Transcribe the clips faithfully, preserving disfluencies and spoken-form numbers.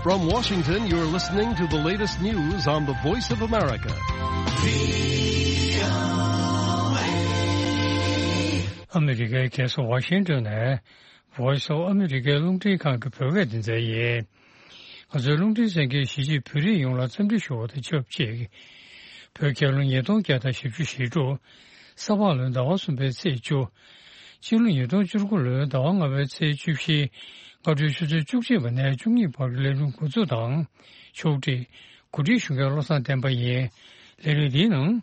From Washington, you're listening to the latest news on the Voice of America. ཨ་མི་རི་ཀའི་རྒྱལ་ས་ཝ་ཤིང་ཏོན་ནས་Voice of America རླུང་འཕྲིན་ཁང་གི་བོད་སྐད་སྡེ་ཚན་ཡིན། ང་ཚོའི་རླུང་འཕྲིན་གསན་མཁན་གཞིས་བྱེས་བོད་རིགས་ཡོངས་ལ་འཚམས་འདྲི་ཞུ་བ་དང་ཆབས་ཅིག་བོད་རྒྱལ་ལོ་ཉིས་སྟོང་བརྒྱ་དང་བཞི་བཅུ་ཞེ་དྲུག་ས་ཕག་ལོའི་ཟླ་བ་གསུམ་པའི་ཚེས་བཅུ། སྤྱི་ལོ་ཉིས་སྟོང་བཅུ་དགུ་ལོའི་ཟླ་བ་ལྔ་པའི་ཚེས་བཅུ་བཞི། སྔ་དྲོའི་ཆུ་ཚོད་བཅུ་གཅིག་པ་ནས་བཅུ་གཉིས་བར་གྱི་ལས་རིམ་འགོ་འཛུགས་དང་། ཕྱོགས་སྒྲིག་གོ་སྒྲིག་ཞུ་མཁན་བློ་བཟང་བསྟན་པ་ཡིན། ལས་རིམ་འདིའི་ནང་།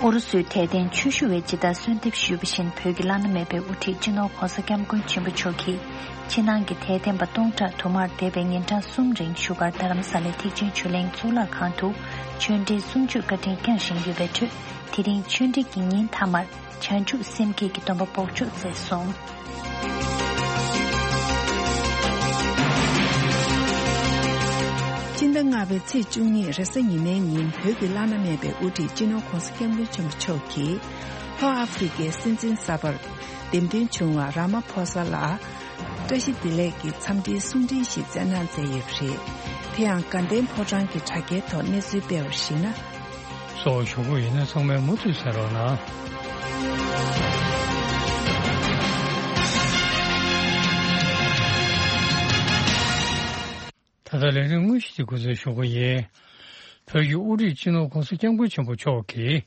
ཨུ་རུ་སུའི་དད་ལྡན་ཆོས་ཞུ་བས་ཇི་ལྟར་གསོལ་འདེབས་ཞུས་པ་བཞིན། བོད་ཀྱི་བླ་ན་མེད་པའི་དབུ་ཁྲིད་སྤྱི་ནོར་༧གོང་ས་༧སྐྱབས་མགོན་ཆེན་པོ་མཆོག་གིས། ཕྱི་ནང་གི་དད་ལྡན་པ་སྟོང་ཕྲག་དུ་མར་འདས་པའི་ཉིན་གྲངས་གསུམ་རིང་བཞུགས་སྒར་རྡ་རམ་ས་ལའི་ཐེག་ཆེན་ཆོས་གླིང་གཙུག་ལག་ཁང་དུ་ཆོས་འབྲེལ་གསུང་ཆོས་བཀའ་དྲིན་བསྐྱངས་བཞིན་ཡོད་པའི་ཁྲོད། དེ་རིང་ཆོས་འབྲེལ་གྱི་ཉིན་མཐའ་མར་བྱང་ཆུབ་སེམས་བསྐྱེད་ཀྱི་སྡོམ་པ་འབོགས་ཆོག་མཛད་སོང་། སྤྱི་ཟླ་ལྔ་པའི་ཚེས་བཅུ་གཉིས་རེས་གཟའ་ཉི་མའི་ཉིན་བོད་ཀྱི་བླ་ན་མེད་པའི་དབུ་ཁྲིད་སྤྱི་ནོར་༧གོང་ས་༧སྐྱབས་མགོན་ཆེན་པོ་མཆོག་གིས་ལྷོ་ཨ་ཧྥེ་རི་ཁའི་སྲིད་འཛིན་གསར་པར་འདེམས་ཐོན་བྱུང་བ་ར་མ་ཕོ་ས་ལ་བཀྲ་ཤིས་བདེ་ལེགས་ཀྱི་འཚམས་འདྲིའི་གསུང་འཕྲིན་ཞིག་བསྩལ་གནང་མཛད་ཡོད་པ་རེད། དེ་ཡང་དགའ་ལྡན་ཕོ་བྲང་གི་དྲ་རྒྱའི་ཐོག་གནས་ཚུལ་སྤེལ་བར་གཞིགས་ན། གསོ་བ་ཞུ་སྒོ་ཡིན་ན་ཚང་མས་མུ་མཐུད་གསན་རོགས་གནང་། ད་ལྟ་ལས་རིམ་དངོས་གཞི་དེ་འགོ་འཛུགས་ཞུ་སྒོ་ཡིན། བོད་ཀྱི་དབུ་ཁྲིད་སྤྱི་ནོར་༧གོང་ས་༧སྐྱབས་མགོན་ཆེན་པོ་མཆོག་གིས་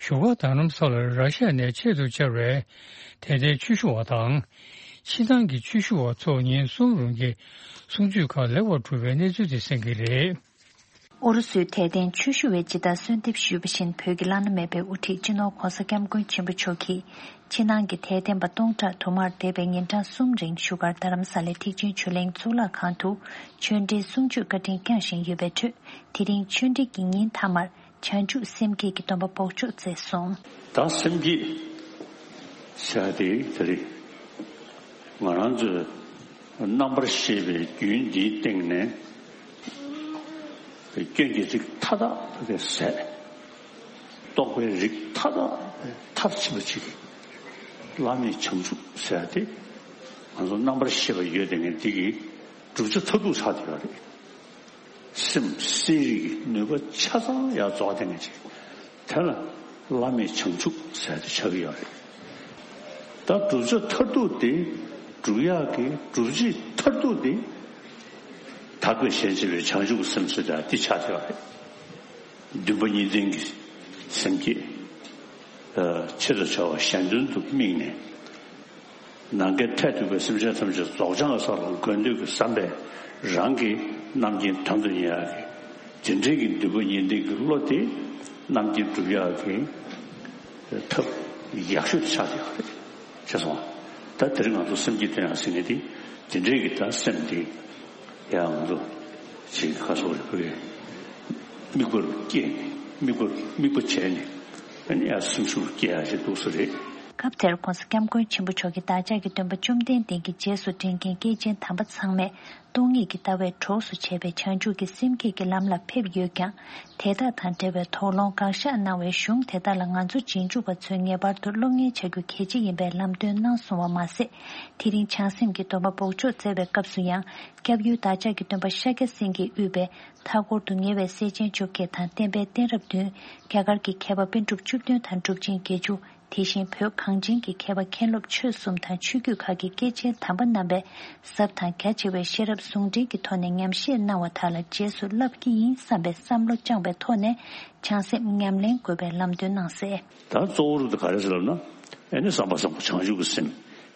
བཞུགས་སྒར་རྡ་རམ་ས་ལར་ར་ཤ་ཡ་ནས་ཆེད་དུ་བཅར་བའི་དད་ལྡན་ཆོས་ཞུ་བ་དང་། ཕྱི་ནང་གི་ཆོས་ཞུ་བ་ཚོ་ཉིན་གསུམ་རིང་གི་གསུང་ཆོས་ཁག་ལེགས་པར་གྲུབ་པའི་གནས་ཚུལ་དེ་གསན་གྱི་རེད། ཨུ་རུ་སུའི་དད་ལྡན་ཆོས་ཞུ་བས་ཇི་ལྟར་གསོལ་འདེབས་ཞུས་པ་བཞིན། བོད་ཀྱི་བླ་ན་མེད་པའི་དབུ་ཁྲིད་སྤྱི་ནོར་༧གོང་ས་༧སྐྱབས་མགོན་ཆེན་པོ་མཆོག་གིས། ཕྱི་ནང་གི་དད་ལྡན་པ་སྟོང་ཕྲག་དུ་མར་འདས་པའི་ཉིན་གྲངས་གསུམ་རིང་བཞུགས་སྒར་རྡ་རམ་ས་ལའི་ཐེག་ཆེན་ཆོས་གླིང་གཙུག་ལག་ཁང་དུ་ཆོས་འབྲེལ་གསུང་ཆོས་བཀའ་དྲིན་བསྐྱངས་བཞིན་ཡོད་པའི་ཁྲོད། དེ་རིང་ཆོས་འབྲེལ་གྱི་ཉིན་མཐའ་མར་བྱང་ཆུབ་སེམས་བསྐྱེད་ཀྱི་སྡོམ་པ་འབོགས་ཆོག་མཛད་སོང་། ད་སེམས་བསྐྱེད་ཟེར་ཡ་དེ་དེ་རེད། ང་རང་ཚོས་རྣམ་པར་ཤེས་པའི་རྒྱུན་འདིའི་སྟེང་ནས་སྐྱོན་གྱི་རིགས་མཐའ་དག་ཟད། རྟོག་པའི་རིགས་མཐའ་དག་མཐར་ཕྱིན་པ་ཅིག་བླ་མེད་བྱང་ཆུབ་ཟེར་ཡ་དེ་ང་ཚོ་རྣམ་པར་ཤེས་པ་ཡོད་དེ་ངས་འདི་གི་བསྒྲུབ་བྱ་མཐར་ཐུག་ཆགས་བསྡད་ཡོད་རེད། སེམས་སེམས་རིག་གི་ནུས་པ་ཆ་ཚང་ཡར་རྫོགས་བསྡད་མཁན་ཅིག་དེ་ལ་བླ་མེད་བྱང་ཆུབ་ཟེར་ཏེ་ཆགས་ཀྱི་ཡོད་རེད། ད་བསྒྲུབ་བྱ་མཐར་ཐུག་དེ་བསྒྲུབ་ཡག་གི་བསྒྲུབ་བྱེད་མཐར་ཐུག་དེ་དག་པའི་ཞེན་བྱེད་པའི་བྱང་ཆུབ་ཀྱི་སེམས་ཟེར་ཡག་འདི་ཆགས་ཀྱི་ཡོད་རེད། འདུན་པ་གཉིས་ལྡན་གྱི་སེམས་བསྐྱེད། ཆེད་དུ་བྱ་བ་གཞན་དོན་དུ་དམིགས་ནས། ནམ་མཁའི་མཐས་གཏུགས་པའི་སེམས་ཅན་ཐམས་ཅད་རྫོགས་བྱང་གི་ས་ལ་འགོད་འདོད་ཀྱི་བསམ་པས་རང་གི་རྣམ་མཁྱེན་དོན་དུ་གཉེར་ཡག་གི་དེ་འདྲའི་གི་འདུན་པ་གཉིས་ལྡན་གྱི་བློ་དེ་རྣམ་མཁྱེན་སྒྲུབ་ཡག་གི་ཐབས་ཡག་ཤོས་དེ་ཆགས་ཡོད་རེད། ཤེས་སོང་། ད་དེ་རིང་ང་ཚོ་སེམས་བསྐྱེད་བསྟེན་ཡག་ཟེར་མཁན་དེ་དེ་འདྲའི་གི་ད་སེམས་དེ་ཡང་ང་ཚོ་ཅིག་ཁ་སོགས་རེ་བོད་དམིགས་པར་བསྐྱེད་ནས་དམིགས་པར་དམིགས་པ་བྱས་ནས་ཨ་ནི་ཡང་སེམས་ཤུགས་སྐྱེ་ཡག་ཅིག་འདུག་ས་རེད། སྐབས་དེར་༧གོང་ས་༧སྐྱབས་མགོན་ཆེན་པོ་མཆོག་གིས་བདག་ཅག་གི་སྟོན་པ་བཅོམ་ལྡན་འདས་ཀྱི་རྗེས་སུ་འབྲང་མཁན་སྐྱེས་ཆེན་དམ་པ་ཚང་མས་སྟོང་ཉིད་ཀྱི་ལྟ་བས་གྲོགས་སུ་བྱས་པའི་བྱང་ཆུབ་ཀྱི་སེམས་བསྐྱེད་ཀྱི་ལམ་ལ་ཕེབས་ཡོད་ཀྱང་། དེ་དག་དང་འབྲེལ་བའི་དོགས་སློང་དགག་བཞག་གནང་བའི་གཞུང་དེ་དག་ལ་ང་ཚོ་རྗེས་འཇུག་པ་ཚོས་ངེས་པར་དུ་སློབ་གཉེར་བྱ་རྒྱུ་གལ་ཆེ་ཡིན་པའི་ལམ་སྟོན་གནང་སོང་བ་མ་ཟད། དེ་རིང་བྱང་སེམས་ཀྱི་སྡོམ་པ་འབོགས་ཆོག་སྩལ་བའི་སྐབས་སུ་ཡང་། སྐྱབས་ཡུལ་བདག་ཅག་གི་སྟོན་པ་ཤཱཀྱ་སེང་གེས་དབུས་པའི་མཐའ་འཁོར་དུ་ཉེ་བའི་སྲས་ཆེན་བཅོ་བརྒྱད་དང་བསྟན་པའི་གཏད་རབས་བདུན། རྒྱ་གར་གྱི་མཁས་པ་པཎ་གྲུབ་བཅུ་བདུན་དང་གྲུབ་ཆེན་བརྒྱད་ཅུ། དེ་བཞིན་བོད་གངས་ཅན་གྱི་མཁས་པ་མཁན་སློབ་ཆོས་གསུམ་དང་ཆོས་བརྒྱུད་ཁག་གི་སྐྱེས་ཆེན་དམ་པ་རྣམ་པས་ཟབ་དང་རྒྱ་ཆེ་བའི་ཤེས་རབ་ཟུང་འབྲེལ་གྱི་ཐོག་ནས་ཉམས་བཞེས་གནང་བ་དག་ལ་རྗེས་སུ་བསླབ་ཀྱི་ཡིན་བསམ་པའི་བསམ་བློ་བཅངས་པའི་ཐོག་ནས་བྱང་སེམས་ཉམས་ལེན་དགོས་པའི་ལམ་སྟོན་གནང་གསལ། ད་གཙོ་བོ་རུ་དུ་ག་རེ་ཟེར་ལབ་ན། ཨེ་ནི་བསམ་པ་བཟང་པོ་བྱང་ཆུབ་ཀྱི་སེམས་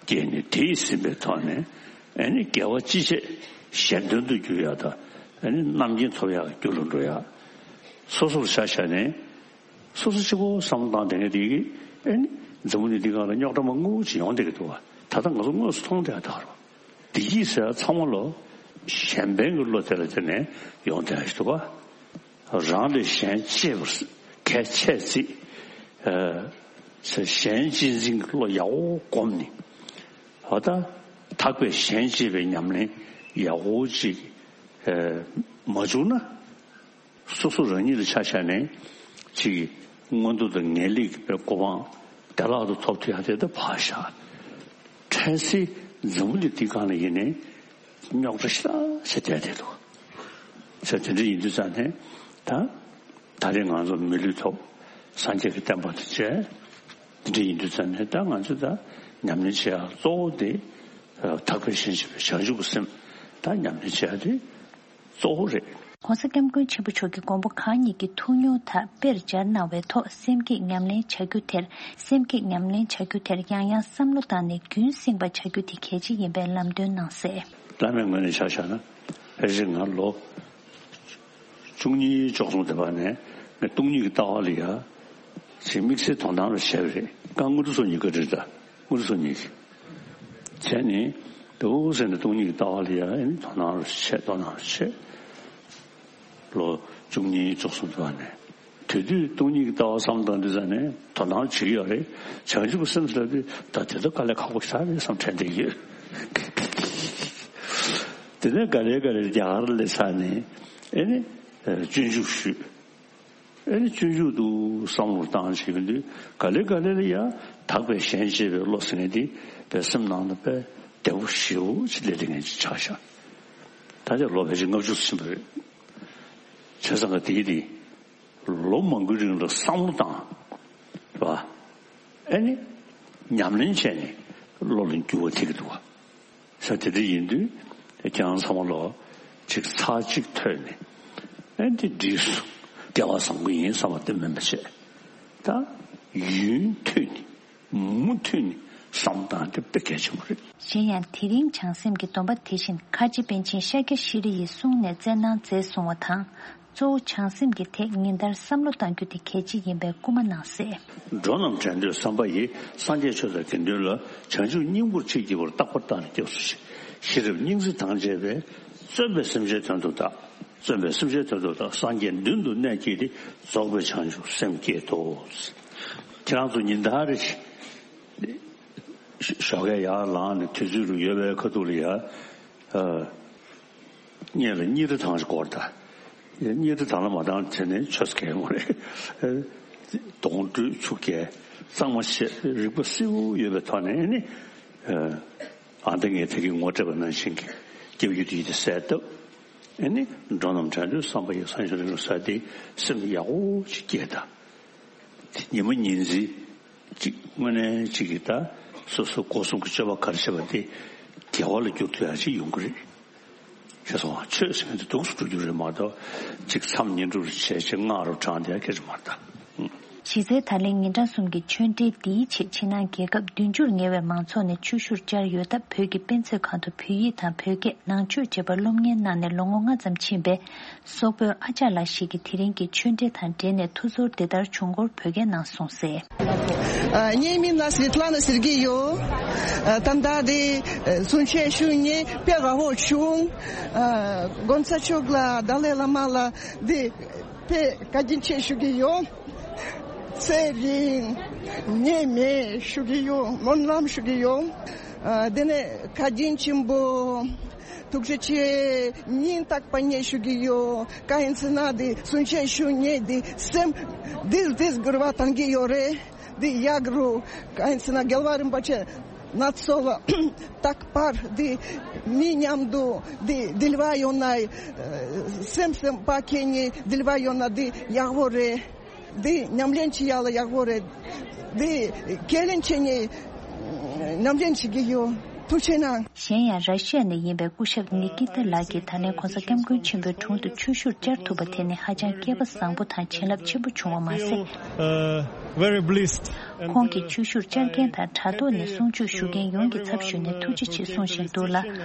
སྐྱེས་ནས་དེས་ཟིན་པའི་ཐོག་ནས་ཨེ་ནི་དགེ་བ་ཅི་བྱེད་གཞན་དོན་དུ་འགྱུར་ཡག་དང་ཨེ་ནི་རྣམ་མཁྱེན་ཐོབ་ཡག་གི་རྒྱུ་ལ་འགྲོ་ཡག་སོ་སོར་ཆ་བཞག་ནས། སོ་སོ་གཅིག་པོ་བསམ་བློ་བཏང་བསྡད་མཁན་དེ་གིས་ཨེ་ནི་འཛམ་བུ་གླིང་འདི་སྒང་ལ་རྙོག་དྲ་མང་པོ་ཅིག་ཡོང་བསྡད་ཀྱི་འདུག་བ། ད་ལྟ་ང་ཚོ་དངོས་སུ་མཐོང་བསྡད་ཡག་ད་ག་རེད། བདེ་སྐྱིད་ཟེར་ཡག་ཚང་མ་ལོ་གཞན་ཕན་གྱི་བློ་དེ་ལ་བརྟེན་ནས་ཡོང་བསྡད་ཡག་ཞིག་འདུག་བ། རང་ལས་གཞན་གཅེས་པར་གལ་ཆེ་ཚིག་ཨ་གཞན་གཅེས་འཛིན་གྱི་བློ་ཡག་པོ་སྒོམ་ནས། འོ་ད་དག་པའི་གཞན་གཅེས་པའི་ཉམས་ལེན་ཡག་པོ་ཅིག་ཨ་མ་བྱུང་ན། སོ་སོ་རང་ཉིད་ལ་ཆ་བཞག་ནས་ཅིག་མངོན་མཐོ་དང་ངེས་ལེགས་ཀྱི་གོ་འཕང་བདེ་བླག་ཏུ་ཐོབ་ཐུབ་ཡག་དེ་ད་ཕར་བཞག་གལ་སྲིད་འཛམ་བུ་གླིང་འདི་སྒང་ལ་ཡིན་ནའི་རྙོག་དྲ་ཞེ་དྲག་ཞིག་བསྡད་བསྡད་འདུག་ཟེར། དེ་འདྲ་ཡིན་དུས་ཙང་ནས་ད་ད་རེས་ང་ཚོ་མི་ལུས་ཐོབ་སངས་རྒྱས་ཀྱི་བསྟན་པ་དང་བཅས། དེ་འདྲ་ཡིན་དུས་ཙང་ནས་ད་ང་ཚོ་ད་ཉམས་ལེན་བྱེད་ཡག་གཙོ་བོ་དེ་ཨ་ཐག་པས་གཞན་གཅེས་པའི་བྱང་ཆུབ་ཀྱི་སེམས་ད་ཉམས་ལེན་བྱེད་ཡག་དེ་གཙོ་བོ་རེད། ༸གོང་ས་༸སྐྱབས་མགོན་ཆེན་པོ་མཆོག་གིས་མགོན་པོ་གང་ཉིད་ཀྱི་ཐུགས་མྱོང་དག་དཔེར་སྦྱར་གནང་བའི་ཐོག་སེམས་བསྐྱེད་ཉམས་ལེན་བྱ་རྒྱུ་དེར། སེམས་བསྐྱེད་ཉམས་ལེན་བྱ་རྒྱུ་དེར་ཡང་ཡང་བསམ་བློ་བཏང་ནས་རྒྱུན་བསྲིངས་པ་བྱ་རྒྱུ་དེ་གལ་ཆེ་ཡིན་པའི་ལམ་སྟོན་གནང་གསལ། བླ་མའི་ངོས་ནས་ཆ་བཞག་ན་ཕལ་ཆེར་ང་ལོ་བཅུ་གཉིས་བཅུ་གསུམ་དེ་བར་ནས་ངས་སྟོང་ཉིད་ཀྱི་ལྟ་བ་ལ་ཡ་ཅིག་དམིགས་བསལ་དོ་སྣང་རུ་བྱས་པ་རེད། ཀ་དངོས་གྲུབ་སོ་གཉིས་ཀ་རེད་ད། དངོས་གྲུབ་སོ་གཉིས་ཀྱི་བྱས་ནས་འདུག་ཟེར་ནས་སྟོང་ཉིད་ཀྱི་ལྟ་བ་ལ་ཡ་ཨེ་ནི་དོ་སྣང་རུ་བྱས་དོ་སྣང་རུ་བྱས། ལོ་བཅུ་གཉིས་བཅུ་གསུམ་དུ་བ་ནས་དེ་དུས་སྟོང་ཉིད་ཀྱི་ལྟ་བ་བསམ་བཏང་དུས་ཙ་ནས་དོ་སྣང་བྱེད་ཀྱི་ཡོད་རེད། བྱང་ཆུབ་ཀྱི་སེམས་ཟེར་དུས་ད་དེ་ཚོ་དཀའ་ལས་ཁག་པོ་ཞིག་རེད་བསམ་དྲན་བསྡད་ཡོད། དེ་ནས་ག་ལེ་ག་ལེ་རྒྱ་གར་སླེབས་ཚར་ནས་ཨེ་ནི་སྤྱོད་འཇུག་ཞུས། ཨེ་ནི་སྤྱོད་འཇུག་ཏུ་བསམ་བློ་བཏང་བྱེད་ཀྱི་དུས་ག་ལེ་ག་ལེ་ལ་ཡ་དག་པའི་ཞེན་བྱེད་པའི་བློ་ཟེར་མཁན་དེ་བའི་སེམས་ནང་དུ་དཔེ་བདེ་པོ་ཞེ་པོ་ཅིག་སླེབས་བསྡད་མཁན་ཅིག་ཆགས་ཤག་ད་ཆ་ལོ་ཕལ་ཆེར་ལྔ་བཅུ་ཕྱིན་པ་རེད། བྱས་ཙང་ག་དེ་དེ་ལོ་མང་པོའི་རིང་ལ་བསམ་བློ་བཏང་བ། ཨེ་ནི་ཉམས་ལེན་བྱས་ནས་བློ་ལ་འགྱུར་བ་ཐེབས་ཀྱི་འདུག་བ། ས་དེ་འདྲ་ཡིན་དུས་ཁྱེད་རང་ཚང་མ་ལོ་གཅིག་ཚར་གཅིག་ཐོས་ནས་ཨེ་འདི་འགྲིག་སོང་། སྐལ་བ་བཟང་པོ་ཡིན་བསམ་པ་དེ་མིན་པ་བྱས། ད་ཡུན་ཐུང་ནས་མུ་མཐུད་ནས་བསམ་བཏང་དེ་དཔེ་གལ་ཆེན་པོ་རེད། གཞན་ཡང་དེ་རིང་བྱང་སེམས་ཀྱི་སྡོམ་པ་དེ་བཞིན་ཁ་ཆེ་པཎ་ཆེན་ཤཱཀྱ་ཤྲཱི་ཡི་གསུང་ནས་སྩལ་གནང་མཛད་སོང་བ་དང་། གཙོ་བོ་བྱང་སེམས་ཀྱི་ཐད་ཉིན་ལྟར་བསམ་བློ་གཏང་རྒྱུ་དེ་གལ་ཆེ་ཡིན་པའི་སྐུལ་མ་གནང་གསལ། འགྲོ་རྣམས་དྲན་འདོད་བསམ་པ་ཡིས། སངས་རྒྱས་ཆོས་དང་དགེ་འདུན་ལ། བྱང་ཆུབ་སྙིང་པོར་མཆིས་ཀྱི་བར། རྟག་པར་བརྟགས་ནས་སྐྱབས་སུ་མཆི། ཤེས་རབ་སྙིང་བརྩེ་དང་བཅས་པས། བརྩོན་པས་སེམས་ཅན་དོན་དུ་བདག་བརྩོན་པས་སེམས་ཅན་དོན་དུ་བདག་སངས་རྒྱས་མདུན་དུ་གནས་བསྐྱེད་དེ། རྫོགས་པའི་བྱང་ཆུབ་སེམས་བསྐྱེད་དོ། ཁྱེད་རང་ཚོ་ཉིན་ལྟར་རེ་ཞིག་ཞོགས་ཀས་ཡར་ལངས་ནས་དུས་ཚོད་རུ་ཡོལ་བའི་ཁ་ཐུག་ལ་ཡ། ཨ། སྔོན་ལ་གཉིས་རེ་བཏང་ཞིག་སྐོར་ད། གཉིས་རེ་བཏང་ལ་མ་བཏང་དེ་ནས་ཆོས་སྐལ་མོ་རེད། ཨ། གདོང་དྲོད་ཆུ་རྐྱལ་གཙང་མ་བཤད་རིག་པ་གསལ་པོ་ཡོད་པའི་ཐོག་ནས་ནི། ཨ། ཨ་འདི་ངས་དེ་གི་ངོ་སྤྲད་པ་ནང་བཞིན་གྱི་སྐྱབས་ཡུལ་དེ་ཡིད་དེ་གསལ་བཏབ། ཨེ་ནི་འགྲོ་རྣམས་དྲན་འདོད་བསམ་པ་ཡིས། སངས་རྒྱས་ཆོས་དང་ཟེར་དེ་སེམས་ཡག་པོ་ཅིག་སྐྱེས་ད། ཉི་མ་ཉིན་མཚན་གཅིག་དངོས་གནས་གཅིག་གིས་ད་སོ་སོ་སྒོ་གསུམ་གྱི་སྤྱོད་པ་ག་རེ་བྱེད་པ་དེ་དགེ་བ་ལ་འགྱུར་ཐུབ་ཡག་ཅིག་ཡོང་གི་རེད། ཤེས་སོང་ང་། ཆོས་ཟེར་མཁན་དེ་སྡུག་སུ་འགྲོ་རྒྱུ་རེད་མ་གཏོགས་གཅིག་མཚམས་བསྙེན་སྒྲུབ་རེ་བྱས་བྱས་སྔགས་རུ་བགྲངས་བསྡད་ཡག་གི་རེད་མ་རེད་ད། གཞི་རྩའི་ད་ལན་ཉིན་གྲངས་གསུམ་གྱི་ཆོས་འབྲེལ་འདིའི་ཆེད་ཕྱི་ནང་རྒྱལ་ཁབ་བདུན་ཅུར་ཉེ་བའི་མང་ཚོགས་ནས་ཆོས་ཞུར་བཅར་ཡོད་སྟབས། བོད་ཀྱི་དཔེ་མཛོད་ཁང་དུ་བོད་ཡིག་དང་བོད་སྐད་ནང་ཆོས་བཅས་པ་སློབ་གཉེར་གནང་ནས་ལོ་ངོ་ལྔ་ཙམ་ཕྱིན་པའི་སོག་པོའི་ཨ་ཅག་ལགས་ཤིག་གིས་དེ་རིང་གི་ཆོས་འབྲེལ་དང་འབྲེལ་ནས་ཐུགས་ཚོར་འདི་ལྟར་བྱུང་སྐོར་བོད་སྐད་ནང་གསུངས་གསལ། ཨ། ངའི་མིང་ལ་སི་ཝེ་ཏ་ལ་ན་སེར་གྱི་ཡོད། ཨ། ད་ལྟ་དེ་གསུང་ཆོས་ཞུ་ནས་དཔེ་དགའ་པོ་བྱུང་། ཨ། དགོན་ས་མཆོག་ལ་ཏཱ་ལའི་བླ་མ་ལ་དེ་དཔེ་བཀའ་དྲིན་ཆེ་ཞུ་གི་ཡོད། ཚེ་རིང་ནད་མེད་ཞུ་གི་ཡོད། སྨོན་ལམ་ཞུ་གི་ཡོད། ཨ། དེ་ནས་བཀའ་དྲིན་ཆེན་པོ། ཐུགས་རྗེ་ཆེ། སྙིང་ཐག་པ་ནས་ཞུ་གི་ཡོད། གང་ཡིན་ཟེར་ན་དེ་གསུང་ཆོས་ཞུ་ནས་དེ་སེམས་དིལ་དིལ་འགུལ་བ་བཏང་གི་ཡོད་རེད། དེ་ཡག་རུ་གང་ཡིན་ཟེར་ན་རྒྱལ་བ་རིན་པོ་ཆེ་ན་ཚོ་ལ་རྟག་པར་དེ་མི་མཉམ་དུ་དེ་འབྲེལ་བ་ཡོང་ན། སེམས་སེམས་པ་ཁྱེད་གཉིས་འབྲེལ་བ་ཡོང་ན་དེ་ཡག་པོ་རེད། འདི་ཉམས་ལེན་བྱེད་ཡག་ལ་ཡག་པོ་རེད། འདི་ཁས་ལེན་བྱེད་ནས་ཉམས་ལེན་བྱེད་ཀྱི་ཡོད། ཐུགས་རྗེ་གནང་། གཞན་ཡང་ར་ཤི་ཡ་ནས་ཡིན་པའི་སྐུ་ཞབས་ནི་ཀི་ཏ་ལགས་ཀྱིས་ད་ལན་༸གོང་ས་༸སྐྱབས་མགོན་ཆེན་པོའི་དྲུང་དུ་ཆོས་ཞུར་བཅར་ཐུབ་པ་དེ་ནི་ཧ་ཅང་སྐལ་པ་བཟང་པོ་དང་བྱིན་རླབས་ཆེན་པོ་བྱུང་བ་མ་ཟད། Uh, very blessed. ཁོང་གིས་ཆོས་ཞུར་བཅར་མཁན་དང་དྲ་ཐོག་ནས་གསུང་ཆོས་ཞུ་མཁན་ཡོངས་ཀྱི་ཚབ་ཞུས་ནས་ཐུགས་རྗེ་ཆེ་གསུང་བཞིན་འདུག་ལ།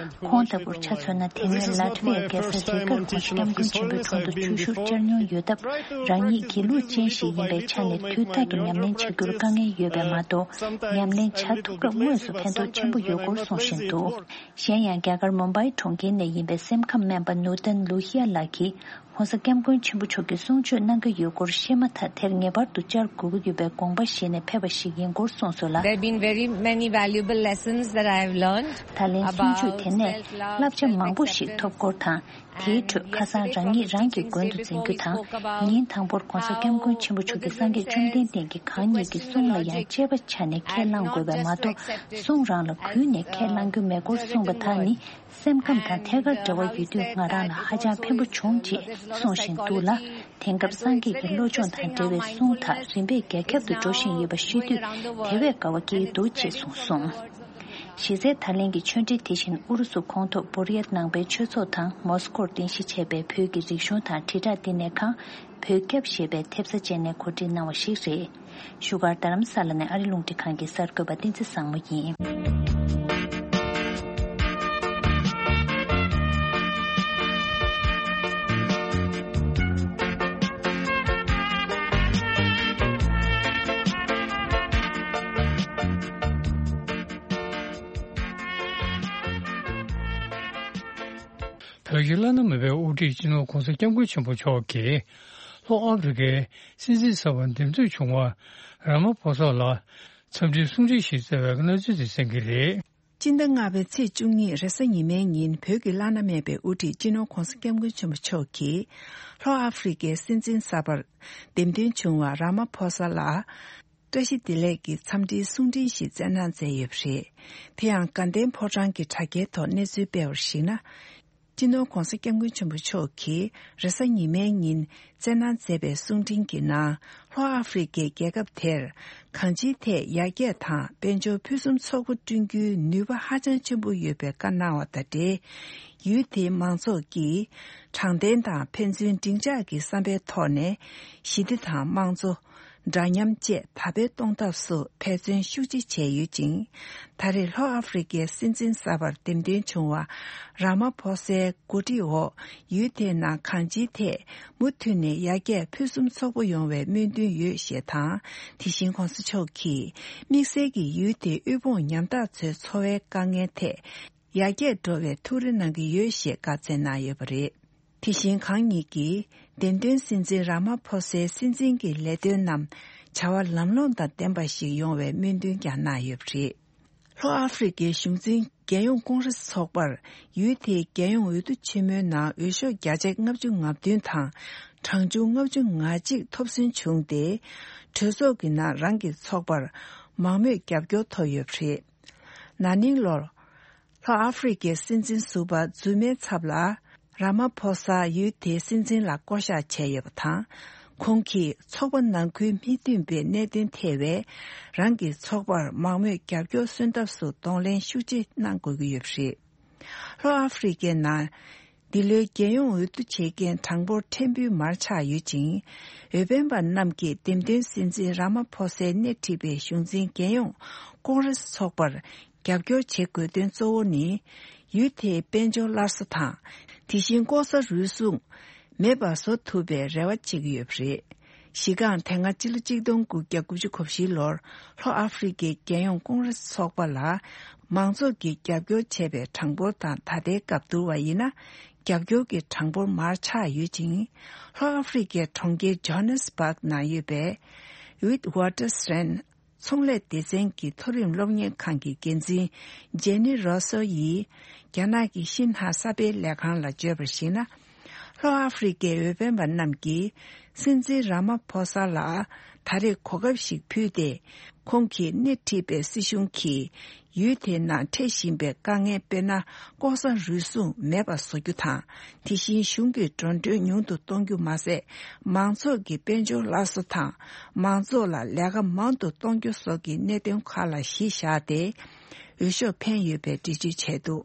ཁོང་ལྟ་བུར་ཆ་མཚོན་ན་དེ་སྔོན་ལ་ཏི་ཝི་ཡ་རྒྱལ་ས་རི་གར་༸གོང་ས་༸སྐྱབས་མགོན་ཆེན་པོའི་དྲུང་དུ་ཆོས་ཞུར་བཅར་མྱོང་ཡོད་སྟབས། རང་ཉིད་སྒྱིད་ལུག་ཅན་ཞིག་ཡིན་པའི་ཆ་ནས་དུས་རྟག་ཏུ་ཉམས་ལེན་བྱ་རྒྱུར་དཀའ་ངལ་ཡོད་པས་མ་གཏོགས། ཉམས་ལེན་བྱ་ཐུབ་སྐབས་དངོས་སུ་ཕན་ཐོགས་ཆེན་པོ་ཡོད་སྐོར་གསུང་བཞིན་འདུག་གཞན་ཡང་རྒྱ་གར་མུམ་བྷའི་གྲོང་ཁྱེར་ནས་ཡིན་པའི་སེམས་ཁམས་སྨན་པ་ནུར་ཏན་ལུ་ཧི་ཡ་ལགས་ཀྱིས། ༸གོང་ས་༸སྐྱབས་མགོན་ཆེན་པོ་མཆོག་གིས་གསུང་ཆོས་གནང་གི་ཡོད་སྐོར་ཤེས་མ་ཐག་དེར་ངེས་པར་དུ་བཅར་དགོས་ཀྱི་ཡོད་པའི་དགོངས་པ་བཞེས་ནས་ཕེབས་པ་ཞིག་ཡིན་སྐོར་གསུངས་སོང་ལ། There have been very many valuable lessons that I have learned about self-love. ད་ལན་གསུང་ཆོས་དེ་ནས་བསླབ་བྱ་མང་པོ་ཞིག་ཐོབ་སྐོར་དང་ དེའི་ཁྲོད་ཁ་སང་རང་ཉིད་རང་གི་མགོན་དུ་འཛིན་རྒྱུ་དང་། ཉིན་དང་པོར་༧གོང་ས་༧སྐྱབས་མགོན་ཆེན་པོ་མཆོག་གིས་སངས་རྒྱས་བཅོམ་ལྡན་འདས་ཀྱིས་གང་ཉིད་ཀྱི་གསུང་ལ་ཡང་དཔྱད་པ་བྱས་ནས་ཁས་བླངས་དགོས་པ་མ་གཏོགས། གསུང་རང་ལ་གུས་ནས་ཁས་བླང་རྒྱུ་མེད་སྐོར་གསུངས་པ་དག་ནི། སེམས་ཁམས་དང་ཐད་ཀར་འབྲེལ་བ་ཡོད་དུས་ང་རང་ལ་ཧ་ཅང་ཕན་པོ་བྱུང་ཅེས་གསུང་བཞིན་འདུག་ལ། དེང་སྐབས་སངས་རྒྱས་ཀྱི་བློ་སྦྱོང་དང་འབྲེལ་བའི་གསུང་དག་རིམ་པས་རྒྱ་ཁྱབ་ཏུ་འགྲོ་བཞིན་ཡོད་པ་ཤེས་དུས་དེ་བས་དགའ་བ་སྐྱེ་ཡི་འདུག་ཅེས་གསུངས་སོང་། གཞི་རྩའི་ད་ལན་གྱི་ཆོས་འབྲེལ་དེ་བཞིན་ཨུ་རུ་སུ་གོང་ཐོག་བོར་ཡ་ནང་པའི་ཆོས་ཚོགས་དང་མོ་སི་ཀོར་རྟེན་གཞི་བྱས་པའི་བོད་ཀྱི་རིག་གཞུང་དང་དྲིལ་བསྒྲགས་བསྟི་གནས་ཁང་བོད་སྐྱབས་ཞེས་པའི་ཐེབས་རྩ་བཅས་ནས་གོ་སྒྲིག་གནང་བ་ཞིག་རེད། བཞུགས་སྒར་རྡ་རམ་ས་ལ་ནས་ཨ་རི་རླུང་འཕྲིན་ཁང་གི་གསར་འགོད་པ་བསྟན་འཛིན་བཟང་མོ་ཡིན། བོད་ཀྱི་བླ་ན་མེད་པའི་དབུ་ཁྲིད་སྤྱི་ནོར་༧གོང་ས་༧སྐྱབས་མགོན་ཆེན་པོ་མཆོག་གིས་ལྷོ་ཨ་ཕི་རི་ཀའི་སྲིད་འཛིན་གསར་པ་འདེམས་ཐོན་བྱུང་བ་ར་མ་ཕོ་ས་ལ་འཚམས་འདྲིའི་གསུང་འཕྲིན་ཞིག་བསྩལ་བའི་གནས་ཚུལ་དེ་གསན་གྱི་རེད། སྤྱི་ཟླ་ལྔ་པའི་ཚེས་བཅུ་གཉིས་རེས་གཟའ་ཉི་མའི་ཉིན་བོད་ཀྱི་བླ་ན་མེད་པའི་དབུ་ཁྲིད་སྤྱི་ནོར་༧གོང་ས་༧སྐྱབས་མགོན་ཆེན་པོ་མཆོག་གིས་ལྷོ་ཨ་ཕི་རི་ཀའི་སྲིད་འཛིན་གསར་པར་འདེམས་ཐོན་བྱུང་བ་ར་མ་ཕོ་ས་ལ་བཀྲ་ཤིས་བདེ་ལེགས་ཀྱི་འཚམས་འདྲིའི་གསུང་འཕྲིན་ཞིག་བསྩལ་གནང་མཛད་ཡོད་པ་རེད། དེ་ཡང་དགའ་ལྡན་ཕོ་བྲང་གི་དྲ་རྒྱའི་ཐོག་གནས་ཚུལ་སྤེལ་བར་གཞིགས་ན། སྤྱི་ནོར་༧གོང་ས་༧སྐྱབས་མགོན་ཆེན་པོ་མཆོག་གིས་རེས་གཟའ་ཉི་མའི་ཉིན་བསྩལ་གནང་མཛད་པའི་གསུང་འཕྲིན་གྱི་ནང་། ལྷོ་ཨ་ཧྥེ་རི་ཁའི་རྒྱལ་ཁབ་དེར་གང་ཅིའི་ཐད་ཡར་རྒྱས་དང་དཔལ་འབྱོར་ཕུན་སུམ་ཚོགས་པ་བསྐྲུན་རྒྱུའི་ནུས་པ་ཧ་ཅང་ཆེན་པོ་ཡོད་པའི་བཀའ་གནང་བ་དང་འབྲེལ། ཡུལ་དེའི་མང་ཚོགས་ཀྱིས་དྲང་བདེན་དང་ཕན་ཚུན་འགྲིག་འཇགས་ཀྱི་བསམ་པའི་ཐོག་ནས་ཞི་བདེ་དང་དམངས་གཙོ། འདྲ་མཉམ་བཅས་དར་སྤེལ་གཏོང་ཐབས་སུ་འབད་བརྩོན་ཤུགས་ཆེ་བྱས་ཡོད་ཅིང་། ད་རེས་ལྷོ་ཨ་ཧྥེ་རི་ཁའི་སྲིད་འཛིན་གསར་པར་འདེམས་ཐོན་བྱུང་བ་ར་མ་ཕོ་སའི་འགོ་ཁྲིད་འོག་ཡུལ་དེའི་ནང་གང་ཅིའི་ཐད་མུ་མཐུད་ནས་ཡར་རྒྱས་ཕུན་སུམ་ཚོགས་པོ་ཡོང་བའི་སྨོན་འདུན་ཡོད་ཞེས་དང་། དེ་བཞིན་གོང་ས་མཆོག་གིས་དམིགས་བསལ་གྱིས་ཡུལ་དེའི་དབུལ་ཕོངས་ཉམ་ཐག་ཚོའི་འཚོ་བའི་དཀའ་ངལ་ཐད་ཡར་རྒྱས་འགྲོ་བའི་ཐུགས་རེ་གནང་གི་ཡོད་ཞེས་བཀའ་སྩལ་གནང་ཡོད་པ་རེད། དེ་བཞིན་གང་ཉིད་ཀྱིས་འདེམས་ཐོན་སྲིད་འཛིན་ར་མ་ཕོ་སའི་སྲིད་འཛིན་གྱི་ལས་དོན་རྣམས་བྱ་བ་ལམ་ལྷོང་དང་ལྡན་པ་ཞིག་ཡོང་བའི་སྨོན་འདུན་ཀྱང་གནང་ཡོད་པ་རེད། ལྷོ་ཨ་ཧྥེ་རི་ཁའི་གཞུང་འཛིན་རྒྱལ་ཡོངས་ཀོང་རེས་ཚོགས་པར་ཡུལ་དེའི་རྒྱལ་ཡོངས་འོས་བསྡུ་ཆེན་མོའི་ནང་འོས་ཤོག་བརྒྱ་ཆ་ལྔ་བཅུ་ང་བདུན་དང་གྲངས་ཆུང་ལྔ་བཅུ་ང་གཅིག་ཐོབ་སོན་བྱུང་སྟེ། གྲོས་ཚོགས་ཀྱི་ནང་རང་གི་ཚོགས་པར་མང་མོས་རྒྱབ་སྐྱོར་ཐོབ་ཡོད་པ་རེད། ན་ནིང་ལོར། ལྷོ་ཨ་ཧྥེ་རི་ཁའི་སྲིད་འཛིན་ཟུར་པ་རྫུན་མའི་ཚབ་ལ་ར་མ་ཕོ་ས་ཡུལ་དེའི་སྲིད་འཛིན་ལ་བསྐོ་གཞག་བྱས་ཡོད་པ་དང་། ཁོང་གིས་ཚོགས་པ་ནང་ཁུལ་མི་མཐུན་པའི་གནད་དོན་ཐད་པའི་རང་གི་ཚོགས་པར་མང་མོས་རྒྱབ་སྐྱོར་སོན་ཐབས་སུ་གདོང་ལེན་ཤུགས་ཆེ་གནང་དགོས་ཀྱི་ཡོད་པ་རེད། ལྷོ་ཨ་ཧྥེ་རི་ཁའི་ནང་འདི་ལོའི་རྒྱལ་ཡོངས་འོས་བསྡུ་བྱེད་མཁན་གྲངས་འབོར་ཕྲན་བུ་མར་ཆག་ཡོད་ཅིང་། འོས་འཕེན་པ་རྣམས་ཀྱིས་འདེམས་ཐོན་སྲིད་འཛིན་ར་མ་ཕོ་སའི་སྣེ་ཁྲིད་པའི་གཞུང་འཛིན་རྒྱལ་ཡོངས་ཀོང་རེས་ཚོགས་པར་རྒྱབ་སྐྱོར་བྱེད་དགོས་དོན་གཙོ་བོ་ནི། ཡུལ་དེའི་དཔལ་འབྱོར་སླར་གསོ་དང་། དེ་བཞིན་ལྐོག་ཟ་རུལ་སུངས་མེད་པར་བཟོ་ཐུབ་པའི་རེ་བ་བྱེད་ཀྱི་ཡོད་པ་རེད། གཞི་རྐང་དེ་སྔ་སྤྱི་ལོ་གཅིག་སྟོང་དགུ་བརྒྱ་དགུ་བཅུ་གོ་བཞི་ལོར་ལྷོ་ཨ་ཧྥེ་རི་ཁའི་རྒྱལ་ཡོངས་ཀོང་རེས་ཚོགས་པ་ལ་མང་ཚོགས་ཀྱིས་རྒྱབ་སྐྱོར་བྱས་པའི་གྲངས་འབོར་དང་ད་ལྟའི་སྐབས་བསྡུར་བ་ཡིན་ན། རྒྱབ་སྐྱོར་གྱི་གྲངས་འབོར་མར་ཆག་ཡོད་ཅིང་། ལྷོ་ཨ་ཧྥེ་རི་ཁའི་གྲོང་ཁྱེར་ཇོ་ཧན་སི་བྷག་ནང་ཡོད་པའི་ཝིཐ་ཝ་ཊར་སི་ཊན་ཚོང་ལས་སྡེ་ཚན་གྱི་མཐོ་རིམ་སློབ་གཉེར་ཁང་གི་འགན་འཛིན་ཇེ་ནི་རོ་སོ་ཡིས་རྒྱ་ནག་གི་ཤིན་ཧྭ་གསར་སྤེལ་ལས་ཁང་ལ་བརྗོད་པར་གཞིགས་ན། ལྷོ་ཨ་ཧྥེ་རི་ཁའི་འོས་འཕེན་པ་རྣམས་ཀྱིས་སྲིད་འཛིན་ར་མ་ཕོ་ས་ལ་ད་རེས་གོ་སྐབས་ཤིག་ཕུལ་ཏེ། ཁོང་གིས་སྣེ་ཁྲིད་པའི་སྲིད་གཞུང་གིས་ཡུལ་དེའི་ནང་འཕྲད་བཞིན་པའི་དཀའ་ངལ་དཔེར་ན་ལྐོག་ཟ་རུལ་སུངས་མེད་པ་བཟོ་རྒྱུ་དང་། དེ་བཞིན་གཞུང་གི་འགྲོ་གྲོན་ཉུང་དུ་གཏོང་རྒྱུ་མ་ཟད། མང་ཚོགས་ཀྱི་དཔལ་འབྱོར་སླར་གསོ་དང་། མང་ཚོགས་ལ་ལས་ཀ་མང་དུ་གཏོང་རྒྱུ་སོགས་ཀྱི་གནད་དོན་ཁག་ལ་གཞི་བཞག་སྟེ། འོས་ཤོག་འཕེན་ཡོད་པའི་འགྲེལ་བརྗོད་བྱས་འདུག་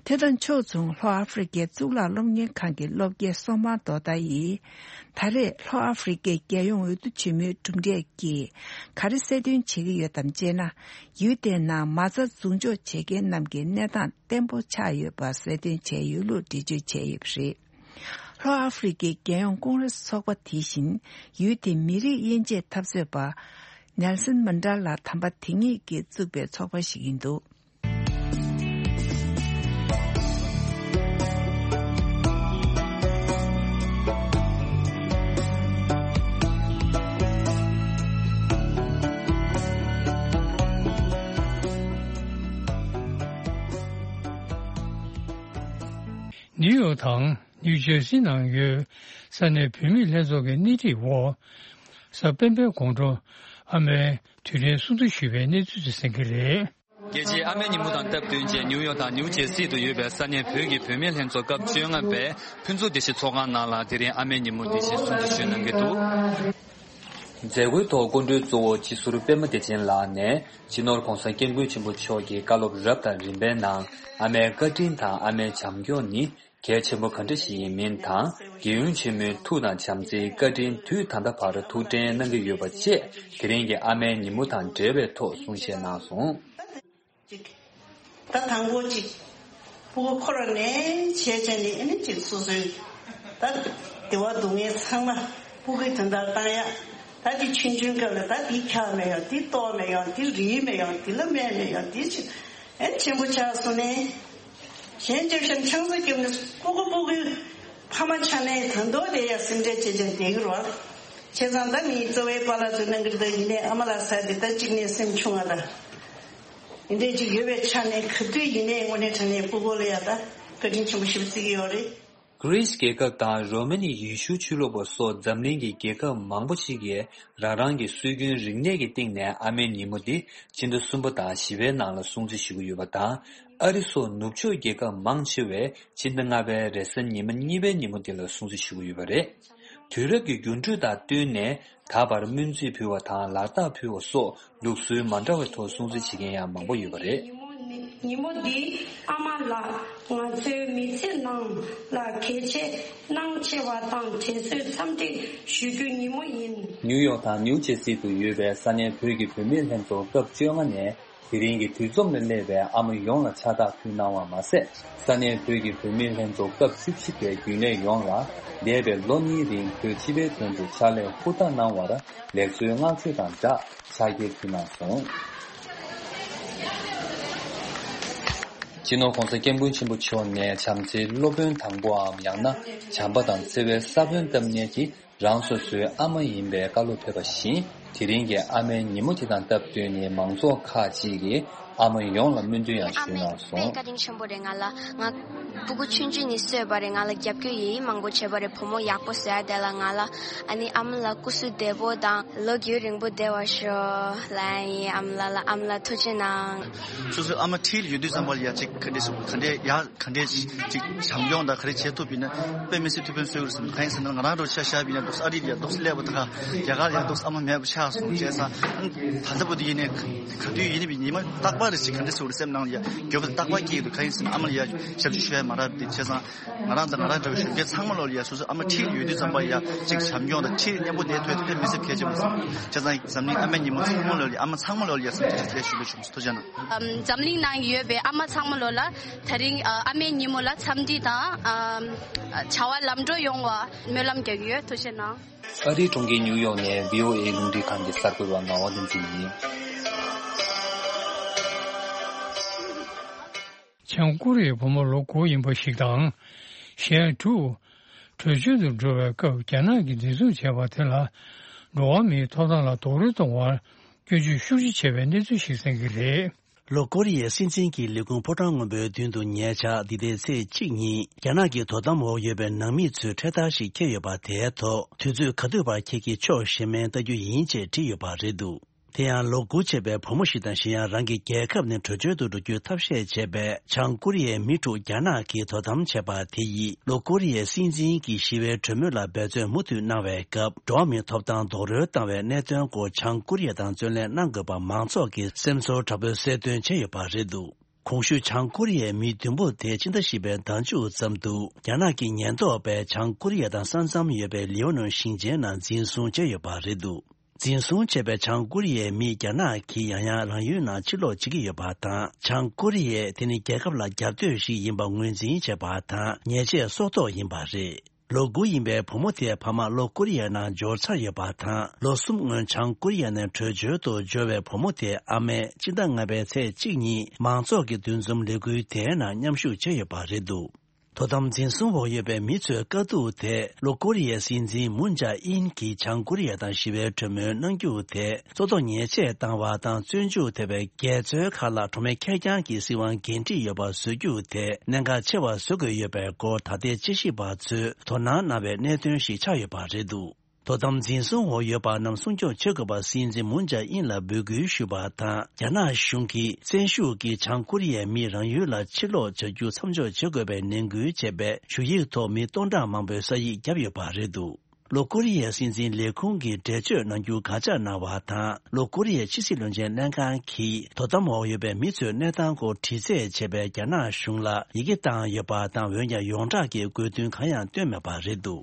དེ་དང་ཕྱོགས་མཚུངས་ལྷོ་ཨ་ཧྥེ་རི་ཁའི་གཙུག་ལག་སློབ་གཉེར་ཁང་གི་སློབ་དགེ་སོ་མ་རྡོ་ཏཱ་ཡིས། ད་རེས་ལྷོ་ཨ་ཧྥེ་རི་ཁའི་རྒྱལ་ཡོངས་འོས་བསྡུ་ཆེན་མོའི་གྲུབ་འབྲས་ཀྱིས་ག་རེ་གསལ་སྟོན་བྱེད་ཀྱི་ཡོད་དམ་ཅེ་ན། ཡུལ་དེའི་ནང་མ་རྩ་འཛུགས་འཇོག་བྱེད་མཁན་རྣམས་ཀྱི་གནས་སྟངས་བརྟན་པོ་ཆགས་ཡོད་པ་གསལ་སྟོན་བྱས་ཡོད་ལུགས་འགྲེལ་བརྗོད་བྱས་ཡོད་པ་རེད། ལྷོ་ཨ་ཧྥེ་རི་ཁའི་རྒྱལ་ཡོངས་ཀོང་རེས་ཚོགས་པ་དེ་བཞིན་ཡུལ་དེའི་མི་རིགས་དབྱེ་འབྱེད་འཐབ་རྩོད་པ་ནེལ་སན་མན་ཌེ་ལ་དམ་པ་དེ་ཉིད་ཀྱིས་བཙུགས་པའི་ཚོགས་པ་ཞིག་ཡིན་འདུག་ནིའུ་ཡོག་དང་ ནིའུ་ཇར་སི་ནང་ཡོད་ས་གནས་བུད་མེད་ལྷན་ཚོགས་ཀྱི་སྣེ་ཁྲིད་འོག་གཟའ་སྤེན་པའི་དགོང་དྲོ་ཨ་མའི་དུས་དྲན་སྲུང་བརྩི་ཞུས་པའི་གནས་ཚུལ་དེ་གསན་གྱི་རེད། རྒྱལ་སྤྱིའི་ཨ་མའི་ཉིན་མོ་དང་སྟབས་བསྟུན་བྱས་ནིའུ་ཡོག་དང་ནིའུ་ཇར་སི་དུ་ཡོད་པའི་ས་གནས་བོད་ཀྱི་བུད་མེད་ལྷན་ཚོགས་སྐབས་བཅོ་ལྔ་པའི་ཕུན་ཚོགས་བདེ་སྐྱིད་ཚོགས་ཁང་ནང་ལ་དེ་རིང་ཨ་མའི་ཉིན་མོ་འདི་བཞིན་སྲུང་བརྩི་ཞུས་གནང་གི་འདུག། མཛད་སྒོའི་ཐོག་སྐུ་མགྲོན་གཙོ་བོ་སྤྱི་ཟུར་པད་མ་བདེ་ཆེན་ལགས་ནས་སྤྱི་ནོར་༧གོང་ས་༧སྐྱབས་མགོན་ཆེན་པོ་མཆོག་གི་བཀའ་སློབ་རབ་དང་རིམ་པའི་ནང་ཨ་མའི་བཀའ་དྲིན་དང་ཨ་མའི་བྱམས་སྐྱོང་ནི་གལ་ཆེན་པོ་ག་འདྲ་ཞིག་ཡིན་མིན་དང་། རྒྱལ་ཡོངས་ཆེན་མོའི་ཐུགས་དང་བྱམས་བརྩེའི་བཀའ་དྲིན་དུས་ད་ལྟ་བར་ཐུགས་འདྲེན་གནང་གི་ཡོད་པ་བཅས་དེ་རིང་གི་ཨ་མའི་ཉིན་མོ་དང་འབྲེལ་བའི་ཐོག་གསུང་བཤད་གནང་སོང་། ཅིག་ད་དང་པོ་ཅིག་སྤུ་གུ་འཁོར་བ་ནས་བྱས་བྱས་ནས་ཨེ་ནི་ཅིག་སོ་སོའི་ད་བདེ་བ་སྡུག་བསྔལ་ཚང་མ་སྤུ་གུའི་དོན་དག་བཏང་ཡ། ད་དེ་ཆུང་ཆུང་སྐབས་ལ་ད་དེ་འཁྱག་མེད་ཡོང་། དེ་ལྟོགས་མེད་ཡོང་། དེ་རིལ་མེད་ཡོང་། དེ་ལ་སྨན་མེད་ཡོང་། དེ་ཅིག་ཨེ་ཆེན་པོ་ཆགས་སོང་ནས། གཞན་སྐྱོབ་ཤ་ཆང་ས་སྐྱོབ་ནས་སྤུ་གུ་སྤུ་གུའི་ཕ་མ་ཆགས་ནས་ད་མདོ་དེ་ཡ་སེམས་ཁྲལ་བྱེད་བྱས་བསྡད་ཀྱི་རོགས། བྱས་ཙང་ད་མིའི་གཙོ་བའི་པཱ་ལགས་ཚོས་གནང་གི་རེད། ད་ཡིན་ནའི་ཨ་མ་ལགས་ཟེར་དེ་ད་གཅིག་ནས་སེམས་ཆུང་བ་ད། འདི་འདྲའི་ཅིག་ཡོད་པའི་ཆ་ནས་ག་དུས་ཡིན་ནའི་དངོས་གནས་དྲང་གནས་སྤུ་གུ་ལ་ཡ་ད་བཀའ་དྲིན་ཆེན་པོ་ཞེ་པོ་བརྩི་གི་ཡོད་རེད། གྷི་རིས་རྒྱལ་ཁབ་དང་རོ་མ་ནི་ཡེ་ཤུ་ཆོས་ལུགས་པ་སོགས་འཛམ་གླིང་གི་རྒྱལ་ཁབ་མང་པོ་ཞིག་གིས་རང་རང་གི་སྲོལ་རྒྱུན་རིག་གནས་ཀྱི་སྟེང་ནས་ཨ་མའི་ཉིན་མོ་འདི་སྤྱི་ཟླ་གསུམ་པ་དང་བཞི་པའི་ནང་ལ་སྲུང་བརྩི་ཞུ་གི་ཡོད་པ་དང་། ཨ་རི་སོགས་ནུབ་ཕྱོགས་རྒྱལ་ཁབ་མང་ཆེ་བས་སྤྱི་ཟླ་ལྔ་པའི་རེས་གཟའ་ཉི་མ་གཉིས་པའི་ཉིན་མོ་འདི་ལ་སྲུང་བརྩི་ཞུ་གི་ཡོད་པ་རེད། དུས་རབས་ཀྱི་འགྱུར་འགྲོས་དང་བསྟུན་ནས། ད་བར་སྨོན་ཚིག་ཕུལ་བ་དང་ལག་རྟགས་ཕུལ་བ་སོགས་ལུགས་སྲོལ་མ་འདྲ་བའི་ཐོག་སྲུང་བརྩི་བྱེད་མཁན་ཡང་མང་པོ་ཡོད་པ་རེད། ཉིན་མོ་འདི་ཨ་མ་ལགས་ང་ཚོའི་མི་ཚེ་ནང་ལ་གལ་ཆེ་གནང་ཆེ་བ་དང་དྲན་གསོའི་འཚམས་འདྲི་ཞུ་རྒྱུའི་ཉིན་མོ་ཡིན། ནིའུ་ཡོག་དང་ནིའུ་ཇེ་སི་དུ་ཡོད་པའི་ས་གནས་བོད་ཀྱི་བུད་མེད་ལྷན་ཚོགས་སྐབས་བཅོ་ལྔ་ནས། དེ་རིང་གི་དུས་འཛོམས་ལ་སླེབས་པའི་ཨ་མ་ཡོངས་ལ་ཕྱག་རྟགས་ཕུལ་གནང་བ་མ་ཟད། ས་གནས་བོད་ཀྱི་བུད་མེད་ལྷན་ཚོགས་སྐབས་བཅུ་གཅིག་པའི་རྒྱུན་ལས་ཡོངས་ལ་འདས་པའི་ལོ་གཉིས་རིང་བོད་སྤྱི་པའི་དོན་དུ་ཕྱག་ལས་ཧུར་ཐག་གནང་བར་ལེགས་གསོའི་བསྔགས་བརྗོད་དང་སྦྲགས་ཕྱག་འཁྱེར་ཕུལ་གནང་སོང་། སྤྱི་ནོར་༧གོང་ས་༧སྐྱབས་མགོན་ཆེན་པོ་མཆོག་ནས་བྱམས་བརྩེའི་སློབ་དཔོན་དང་པོའམ་ཡང་ན་བྱམས་པ་དང་བརྩེ་བའི་ས་བོན་བཏབ་མཁན་གྱི་རང་སོ་སོའི་ཨ་མ་ཡིན་པའི་བཀའ་སློབ་ཕེབས་པ་བཞིན། དེ་རིང་གི་ཨ་མའི་ཉིན་མོ་དེ་དང་སྟབས་བསྟུན་ནས་མང་ཚོགས་ཁག་ཅིག་གིས་ཨ་མ་ཡོངས་ལ་སྨོན་འདུན་ཡང་ཞུས་གནང་སོང་། ཨ་མའི་བཀའ་དྲིན་ཆེན་པོ་རེད། ང་ལ་ང་སྤུ་གུ་ཆུང་ཆུང་ནས་གསོས་པ་རེད། ང་ལ་རྒྱབ་སྐྱོར་ཡི་ཡི་མང་པོ་བྱས་པ་རེད། བུ་མོ་ཡག་པོ་བཟོ་ཡ་དེ་ལ་ང་ལ་ཨ་ནི་ཨ་མ་ལ་སྐུ་གཟུགས་བདེ་པོ་དང་ལོ་རྒྱུས་རིང་པོ་བདེ་བར་ཤོག་ལབ་ཡ་ཡིན། ཨ་མ་ལགས་ལ་ཨ་མ་ལགས་ཐུགས་རྗེ་གནང་། སོ་སོའི་ཨ་མ་འཁྲིས་ལ་ཡོད་དུས་ཙམ་པ་ལ་ཡ་ཅིག་ག་འདྲས་སུ་ག་འདྲས་ཡ། ག་འདྲས་ཅིག་བྱམས་སྐྱོང་དང་ག་རེ་བྱེད་ཐུབ་པ་ཡིན་ན་དཔེ་མི་སྲིད་ཐུགས་ཕན་གསོས་ཀྱི་རེད་བསམ། གང་ཡིན་ཟེར་ན་ང་རང་འདྲ་བོ་ཆ་བཞག་པ་ཡིན་ན་འདུག་སེ་ཨ་རི་ལ་ཡ་འདུག་སེ་སླེབས་པ་དང་རྒྱ་གར་ལ་ཡ་འདུག་སེ་ཨ་མ་མེད་པ་ཆགས་སོང་བྱས་ཙང་། ད་ལྟ་བར་དུ་ཡིན་ནའི་ག་དུས་ཡིན་ནའི་ཉི་མ་རྟག་པར་རེ་ཞིག་ག་འདྲ་ཟེར་བ་རེད་སེམས་ནང་ལ་ཡ་འགྱོད་པ་དང་རྟག་པར་སྐྱེ་གི་འདུག་གང་ཡིན་ཟེར་ན་ཨ་མ་ལ་ཡ་ཞབས་ཕྱི་ཞུ་ཡ་མ་རག་པ་དེ་བྱས་ཙང་། ང་རང་དང་ང་རང་འདྲ་བའི་གཞོན་སྐྱེས་ཚང་མ་ལོ་ལ་ཡ་སོ་སོའི་ཨ་མ་འཁྲིས་ལ་ཡོད་དུས་ཙམ་པ་ཡ་གཅིག་བྱམས་སྐྱོང་དང་འཁྲིས་ལ་མཉམ་པོ་བསྡད་ཐུབ་ཡ་དེ་དཔེ་མི་སྲིད་གལ་ཆེན་པོ་རེད་བསམ། བྱས་ཙང་འཛམ་གླིང་ཨ་མའི་ཉིན་མོ་ཚང་མ་ལོ་ལ་ཡ་ཨ་མ་ཚང་མ་ལོ་ལ་ཡ་སེམས་ཁྲལ་ཞུ་ལ་བྱུང་སོང་། ཐུགས་རྗེ་གནང་། ཨམ། འཛམ་གླིང་ནང་ཡོད་པའི་ཨ་མ་ཚང་མ་ལོ་ལ་དེ་རིང་ཨ་ཨ་མའི་ཉིན་མོ་ལ་འཚམས་འདྲི་དང་ཨམ། བྱ་བ་ལམ་འགྲོ་ཡོང་བ་སྨོན་ལམ་རྒྱག་གི་ཡོད། ཐུགས་རྗེ་གནང་། ཨ་རིའི་གྲོང་ཁྱེར་ཉིའུ་ཡོག་ནས་བྷི་ཨོ་ཨེ་རླུང་འཕྲིན་ཁང་གི་གསར་འགོད་པ་ངག་དབང་བསྟན་འཛིན་ཡིན། བྱང་ཀོ་རི་ཡའི་བུ་མོ་ལོ་དགུ་ཡིན་པ་ཞིག་དང་། གཞན་དྲུག་བྲོས་བྱོལ་དུ་འགྲོ་བའི་སྐབས་རྒྱ་ནག་གིས་འཛིན་བཟུང་བྱས་པ་དེ་ལ་འགྲོ་བ་མིའི་ཐོབ་ཐང་ལ་རྡོག་རོལ་གཏོང་བར་སྐྱོན་བརྗོད་ཤུགས་ཆེ་བྱས་པའི་གནས་ཚུལ་ཞིག་གསན་གྱི་རེད། ལྷོ་ཀོ་རི་ཡའི་སྲིད་འཛིན་གྱི་ལས་ཁུངས་ཕོ་བྲང་སྔོན་པོའི་མདུན་དུ་ཉེ་ཆར་འདི་ཟླའི་ཚེས་གཅིག་ཉིན་རྒྱ་ནག་གི་དོ་དམ་འོག་ཡོད་པའི་ནང་མི་ཚོས་འཕྲེད་དར་ཞིག་འཁྱེར་ཡོད་པ་དེའི་ཐོག་དུས་ཚོད་ག་དུས་བར་འཁྱེར་གྱི་ཆོག་ཞེས་མིང་བཏགས་རྒྱུ་ཡིན་ཅེས་བྲིས་ཡོད་པ་རེད་འདུག་དེ་ཡང་ལོ་དགུ་བྱས་པའི་བུ་མོ་ཞིག་དང་གཞན་ཡང་རང་གི་རྒྱལ་ཁབ་ནས་བྲོས་བྱོལ་དུ་འགྲོ་རྒྱུའི་ཐབས་ཤེས་བྱས་པའི་བྱང་ཀོ་རི་ཡའི་མི་དྲུག་རྒྱ་ནག་གིས་དོ་དམ་བྱས་པ་དེ་ཡིས་ལྷོ་ཀོ་རི་ཡའི་སྲིད་འཛིན་གྱིས་ཞི་བའི་གྲོས་མོལ་ལ་འབད་བརྩོན་མུ་མཐུད་གནང་བའི་སྐབས་འགྲོ་བ་མིའི་ཐོབ་ཐང་རྡོག་རོལ་བཏང་བའི་གནད་དོན་སྐོར་བྱང་ཀོ་རི་ཡ་དང་བརྩོན་ལེན་གནང་དགོས་པ་མང་ཚོགས་ཀྱིས་སེམས་ཚོར་དྲག་པོའི་གསལ་སྟོན་བྱས་ཡོད་པ་རེད་འདུག་གོང་ཞུས་བྱང་ཀོ་རི་ཡའི་མི་བདུན་པོ་དེ་ཕྱི་ཟླ་བཞི་པའི་ཟླ་མཇུག་ཙམ་དུ་རྒྱ་ནག་གི་ཉེན་རྟོག་པས་བྱང་ཀོ་རི་ཡ་དང་ས་མཚམས་ཡོད་པའི་ལིའོ་ནན་ཞིང་ཆེན་ནང་འཛིན་བཟུང་བྱས་ཡོད་པ་རེད་འདུག་འཛིན་བཟུང་བྱས་པའི་བྱང་ཀོ་རི་ཡའི་མིས་རྒྱ་ནག་གིས་ཡང་ཡང་རང་ཡུལ་ནང་ཕྱིར་ལོག་བྱེད་ཀྱི་ཡོད་པ་དང་། བྱང་ཀོ་རི་ཡས་དེ་ནི་རྒྱལ་ཁབ་ལ་རྒྱབ་གཏོད་ཞིག་ཡིན་པ་ངོས་འཛིན་བྱས་པ་དང་། ཉེས་ཆད་སྲོག་ཐོག་ཡིན་པ་རེད། ལོ་དགུ་ཡིན་པའི་བུ་མོ་དེའི་ཕ་མ་ལྷོ་ཀོ་རི་ཡ་ནང་འབྱོར་ཚར་ཡོད་པ་དང་། ལོ་གསུམ་སྔོན་བྱང་ཀོ་རི་ཡ་ནས་བྲོས་བྱོལ་དུ་འབྱོར་བའི་བུ་མོ་དེའི་ཨ་མས་སྤྱི་ཟླ་ལྔ་པའི་ཚེས་གཅིག་ཉིན་མང་ཚོགས་ཀྱི་འདུ་འཛོམས་ལས་འགུལ་དེའི་ནང་མཉམ་ཞུགས་བྱས་ཡོད་པ་རེད་འདུག་དོ་དམ་འཛིན་བཟུང་འོག་ཡོད་པའི་མི་ཚོའི་དཀའ་སྡུག་དེ་ལྷོ་ཀོ་རི་ཡའི་སྲིད་འཛིན་མུན་ཇཱ་ཨིན་གྱིས་བྱང་ཀོ་རི་ཡ་དང་ཞི་བའི་གྲོས་མོལ་གནང་རྒྱུ་དེ་གཙོ་ཐོག་ཉེས་ཆད་བཏང་བ་དང་བཙོན་འཇུག་ཐེབས་པའི་འགལ་རྩོད་ཁག་ལ་གྲོགས་མེད་ཁེར་རྐྱང་གི་སྲིད་དབང་འགན་འཁྲི་ཡོད་པ་བཟོ་རྒྱུ་དེ་གནད་འགག་ཆེ་བ་བཟོ་དགོས་ཡོད་པའི་སྐོར་ད་ལྟའི་དཔྱད་ཞིབ་པ་ཚོས་དོ་སྣང་གནང་བའི་གནད་དོན་ཞིག་ཆགས་ཡོད་པ་རེད་འདུག་དོ་དམ་འཛིན་བཟུང་འོག་ཡོད་པ་རྣམས་སྲུང་སྐྱོབ་བྱེད་དགོས་པ་སྲིད་འཛིན་མུན་ཇཱ་ཨིན་ལ་འབོད་སྐུལ་ཞུས་པ་དང་། རྒྱ་ནག་གཞུང་གིས་བཙན་ཤུགས་ཀྱིས་བྱང་ཀོ་རི་ཡའི་མིས་རང་ཡུལ་ལ་ཕྱིར་ལོག་བྱ་རྒྱུ་མཚམས་འཇོག་བྱེད་དགོས་པའི་ནན་སྐུལ་བྱས་པའི་ཞུ་ཡིག་ཐོག་མི་སྟོང་ཕྲག་མང་པོས་ས་ཡིག་བརྒྱབ་ཡོད་པ་རེད་འདུག་ལྷོ་ཀོ་རི་ཡའི་སྲིད་འཛིན་ལས་ཁུངས་ཀྱིས་འགྲེལ་བརྗོད་གནང་རྒྱུ་དགག་བྱ་གནང་བ་དང་། ལྷོ་ཀོ་རི་ཡའི་ཕྱི་སྲིད་བློན་ཆེན་ལྷན་ཁང་གིས་དོ་དམ་འོག་ཡོད་པའི་མི་ཚོའི་གནས་སྟངས་སྐོར་དྲི་རྩད་བྱས་པའི་རྒྱ་ནག་གཞུང་ལ་ཡི་གེ་བཏང་ཡོད་པ་དང་། འོན་ཀྱང་ཡོངས་གྲགས་ཀྱི་དགོས་འདུན་གང་ཡང་བཏོན་མེད་པ་རེད་འདུག་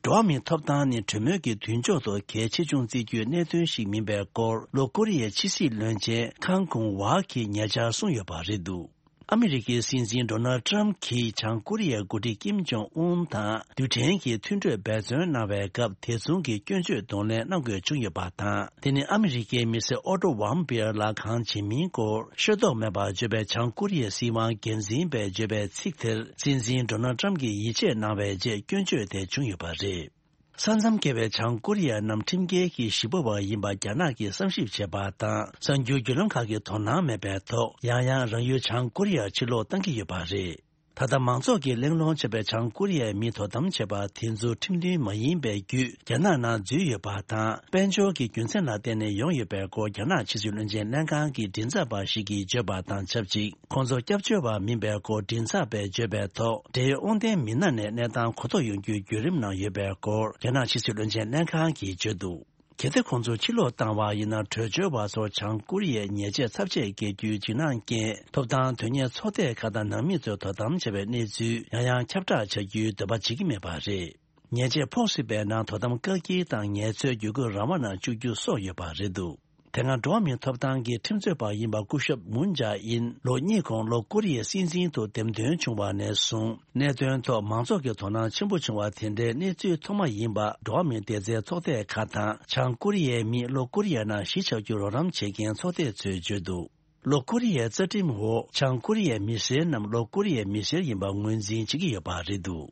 འགྲོ་བ་མིའི་ཐོབ་ཐང་ནི་གྲོས་མོལ་གྱི་མདུན་ཕྱོགས་སུ་གལ་ཆེ་ཆུང་བརྩི་རྒྱུའི་གནད་དོན་ཞིག་མིན་པའི་སྐོར་ལྷོ་ཀོ་རི་ཡའི་ཕྱི་སྲིད་བློན་ཆེན་ཁང་ཀུང་ཝ་གིས་ཉེ་ཆར་གསུངས་ཡོད་པ་རེད་འདུག་ཨ་མི་རི་ཀའི་སྲིད་འཛིན་ཌོ་ནལ་ཊམ་གྱིས་བྱང་ཀོ་རི་ཡའི་འགོ་ཁྲིད་ཀིམ་ཇོང་ཨུན་དང་རྡུལ་ཕྲན་གྱི་མཐུན་གྲོས་འབད་བརྩོན་གནང་བའི་སྐབས། དེ་མཚུངས་ཀྱི་སྐྱོན་བརྗོད་གདོང་ལེན་གནང་དགོས་བྱུང་ཡོད་པ་དང་། དེ་ནི་ཨ་མི་རི་ཀའི་མི་སེར་ཨོ་ཏོ་ཝམ་པེར་ལ་གང་བྱེད་མིན་སྐོར་ཤེས་རྟོགས་མེད་པར་བརྗོད་པའི་བྱང་ཀོ་རི་ཡའི་སྲིད་དབང་སྒེར་འཛིན་པས་བརྗོད་པའི་ཚིག་དེར། སྲིད་འཛིན་ཌོ་ནལ་ཊམ་གྱིས་ཡིད་ཆེས་གནང་བའི་རྗེས་སྐྱོན་བརྗོད་དེ་བྱུང་ཡོད་པ་རེད། ས་མཚམས་བརྒལ་བའི་བྱང་ཀོ་རི་ཡ་རྣམས་ཁྲིམས་འགལ་གྱི་གཞིས་སྤོ་བ་ཡིན་པ་རྒྱ་ནག་གིས་བསམ་ཞིབ་བྱས་པ་དང་། གསར་འགྱུར་བརྒྱུད་ལམ་ཁག་གིས་དོ་སྣང་མེད་པའི་ཐོག་ཡང་ཡང་རང་ཡུལ་བྱང་ཀོ་རི་ཡར་ཕྱིར་ལོག་བཏང་གི་ཡོད་པ་རེད། ད་ལྟ་མང་ཚོགས་ཀྱིས་གླེང་སློང་བྱས་པའི་བྱང་ཀོ་རི་ཡའི་མིས་དོ་དམ་བྱས་པ་དེ་ཚོ་ཁྲིམས་མཐུན་མ་ཡིན་པའི་བརྒྱུད་རྒྱ་ནག་ནང་འཛུལ་ཡོད་པ་དང་། དཔལ་འབྱོར་གྱི་རྒྱུ་མཚན་ལ་བརྟེན་ནས་ཡོང་ཡོད་པའི་སྐོར་རྒྱ་ནག་ཕྱི་སྲིད་བློན་ཆེན་ལྷན་ཁང་གི་མགྲིན་ཚབ་པ་ཞིག་གིས་བརྗོད་པ་དང་ཆབས་ཅིག་ཁོང་ཚོ་སྐྱབས་བཅོལ་བ་མིན་པའི་སྐོར་མགྲིན་ཚབ་པས་བརྗོད་པའི་ཐོག་འབྲེལ་ཡོད་དབང་ལྡན་མི་སྣ་ནས་གནས་སྟངས་གོ་རྟོགས་ཡོང་རྒྱུའི་བརྒྱུད་རིམ་ནང་ཡོད་པའི་སྐོར་རྒྱ་ནག་ཕྱི་སྲིད་བློན་ཆེན་ལྷན་ཁང་གིས་བརྗོད་འདུག་གལ་ཏེ་ཁོང་ཚོ་ཕྱིར་ལོག་བཏང་བ་ཡིན་ན། བྲོས་བྱོལ་བ་ཚོར་བྱང་ཀོ་རི་ཡས་ཉེས་ཆད་ཚབས་ཆེ་འགེལ་རྒྱུའི་འཇིགས་སྣང་རྐྱེན། ཐོབ་ཐང་དོན་གཉེར་ཚོགས་སྡེ་ཁག་དང་ནང་མི་ཚོས་དོ་དམ་བྱས་པའི་གནས་ཚུལ་ཡང་ཡང་ཁྱབ་བསྒྲགས་བྱ་རྒྱུའི་འདོད་པ་བྱེད་ཀྱི་མེད་པ་རེད། ཉེས་ཆད་ཕོག་སྲིད་པའི་ནང་དོ་དམ་བཀག་སྐྱིལ་དང་ངལ་རྩོལ་བརྒྱུད་སྐུལ་རང་དབང་ནང་བཅུག་རྒྱུ་སོགས་ཡོད་པ་རེད་འདུག་དེ་སྔ་འགྲོ་བ་མིའི་ཐོབ་ཐང་གི་ཁྲིམས་རྩོད་པ་ཡིན་པ་སྐུ་ཞབས་མུན་ཇཱ་ཨིན་ལོ་གཉིས་གོང་ལྷོ་ཀོ་རི་ཡའི་སྲིད་འཛིན་དུ་འདེམས་ཐོན་བྱུང་བ་ནས་བཟུང་གནད་དོན་ཐོག་མང་ཚོགས་ཀྱི་དོ་སྣང་ཆེན་པོ་བྱུང་བ་དེ་འདྲའི་གནས་ཚུལ་ཐོག་མ་ཡིན་པ་འགྲོ་བ་མིའི་བདེ་རྩའི་ཚོགས་སྡེ་ཁག་དང་། བྱང་ཀོ་རི་ཡའི་མིས་ལྷོ་ཀོ་རི་ཡ་ནང་གཞིས་ཆགས་རྒྱུར་རོགས་རམ་བྱེད་མཁན་ཚོགས་སྡེ་ཚོས་བརྗོད་འདུག་ལྷོ་ཀོ་རི་ཡའི་རྩ་ཁྲིམས་འོག་བྱང་ཀོ་རི་ཡའི་མི་སེར་རྣམས་ལྷོ་ཀོ་རི་ཡའི་མི་སེར་ཡིན་པ་ངོས་འཛིན་བྱེད་ཀྱི་ཡོད་པ་རེད་འདུག་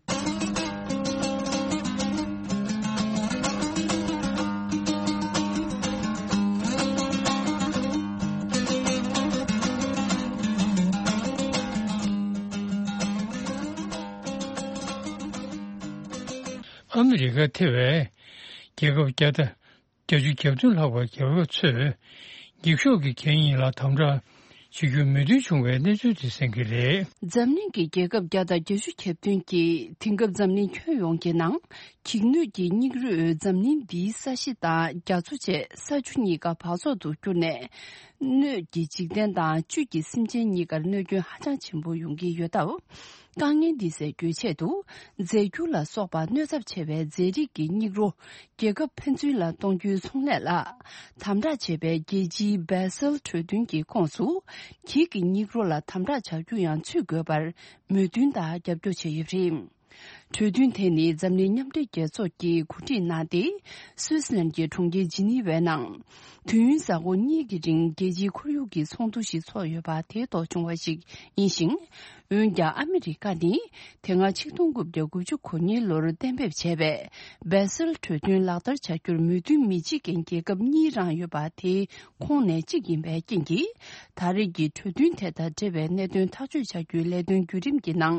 ཨ་མི་རི་ཀ་ཐེ་བའི་རྒྱལ་ཁབ་བརྒྱ་དང་བརྒྱད་ཅུ་གྱ་བདུན་ལྷག་པའི་རྒྱལ་ཁབ་ཚོས་འགྱིག་ཤོག་གི་གད་སྙིགས་ལ་དམ་དྲག་བྱེད་རྒྱུར་མོས་མཐུན་བྱུང་བའི་གནས་ཚུལ་དེ་གསན་གྱི་རེད། འཛམ་གླིང་གི་རྒྱལ་ཁབ་བརྒྱ་དང་བརྒྱད་ཅུ་གྱ་བདུན་གྱིས་དེང་སྐབས་འཛམ་གླིང་ཁྱོན་ཡོངས་ཀྱི་ནང་འགྱིག་སྣོད་ཀྱི་སྙིགས་རོས་འཛམ་གླིང་འདིའི་ས་གཞི་དང་རྒྱ་མཚོ་བཅས་ས་ཆུ་གཉིས་ཀ་འབག་བཙོག་ཏུ་གྱུར་ནས། སྣོད་ཀྱི་འཇིག་རྟེན་དང་བཅུད་ཀྱི་སེམས་ཅན་གཉིས་ཀར་གནོད་སྐྱོན་ཧ་ཅང་ཆེན་པོ་ཡོང་གི་ཡོད་སྟབས། དཀའ་ངལ་འདི་སེལ་རྒྱུའི་ཆེད་དུ། རྫས་འགྱུར་ལ་སོགས་པ་གནོད་ཚབས་ཆེ་བའི་རྫས་རིགས་ཀྱི་སྙིགས་རོ་རྒྱལ་ཁབ་ཕན་ཚུན་ལ་གཏོང་རྒྱུའི་ཚོང་ལས་ལ་དམ་དྲག་བྱེད་པའི་རྒྱལ་སྤྱིའི་སྦེ་སེལ་གྲོས་མཐུན་གྱི་ཁོངས་སུ། འགྱིག་གི་སྙིགས་རོ་ལ་དམ་དྲག་བྱ་རྒྱུ་ཡང་ཚུད་དགོས་པར་མོས་མཐུན་དང་རྒྱབ་སྐྱོར་བྱས་ཡོད་པ་རེད། གྲོས་མཐུན་དེ་ནི་འཛམ་གླིང་མཉམ་འབྲེལ་རྒྱལ་ཚོགས་ཀྱིས་གོ་སྒྲིག་གནང་སྟེ། སུད་སི་ལན་གྱི་གྲོང་ཁྱེར་ཇི་ནི་ཝའི་ནང་། དུས་ཡུན་གཟའ་འཁོར་གཉིས་ཀྱི་རིང་རྒྱལ་སྤྱིའི་ཁོར་ཡུག་གི་ཚོགས་འདུ་ཞིག་ཚོགས་ཡོད་པ་དེའི་ཐོག་བྱུང་བ་ཞིག་ཡིན་ཞིང་། འོན་ཀྱང་ཨ་མི་རི་ཀ་ནི་དེ་སྔ་ཆིག་སྟོང་དགུ་བརྒྱ་དགུ་བཅུ་གོ་གཉིས་ལོར་གཏན་འབེབས་བྱས་པའི་སྦེ་སེལ་གྲོས་མཐུན་ལག་བསྟར་བྱ་རྒྱུར་མོས་མཐུན་མི་བྱེད་མཁན་རྒྱལ་ཁབ་གཉིས་རང་ཡོད་པ་དེའི་ཁོངས་ནས་གཅིག་ཡིན་པའི་རྐྱེན་གྱིས། ད་རེས་ཀྱི་གྲོས་མཐུན་དེ་དང་འབྲེལ་བའི་གནད་དོན་ཐག་གཅོད་བྱ་རྒྱུའི་ལས་དོན་བརྒྱུད་རིམ་གྱི་ནང་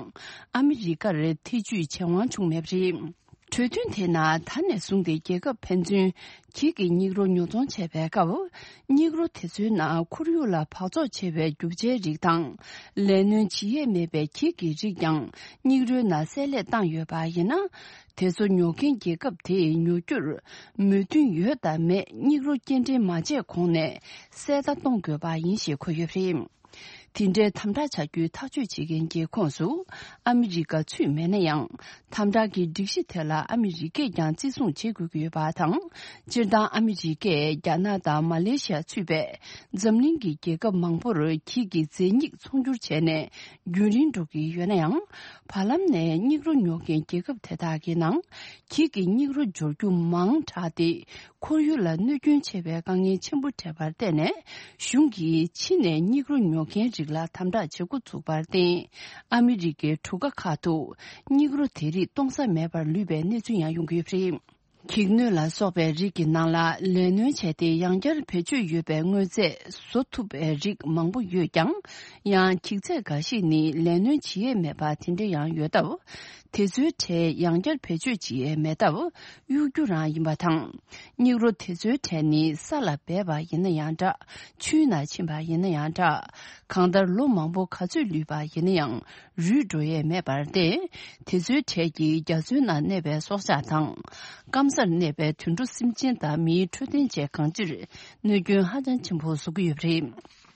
ཨ་མི་རི་ཀར་ཐེ་ཇུས་བྱེད་དབང་བྱུང་མེད་པ་རེད། གྲོས་མཐུན་དེ་ནང་ད་ནས་བཟུང་སྟེ་རྒྱལ་ཁབ་ཕན་ཚུན་འགྱིག་གི་སྙིགས་རོ་ཉོ་ཚོང་བྱས་པའི་སྐབས། སྙིགས་རོ་དེ་ཚོའི་ནང་ཁོར་ཡུག་ལ་འབག་བཙོག་ཆེ་བའི་རྒྱུ་ཆའི་རིགས་དང་། ལས་སྣོན་བྱེད་ཡས་མེད་པའི་འགྱིག་གི་རིགས་ཀྱང་སྙིགས་རོའི་ནང་བསྲེས་ལྷད་བཏང་ཡོད་པ་ཡིན་ན། དེ་ཚོ་ཉོ་མཁན་རྒྱལ་ཁབ་དེས་ཉོ་རྒྱུར་མོས་མཐུན་ཡོད་དམ་མེད་སྙིགས་རོ་སྐྱེལ་འདྲེན་མ་བྱས་གོང་ནས་གསལ་བརྡ་གཏོང་དགོས་པ་ཡིན་ཞེས་འཁོད་ཡོད་པ་རེད། དེ་འདྲའི་དམ་དྲག་བྱ་རྒྱུའི་ཐག་གཅོད་བྱེད་མཁན་གྱི་ཁོངས་སུ་ཨ་མི་རི་ཀ་ཚུད་མེད་ན་ཡང་། དམ་དྲག་གི་སྒྲིག་གཞི་དེ་ལ་ཨ་མི་རི་ཀས་ཀྱང་བརྩི་སྲུང་བྱེད་དགོས་ཀྱི་ཡོད་པ་དང་། སྤྱིར་བཏང་ཨ་མི་རི་ཀས་རྒྱ་ནག་དང་མ་ལེ་ཤི་ཡ་ཚུད་པའི་འཛམ་གླིང་གི་རྒྱལ་ཁབ་མང་པོར་འགྱིག་གི་རྫས་སྙིགས་ཚོང་སྒྱུར་བྱས་ནས་རྒྱུན་རིང་འགྲོ་གི་ཡོད་ན་ཡང་། བར་ལམ་ནས་སྙིགས་རོ་ཉོ་མཁན་རྒྱལ་ཁབ་དེ་དག་གི་ནང་འགྱིག་གི་སྙིགས་རོ་འབྱོར་རྒྱུ་མང་དྲགས་ཏེ། ཁོར་ཡུག་ལ་གནོད་སྐྱོན་ཆེ་བའི་དཀའ་ངལ་ཆེན་པོ་འཕྲད་པར་བརྟེན་ནས། གཞུང་གིས་ཕྱི་ནས་སྙིགས་རོ་ཉོ་མཁན་ ལ་དམ་དྲག་བྱེད་འགོ་ཚུགས་པར་བརྟེན། ཨ་མི་རི་ཀའི་གྲུ་ཁ་ཁག་ཏུ་སྙིགས་རོ་དེ་རིགས་གཏོང་ས་མེད་པར་ལུས་པའི་གནས་ཚུལ་ཡང་ཡོང་གི་ཡོད་པ་རེད། འགྱིག་སྣོད་ལ་སོགས་པའི་རིགས་ཀྱི་ནང་ལ་ལས་སྣོན་བྱས་ཏེ་ཡང་བསྐྱར་བེད་སྤྱོད་ཡོད་པའི་དངོས་རྫས་བཟོ་ཐུབ་པའི་རིགས་མང་པོ་ཡོད་ཀྱང་། ཡང་འགྱིག་ཚད་འགའ་ཞིག་ནི་ལས་སྣོན་བྱེད་ཡས་མེད་པ་དེ་འདྲ་ཡང་ཡོད་སྟབས། དེ་ཚོའི་གྲས་ཡང་བསྐྱར་བེད་སྤྱོད་བྱེད་ཡས་མེད་སྟབས་གཡུག་རྒྱུ་རང་ཡིན་པ་དང་། སྙིགས་རོ་དེ་ཚོའི་གྲས་ནི་ས་ལ་སྦས་པ་ཡིན་ན་ཡང་འདྲ། ཆུའི་ནང་ཕྱིན་པ་ཡིན་ན་ཡང་འདྲ། གང་ལྟར་ལོ་མང་པོ་ག་ཚོད་ལུས་པ་ཡིན་ན་ཡང་རུལ་འགྲོ་ཡས་མེད་པར་བརྟེན། དེ་ཚོའི་གྲས་ཀྱིས་རྒྱ་མཚོའི་ནང་གནས་པའི་སྲོག་ཆགས་དང་། སྐམ་སར་གནས་པའི་དུད་འགྲོ་སེམས་ཅན་དང་མིའི་འཕྲོད་བསྟེན་བཅས་གང་ཅིར་གནོད་སྐྱོན་ཧ་ཅང་ཆེན་པོ་བཟོ་གི་ཡོད་པ་རེད།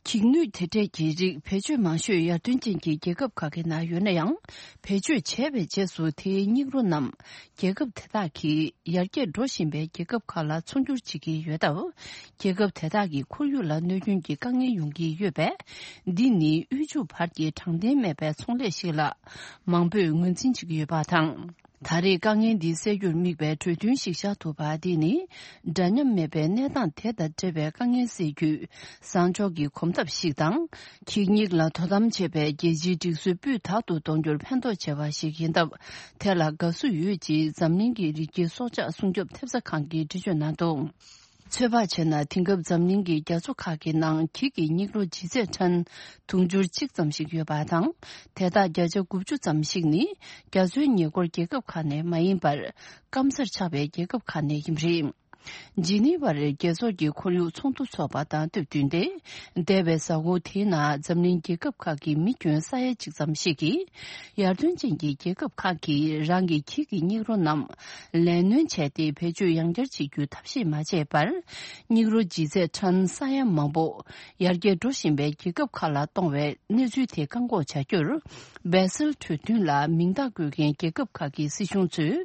འགྱིག་སྣོད་དེ་འདྲས་ཀྱི་རིགས་བེད་སྤྱོད་མང་ཤོས་ཡར་ཐོན་ཅན་གྱི་རྒྱལ་ཁབ་ཁག་གི་ནང་ཡོད་ན་ཡང་། བེད་སྤྱོད་བྱས་པའི་རྗེས་སུ་དེའི་སྙིགས་རོ་རྣམས་རྒྱལ་ཁབ་དེ་དག་གིས་ཡར་རྒྱས་འགྲོ་བཞིན་པའི་རྒྱལ་ཁབ་ཁག་ལ་ཚོང་སྒྱུར་བྱེད་ཀྱི་ཡོད་སྟབས། རྒྱལ་ཁབ་དེ་དག་གི་ཁོར་ཡུག་ལ་གནོད་སྐྱོན་གྱི་དཀའ་ངལ་ཡོང་གི་ཡོད་པས། འདི་ནི་དབུལ་ཕྱུག་བར་གྱི་དྲང་བདེན་མེད་པའི་ཚོང་ལས་ཤིག་ལ་མང་པོས་ངོས་འཛིན་བྱེད་ཀྱི་ཡོད་པ་དང་། ད་རེས་དཀའ་ངལ་འདི་སེལ་རྒྱུར་དམིགས་པའི་གྲོས་མཐུན་ཞིག་བཞག་ཐུབ་པ་འདི་ནི། འདྲ་མཉམ་མེད་པའི་གནས་སྟངས་དེ་དང་འབྲེལ་བའི་དཀའ་ངལ་སེལ་རྒྱུའི་བཟང་ཕྱོགས་ཀྱི་གོམ་སྟབས་ཤིག་དང་། འགྱིག་སྙིགས་ལ་དོ་དམ་བྱེད་པའི་རྒྱལ་སྤྱིའི་སྒྲིག་སྲོལ་སྤུས་དག་ཏུ་གཏོང་རྒྱུར་ཕན་ཐོགས་ཆེ་བ་ཞིག་ཡིན་སྟབས། དེ་ལ་དགའ་བསུ་ཡོད་ཅེས་འཛམ་གླིང་གི་རི་སྐྱེས་སྲོག་ཆགས་སྲུང་སྐྱོབ་ཐེབས་རྩ་ཁང་གིས་འགྲེལ་བརྗོད་གནང་འདུག། ཚོད་དཔག་བྱས་ན། དེང་སྐབས་འཛམ་གླིང་གི་རྒྱ་མཚོ་ཁག་གི་ནང་འགྱིག་གི་སྙིགས་རོ་ལྗིད་ཚད་ཊོན་དུང་ཕྱུར་གཅིག་ཙམ་ཞིག་ཡོད་པ་དང་། དེ་དག་བརྒྱ་ཆ་དགུ་བཅུ་ཙམ་ཞིག་ནི་རྒྱ་མཚོའི་ཉེ་འཁོར་རྒྱལ་ཁབ་ཁག་ནས་མ་ཡིན་པར། སྐམ་སར་ཆགས་པའི་རྒྱལ་ཁབ་ཁག་ནས་ཡིན་པ་རེད། ཇི་ནི་ཝར་རྒྱལ་ཚོགས་ཀྱི་ཁོར་ཡུག་ཚོགས་འདུ་འཚོགས་པ་དང་སྟབས་བསྟུན་ཏེ། འདས་པའི་གཟའ་འཁོར་དེའི་ནང་འཛམ་གླིང་རྒྱལ་ཁབ་ཁག་གི་མི་ཁྱོན་ས་ཡ་གཅིག་ཙམ་ཞིག་གིས། ཡར་ཐོན་ཅན་གྱི་རྒྱལ་ཁབ་ཁག་གིས་རང་གི་འགྱིག་གི་སྙིགས་རོ་རྣམས་ལས་སྣོན་བྱས་ཏེ་བེད་སྤྱོད་ཡང་བསྐྱར་བྱེད་རྒྱུའི་ཐབས་ཤེས་མ་བྱས་པར། སྙིགས་རོ་ལྗིད་ཚད་ཊོན་ས་ཡ་མང་པོ་ཡར་རྒྱས་འགྲོ་བཞིན་པའི་རྒྱལ་ཁབ་ཁག་ལ་གཏོང་བའི་གནས་ཚུལ་དེ་བཀག་འགོག་བྱ་རྒྱུར། སྦེ་སེལ་གྲོས་མཐུན་ལ་མིང་རྟགས་བཀོད་མཁན་རྒྱལ་ཁབ་ཁག་གི་སྲིད་གཞུང་ཚོས་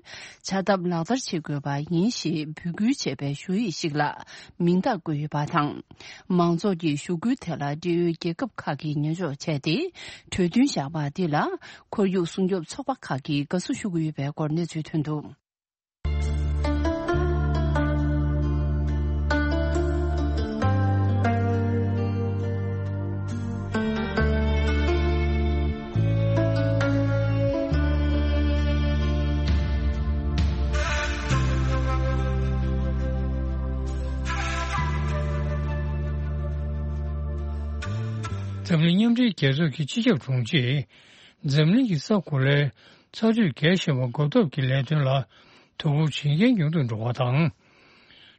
བྱ་ཐབས་ལག་བསྟར་བྱེད་དགོས་པ་ཡིན་ཞེས་འབོད་སྐུལ་བྱས་པའི་ཞུ་ཡིག་ཞིག་ལ་མིང་རྟགས་བཀོད་ཡོད་པ་དང་། མང་ཚོགས་ཀྱི་ཞུ་སྐུལ་དེ་ལ་འབྲེལ་ཡོད་རྒྱལ་ཁབ་ཁག་གིས་ཉན་འཇོག་བྱས་ཏེ། གྲོས་མཐུན་བཞག་པ་འདི་ལ་ཁོར་ཡུག་སྲུང་སྐྱོབ་ཚོགས་པ་ཁག་གིས་དགའ་བསུ་ཞུ་གི་ཡོད་པའི་སྐོར་གནས་ཚུལ་ཐོན་འདུག། འཛམ་གླིང་མཉམ་འབྲེལ་རྒྱལ་ཚོགས་ཀྱི་སྤྱི་ཁྱབ་དྲུང་ཆེས། འཛམ་གླིང་གི་ས་གོ་ལའི་ཚ་དྲོད་རྒྱས་བཞིན་པ་འགོག་ཐབས་ཀྱི་ལས་དོན་ལ་དོ་ཁུར་ཇེ་ཉུང་དུ་འགྲོ་བ་དང་།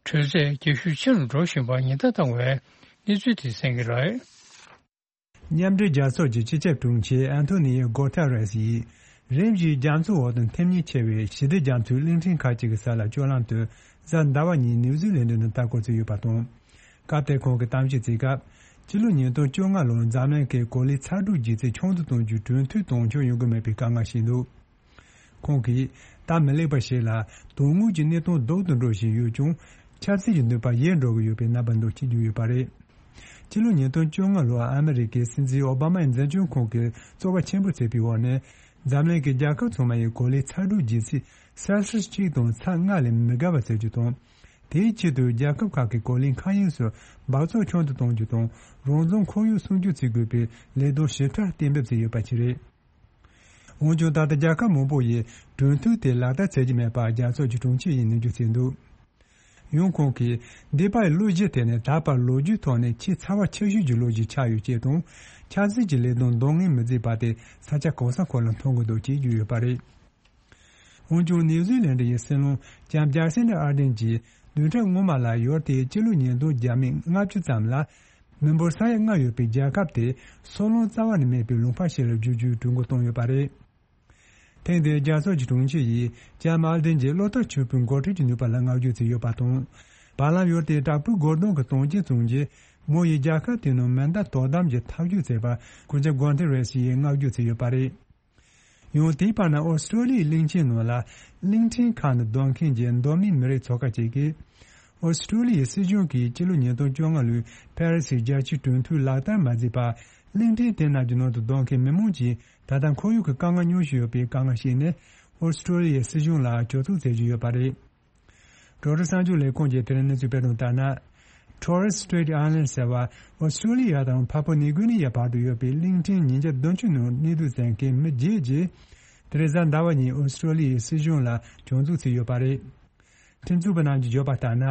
དྲོད་ཚད་རྒྱ་ཤུགས་ཆེ་རུ་འགྲོ་བཞིན་པར་ཉེན་བརྡ་བཏང་བའི་གནས་ཚུལ་དེ་གསན་གྱི་རེད། མཉམ་འབྲེལ་རྒྱལ་ཚོགས་ཀྱི་སྤྱི་ཁྱབ་དྲུང་ཆེ་ཨན་ཐོ་ནི་ཡོ་གོ་ཐེ་རེས་ཡིས། རིམ་བཞིན་རྒྱ་མཚོའི་འོག་ཏུ་འཐེབ་ཉེན་ཆེ་བའི་ཞི་བདེ་རྒྱ་མཚོའི་གླིང་ཕྲན་ཁག་ཅིག་གི་ས་ལ་སྤྱོད་ལམ་དུ་གཟའ་ཟླ་བ་ཉིན་ནིའུ་ཛི་ལན་ཌ་ནང་ལྟ་སྐོར་བྱས་ཡོད་པ་དང་། སྐབས་དེར་ཁོང་གིས་གཏམ་བཤད་བྱེད་སྐབས། སྤྱི་ལོ་ཉིས་སྟོང་བཅོ་ལྔ་ལོར་འཛམ་གླིང་གི་གོ་ལའི་ཚ་དྲོད་ལྗིད་ཚད་ཆུང་དུ་གཏོང་རྒྱུའི་གྲོས་མཐུན་དོན་འཁྱོལ་ཡོང་གི་མེད་པའི་དཀའ་ངལ་བཤད་འདུག། ཁོང་གིས། ད་མི་ལེགས་པ་ཞིག་ལ་དོན་དངོས་ཀྱི་གནས་སྟངས་སྡུག་ཏུ་འགྲོ་བཞིན་ཡོད་ཀྱང་། ཆབ་སྲིད་ཀྱི་ནུས་པ་ཡལ་འགྲོ་གི་ཡོད་པའི་རྣམ་པ་འདུག་ཅེས་བརྗོད་ཡོད་པ་རེད། སྤྱི་ལོ་ཉིས་སྟོང་བཅོ་ལྔ་ལོར་ཨ་མི་རི་ཀའི་སྲིད་འཛིན་ཨོ་བྷ་མ་ཡི་འཛིན་སྐྱོང་ཁང་གིས་རྩོལ་བ་ཆེན་པོ་བྱས་པའི་འོག་ནས། འཛམ་གླིང་གི་རྒྱལ་ཁབ་ཚང་མ་ཡི་གོ་ལའི་ཚ་དྲོད་ལྗིད་ཚད་སེལ་སིས་གཅིག་དང་ཚ་ལྔ་ལས་མི་བརྒལ་བ་ཟེར་རྒྱུ་དང་། དེའི་ཆེད་དུ་རྒྱལ་ཁབ་ཁག་གི་གོ་ལའི་མཁའ་དབྱིངས་སུ་འབག་བཙོག་ཆུང་དུ་གཏོང་རྒྱུ་དང་རང་བཙན་ཁོར་ཡུག་སྲུང་སྐྱོབ་བྱེད་དགོས་པའི་ལས་དོན་ཞིབ་ཕྲ་གཏན་འབེབས་བྱས་ཡོད་པ་ཞིག་རེད། འོན་ཀྱང་ད་ལྟ་རྒྱལ་ཁབ་མང་པོ་ཡིས་གྲོས་མཐུན་དེ་ལག་བསྟར་བྱེད་ཀྱི་མེད་པར་རྒྱལ་ཚོགས་ཀྱི་དྲུང་ཆེ་ཡིས་ནན་བརྗོད་བྱས་འདུག། ཡང་ཁོང་གིས་འདས་པའི་ལོ་བཞི་དེ་ནི་ད་བར་ལོ་རྒྱུས་ཐོག་ནས་ཆེས་ཚ་བ་ཆེ་ཤོས་ཀྱི་ལོ་ཞིག་ཆགས་ཡོད་ཅེས་དང་། ཆབ་སྲིད་ཀྱི་ལས་དོན་འདང་ངེས་མི་བྱེད་པ་དེ་ས་ཆ་གང་ས་གང་ལ་མཐོང་གི་འདུག་ཅེས་བརྗོད་ཡོད་པ་རེད། འོན་ཀྱང་ནིའུ་ཛི་ལན་ཌ་ཡི་སྲིད་བློན་ལྕམ་ཇེ་སིན་ཌ་ཨར་ཌེན་གྱིས་བདུན་ཕྲག་སྔོན་མ་ལ་ཡུལ་དེའི་སྤྱི་ལོ་ཉིས་སྟོང་བརྒྱ་མེད་ལྔ་བཅུ་ཙམ་ལ་མི་འབོར་ས་ཡ་ལྔ་ཡོད་པའི་རྒྱལ་ཁབ་དེ་སོལ་རླུང་རྩ་བ་ནས་མེད་པའི་ལུང་པ་ཞིག་ལ་བསྒྱུར་རྒྱུའི་གྲོས་འགོ་བཏོན་ཡོད་པ་རེད། ཐེངས་འདིའི་རྒྱལ་ཚོགས་ཀྱི་དྲུང་ཆེ་ཡིས་ལྕམ་ཨར་ཌེན་གྱི་གློག་ལྟར་ཆུ་བོའི་འགོ་ཁྲིད་ཀྱི་ནུས་པ་ལ་བསྔགས་བརྗོད་བྱས་ཡོད་པ་དང་། བར་ལམ་ཡུལ་དེའི་དྲག་པོའི་རྒོལ་རྡུང་གི་དོན་རྐྱེན་བྱུང་རྗེས་མོ་ཡིས་རྒྱལ་ཁབ་དེའི་ནང་མེ་མདའ་དོ་དམ་གྱི་ཐབས་ཇུས་བྱས་པར་སྐུ་ཞབས་གོན་ཐེ་རེས་ཡིས་བསྔགས་བརྗོད་བྱས་ཡོད་པ་རེད། ཡང་དེའི་བར་ན་ཨོ་སི་ཀྲོ་ལི་ཡའི་གླིང་ཆེན་ནང་ལ་གླིང་ཕྲན་ཁག་ནས་སྡོད་མཁན་གྱི་མདོ་སྨད་མི་རིགས་ཚོགས་ཁག་ཅིག་གིས། ཨོ་སི་ཀྲོ་ལི་ཡའི་སྲིད་གཞུང་གིས་སྤྱི་ལོ་ཉིས་སྟོང་བཅོ་ལྔ་ལོའི་ཕ་རི་སིའི་རྒྱལ་སྤྱིའི་གྲོས་མཐུན་ལག་བསྟར་མ་མཛད་པར་གླིང་ཕྲན་དེ་རྣམས་ཀྱི་ནང་དུ་སྡོད་མཁན་མི་མང་གྱིས་ད་ལྟ་ཁོར་ཡུག་གི་དཀའ་ངལ་མྱོང་བཞིན་ཡོད་པའི་དཀའ་ངལ་བཤད་ནས་ཨོ་སི་ཀྲོ་ལི་ཡའི་སྲིད་གཞུང་ལ་གྱོད་གཏུག་མཛད་ཀྱི་ཡོད་པ་རེད། རོའི་ཊར་གསར་འགྱུར་ལས་ཁུངས་ཀྱིས་དེ་རིང་གནས་ཚུལ་སྤེལ་དོན་ལྟར་ན། Torres Strait Islands ཟེར་བ་ཨོ་སི་ཀྲོ་ལི་ཡ་དང་ཕ་པུ་ནིའུ་གྷི་ནི་ཡའི་བར་དུ་ཡོད་པའི་གླིང་ཕྲན་ཉིས་བརྒྱ་བདུན་ཅུ་ནང་གནས་སྡོད་མཛད་མཁན་མི་བརྒྱད་ཀྱིས་དེ་རིང་གཟའ་ཟླ་བ་ཉིན་ཨོ་སི་ཀྲོ་ལི་ཡའི་སྲིད་གཞུང་ལ་སྐྱོན་འཛུགས་བྱས་ཡོད་པ་རེད། ཁྲིམས་རྩོད་པ་རྣམས་ཀྱིས་བརྗོད་པ་ལྟར་ན།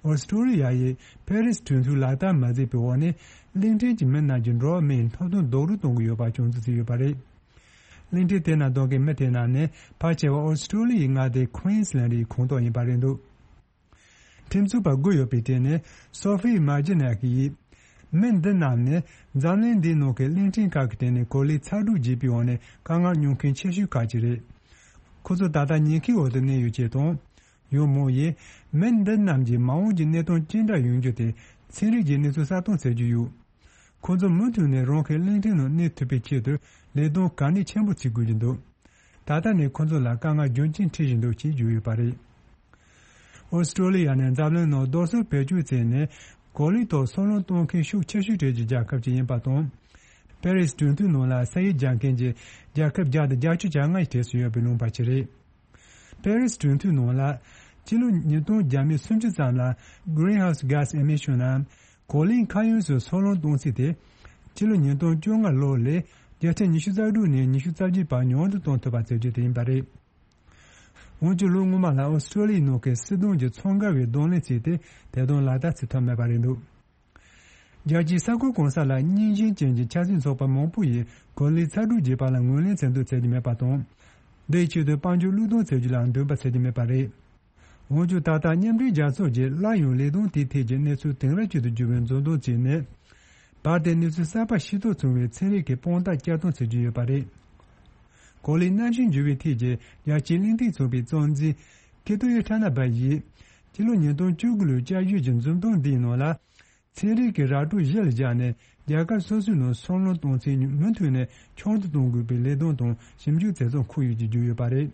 ཨོ་སི་ཀྲོ་ལི་ཡ་ཡིས་ཕེ་རིས་གྲོས་མཐུན་ལག་བསྟར་མ་མཛད་པའི་འོག་ནས་གླིང་ཕྲན་གྱི་མི་རྣམས་ཀྱི་འགྲོ་བ་མིའི་ཐོབ་ཐང་རྡོག་རོལ་གཏོང་གི་ཡོད་པ་སྐྱོན་འཛུགས་བྱས་ཡོད་པ་རེད། གླིང་ཕྲན་དེ་ནང་སྡོད་མཁན་མི་དེ་རྣམས་ནི་ཕལ་ཆེ་བ་ཨོ་སི་ཀྲོ་ལི་ཡའི་མངའ་སྡེ་ཁུའིན་སི་ལན་ཌི་ཡི་ཁོངས་གཏོགས་ཡིན་པ་རེད་འདུག་ཁྲིམས་རྩོད་པ་དགུ་ཡོད་པའི་གྲས་ནས་སོ་ཧྥི་མ་ཇི་ནག་ཡིས། མི་འདི་རྣམས་ནི་འཛམ་གླིང་འདིའི་ནང་གི་གླིང་ཕྲན་ཁག་གི་སྟེང་ནས་གོ་ལའི་ཚ་དྲོད་རྒྱས་པའི་འོག་ནས་དཀའ་ངལ་མྱོང་མཁན་ཆེ་ཤོས་ཁག་ཅིག་རེད། ཁོ་ཚོ་ད་ལྟ་ཉེན་ཁའི་འོག་ཏུ་གནས་ཡོད་ཅེས་དང་། ཡང་མོ་ཡིས་མི་འདི་རྣམས་ཀྱི་མ་འོངས་ཀྱི་གནས་སྟངས་ཅི་འདྲ་ཡོང་རྒྱུ་དེ་ཚན་རིག་གི་གནས་ཚུལ་གསར་གཏོད་བྱེད་རྒྱུ་ཡོད། ཁོ་ཚོ་མུ་མཐུད་ནས་རང་གི་གླིང་ཕྲན་ནང་གནས་ཐུབ་པའི་ཆེད་དུ་ལས་དོན་གལ་གནད་ཆེན་པོ་བྱེད་དགོས་ཀྱི་འདུག་ད་ལྟ་ནས་ཁོ་ཚོ་ལ་དཀའ་ངལ་རྒྱུན་ཆད་འཕྲད་བཞིན་འདུག་ཅེས་བརྗོད་ཡོད་པ་རེད། ཨོ་སི་ཀྲོ་ལི་ཡ་ནས་འཛམ་གླིང་ནང་རྡོ་སོལ་བེད་སྤྱོད་བྱས་ནས་གོ་ལའི་ཐོག་སོལ་རླངས་གཏོང་མཁན་ཤུགས་ཆེ་ཤོས་གྲས་ཀྱི་རྒྱལ་ཁབ་ཅིག་ཡིན་པ་དང་། པེ་རིས་གྲོས་མཐུན་ནང་ལ་ས་ཡིག་རྒྱག་མཁན་གྱི་རྒྱལ་ཁབ་བརྒྱ་དང་བརྒྱད་ཅུ་གྱ་ལྔ་ཡི་གྲས་སུ་ཡོད་པའི་ལུང་པ་ཅིག་རེད། པེ་རིས་གྲོས་མཐུན་ནང་ལ་ཕྱི་ལོ་ཉིས་སྟོང་བརྒྱ་མེད་སུམ་ཅུ་ཙམ་ལ་Greenhouse Gas Emission ནམ་གོ་ལའི་མཁའ་དབྱིངས་སུ་སོལ་རླངས་གཏོང་ཚད་དེ་ཕྱི་ལོ་ཉིས་སྟོང་བཅོ་ལྔ་ལོ་ལས་བརྒྱ་ཆ་ཉི་ཤུ་རྩ་དྲུག་ནས་ཉི་ཤུ་རྩ་བརྒྱད་བར་ཉུང་དུ་གཏོང་ཐུབ་པ་བྱེད་རྒྱུ་དེ་ཡིན་པ་རེད། འོན་ཀྱང་ལོ་སྔོན་མ་ལ་ཨོ་སི་ཀྲོ་ལི་ཡའི་ནང་གི་སྲིད་དོན་གྱི་ཚོང་འགལ་བའི་གདོང་ལེན་བྱས་ཏེ་དེ་དོན་ལག་བསྟར་བྱེད་ཐུབ་མེད་པ་རེད་འདུག་རྒྱལ་སྤྱིའི་ས་ཁུལ་གང་ས་ལ་རྙིང་ཞེན་ཅན་གྱི་ཆབ་སྲིད་ཚོགས་པ་མང་པོ་ཡིས་གོ་ལའི་ཚ་དྲོད་རྒྱས་པ་ལ་ངོས་ལེན་མཚོན་འདོད་བྱེད་ཀྱི་མེད་པ་དང་། འདིའི་ཆེད་དུ་དཔལ་འབྱོར་བློས་གཏོང་བྱེད་རྒྱུ་ལ་འདུན་པ་བྱེད་ཀྱི་མེད་པ་རེད། འོན་ཀྱང་ད་ལྟ་མཉམ་འབྲེལ་རྒྱལ་ཚོགས་ཀྱིས་སླར་ཡང་ལས་དོན་དེའི་ཐད་ཀྱི་གནས་ཚུལ་དེང་རབས་ཅན་དུ་འགྱུར་བའི་མཛུབ་སྟོན་བྱས་ནས། བར་དེར་གནས་ཚུལ་གསར་པ་ཤེས་རྟོགས་བྱུང་བའི་ཚན་རིག་གི་དཔང་རྟགས་བསྐྱར་གཏོང་བྱེད་ཀྱི་ཡོད་པ་རེད། གོ་ལའི་གནམ་གཤིས་འགྱུར་བའི་ཐད་ཀྱི་རྒྱལ་སྤྱིའི་གླེང་སྟེགས་ཚོགས་པའི་གཙོ་འཛིན་ཀི་ཏོ་ཡོ་ཐ་ན་བ་ཡིས། སྤྱི་ལོ་ཉིས་སྟོང་བཅུ་དགུ་ལོའི་བསྐྱར་ཞིབ་ཀྱི་མཛུབ་སྟོན་འདིའི་ནང་ལ། ཚན་རིག་གི་ར་སྤྲོད་གཞི་ལ་བཞག་ནས་རྒྱལ་ཁབ་སོ་སོའི་ནང་སོལ་རླངས་གཏོང་ཚད་མུ་མཐུད་ནས་ཆུང་དུ་གཏོང་དགོས་པའི་ལས་དོན་དང་ཞིབ་འཇུག་དེ་ཚོ་འཁོད་ཡོད་ཅེས་བརྗོད་ཡོད་པ་རེད།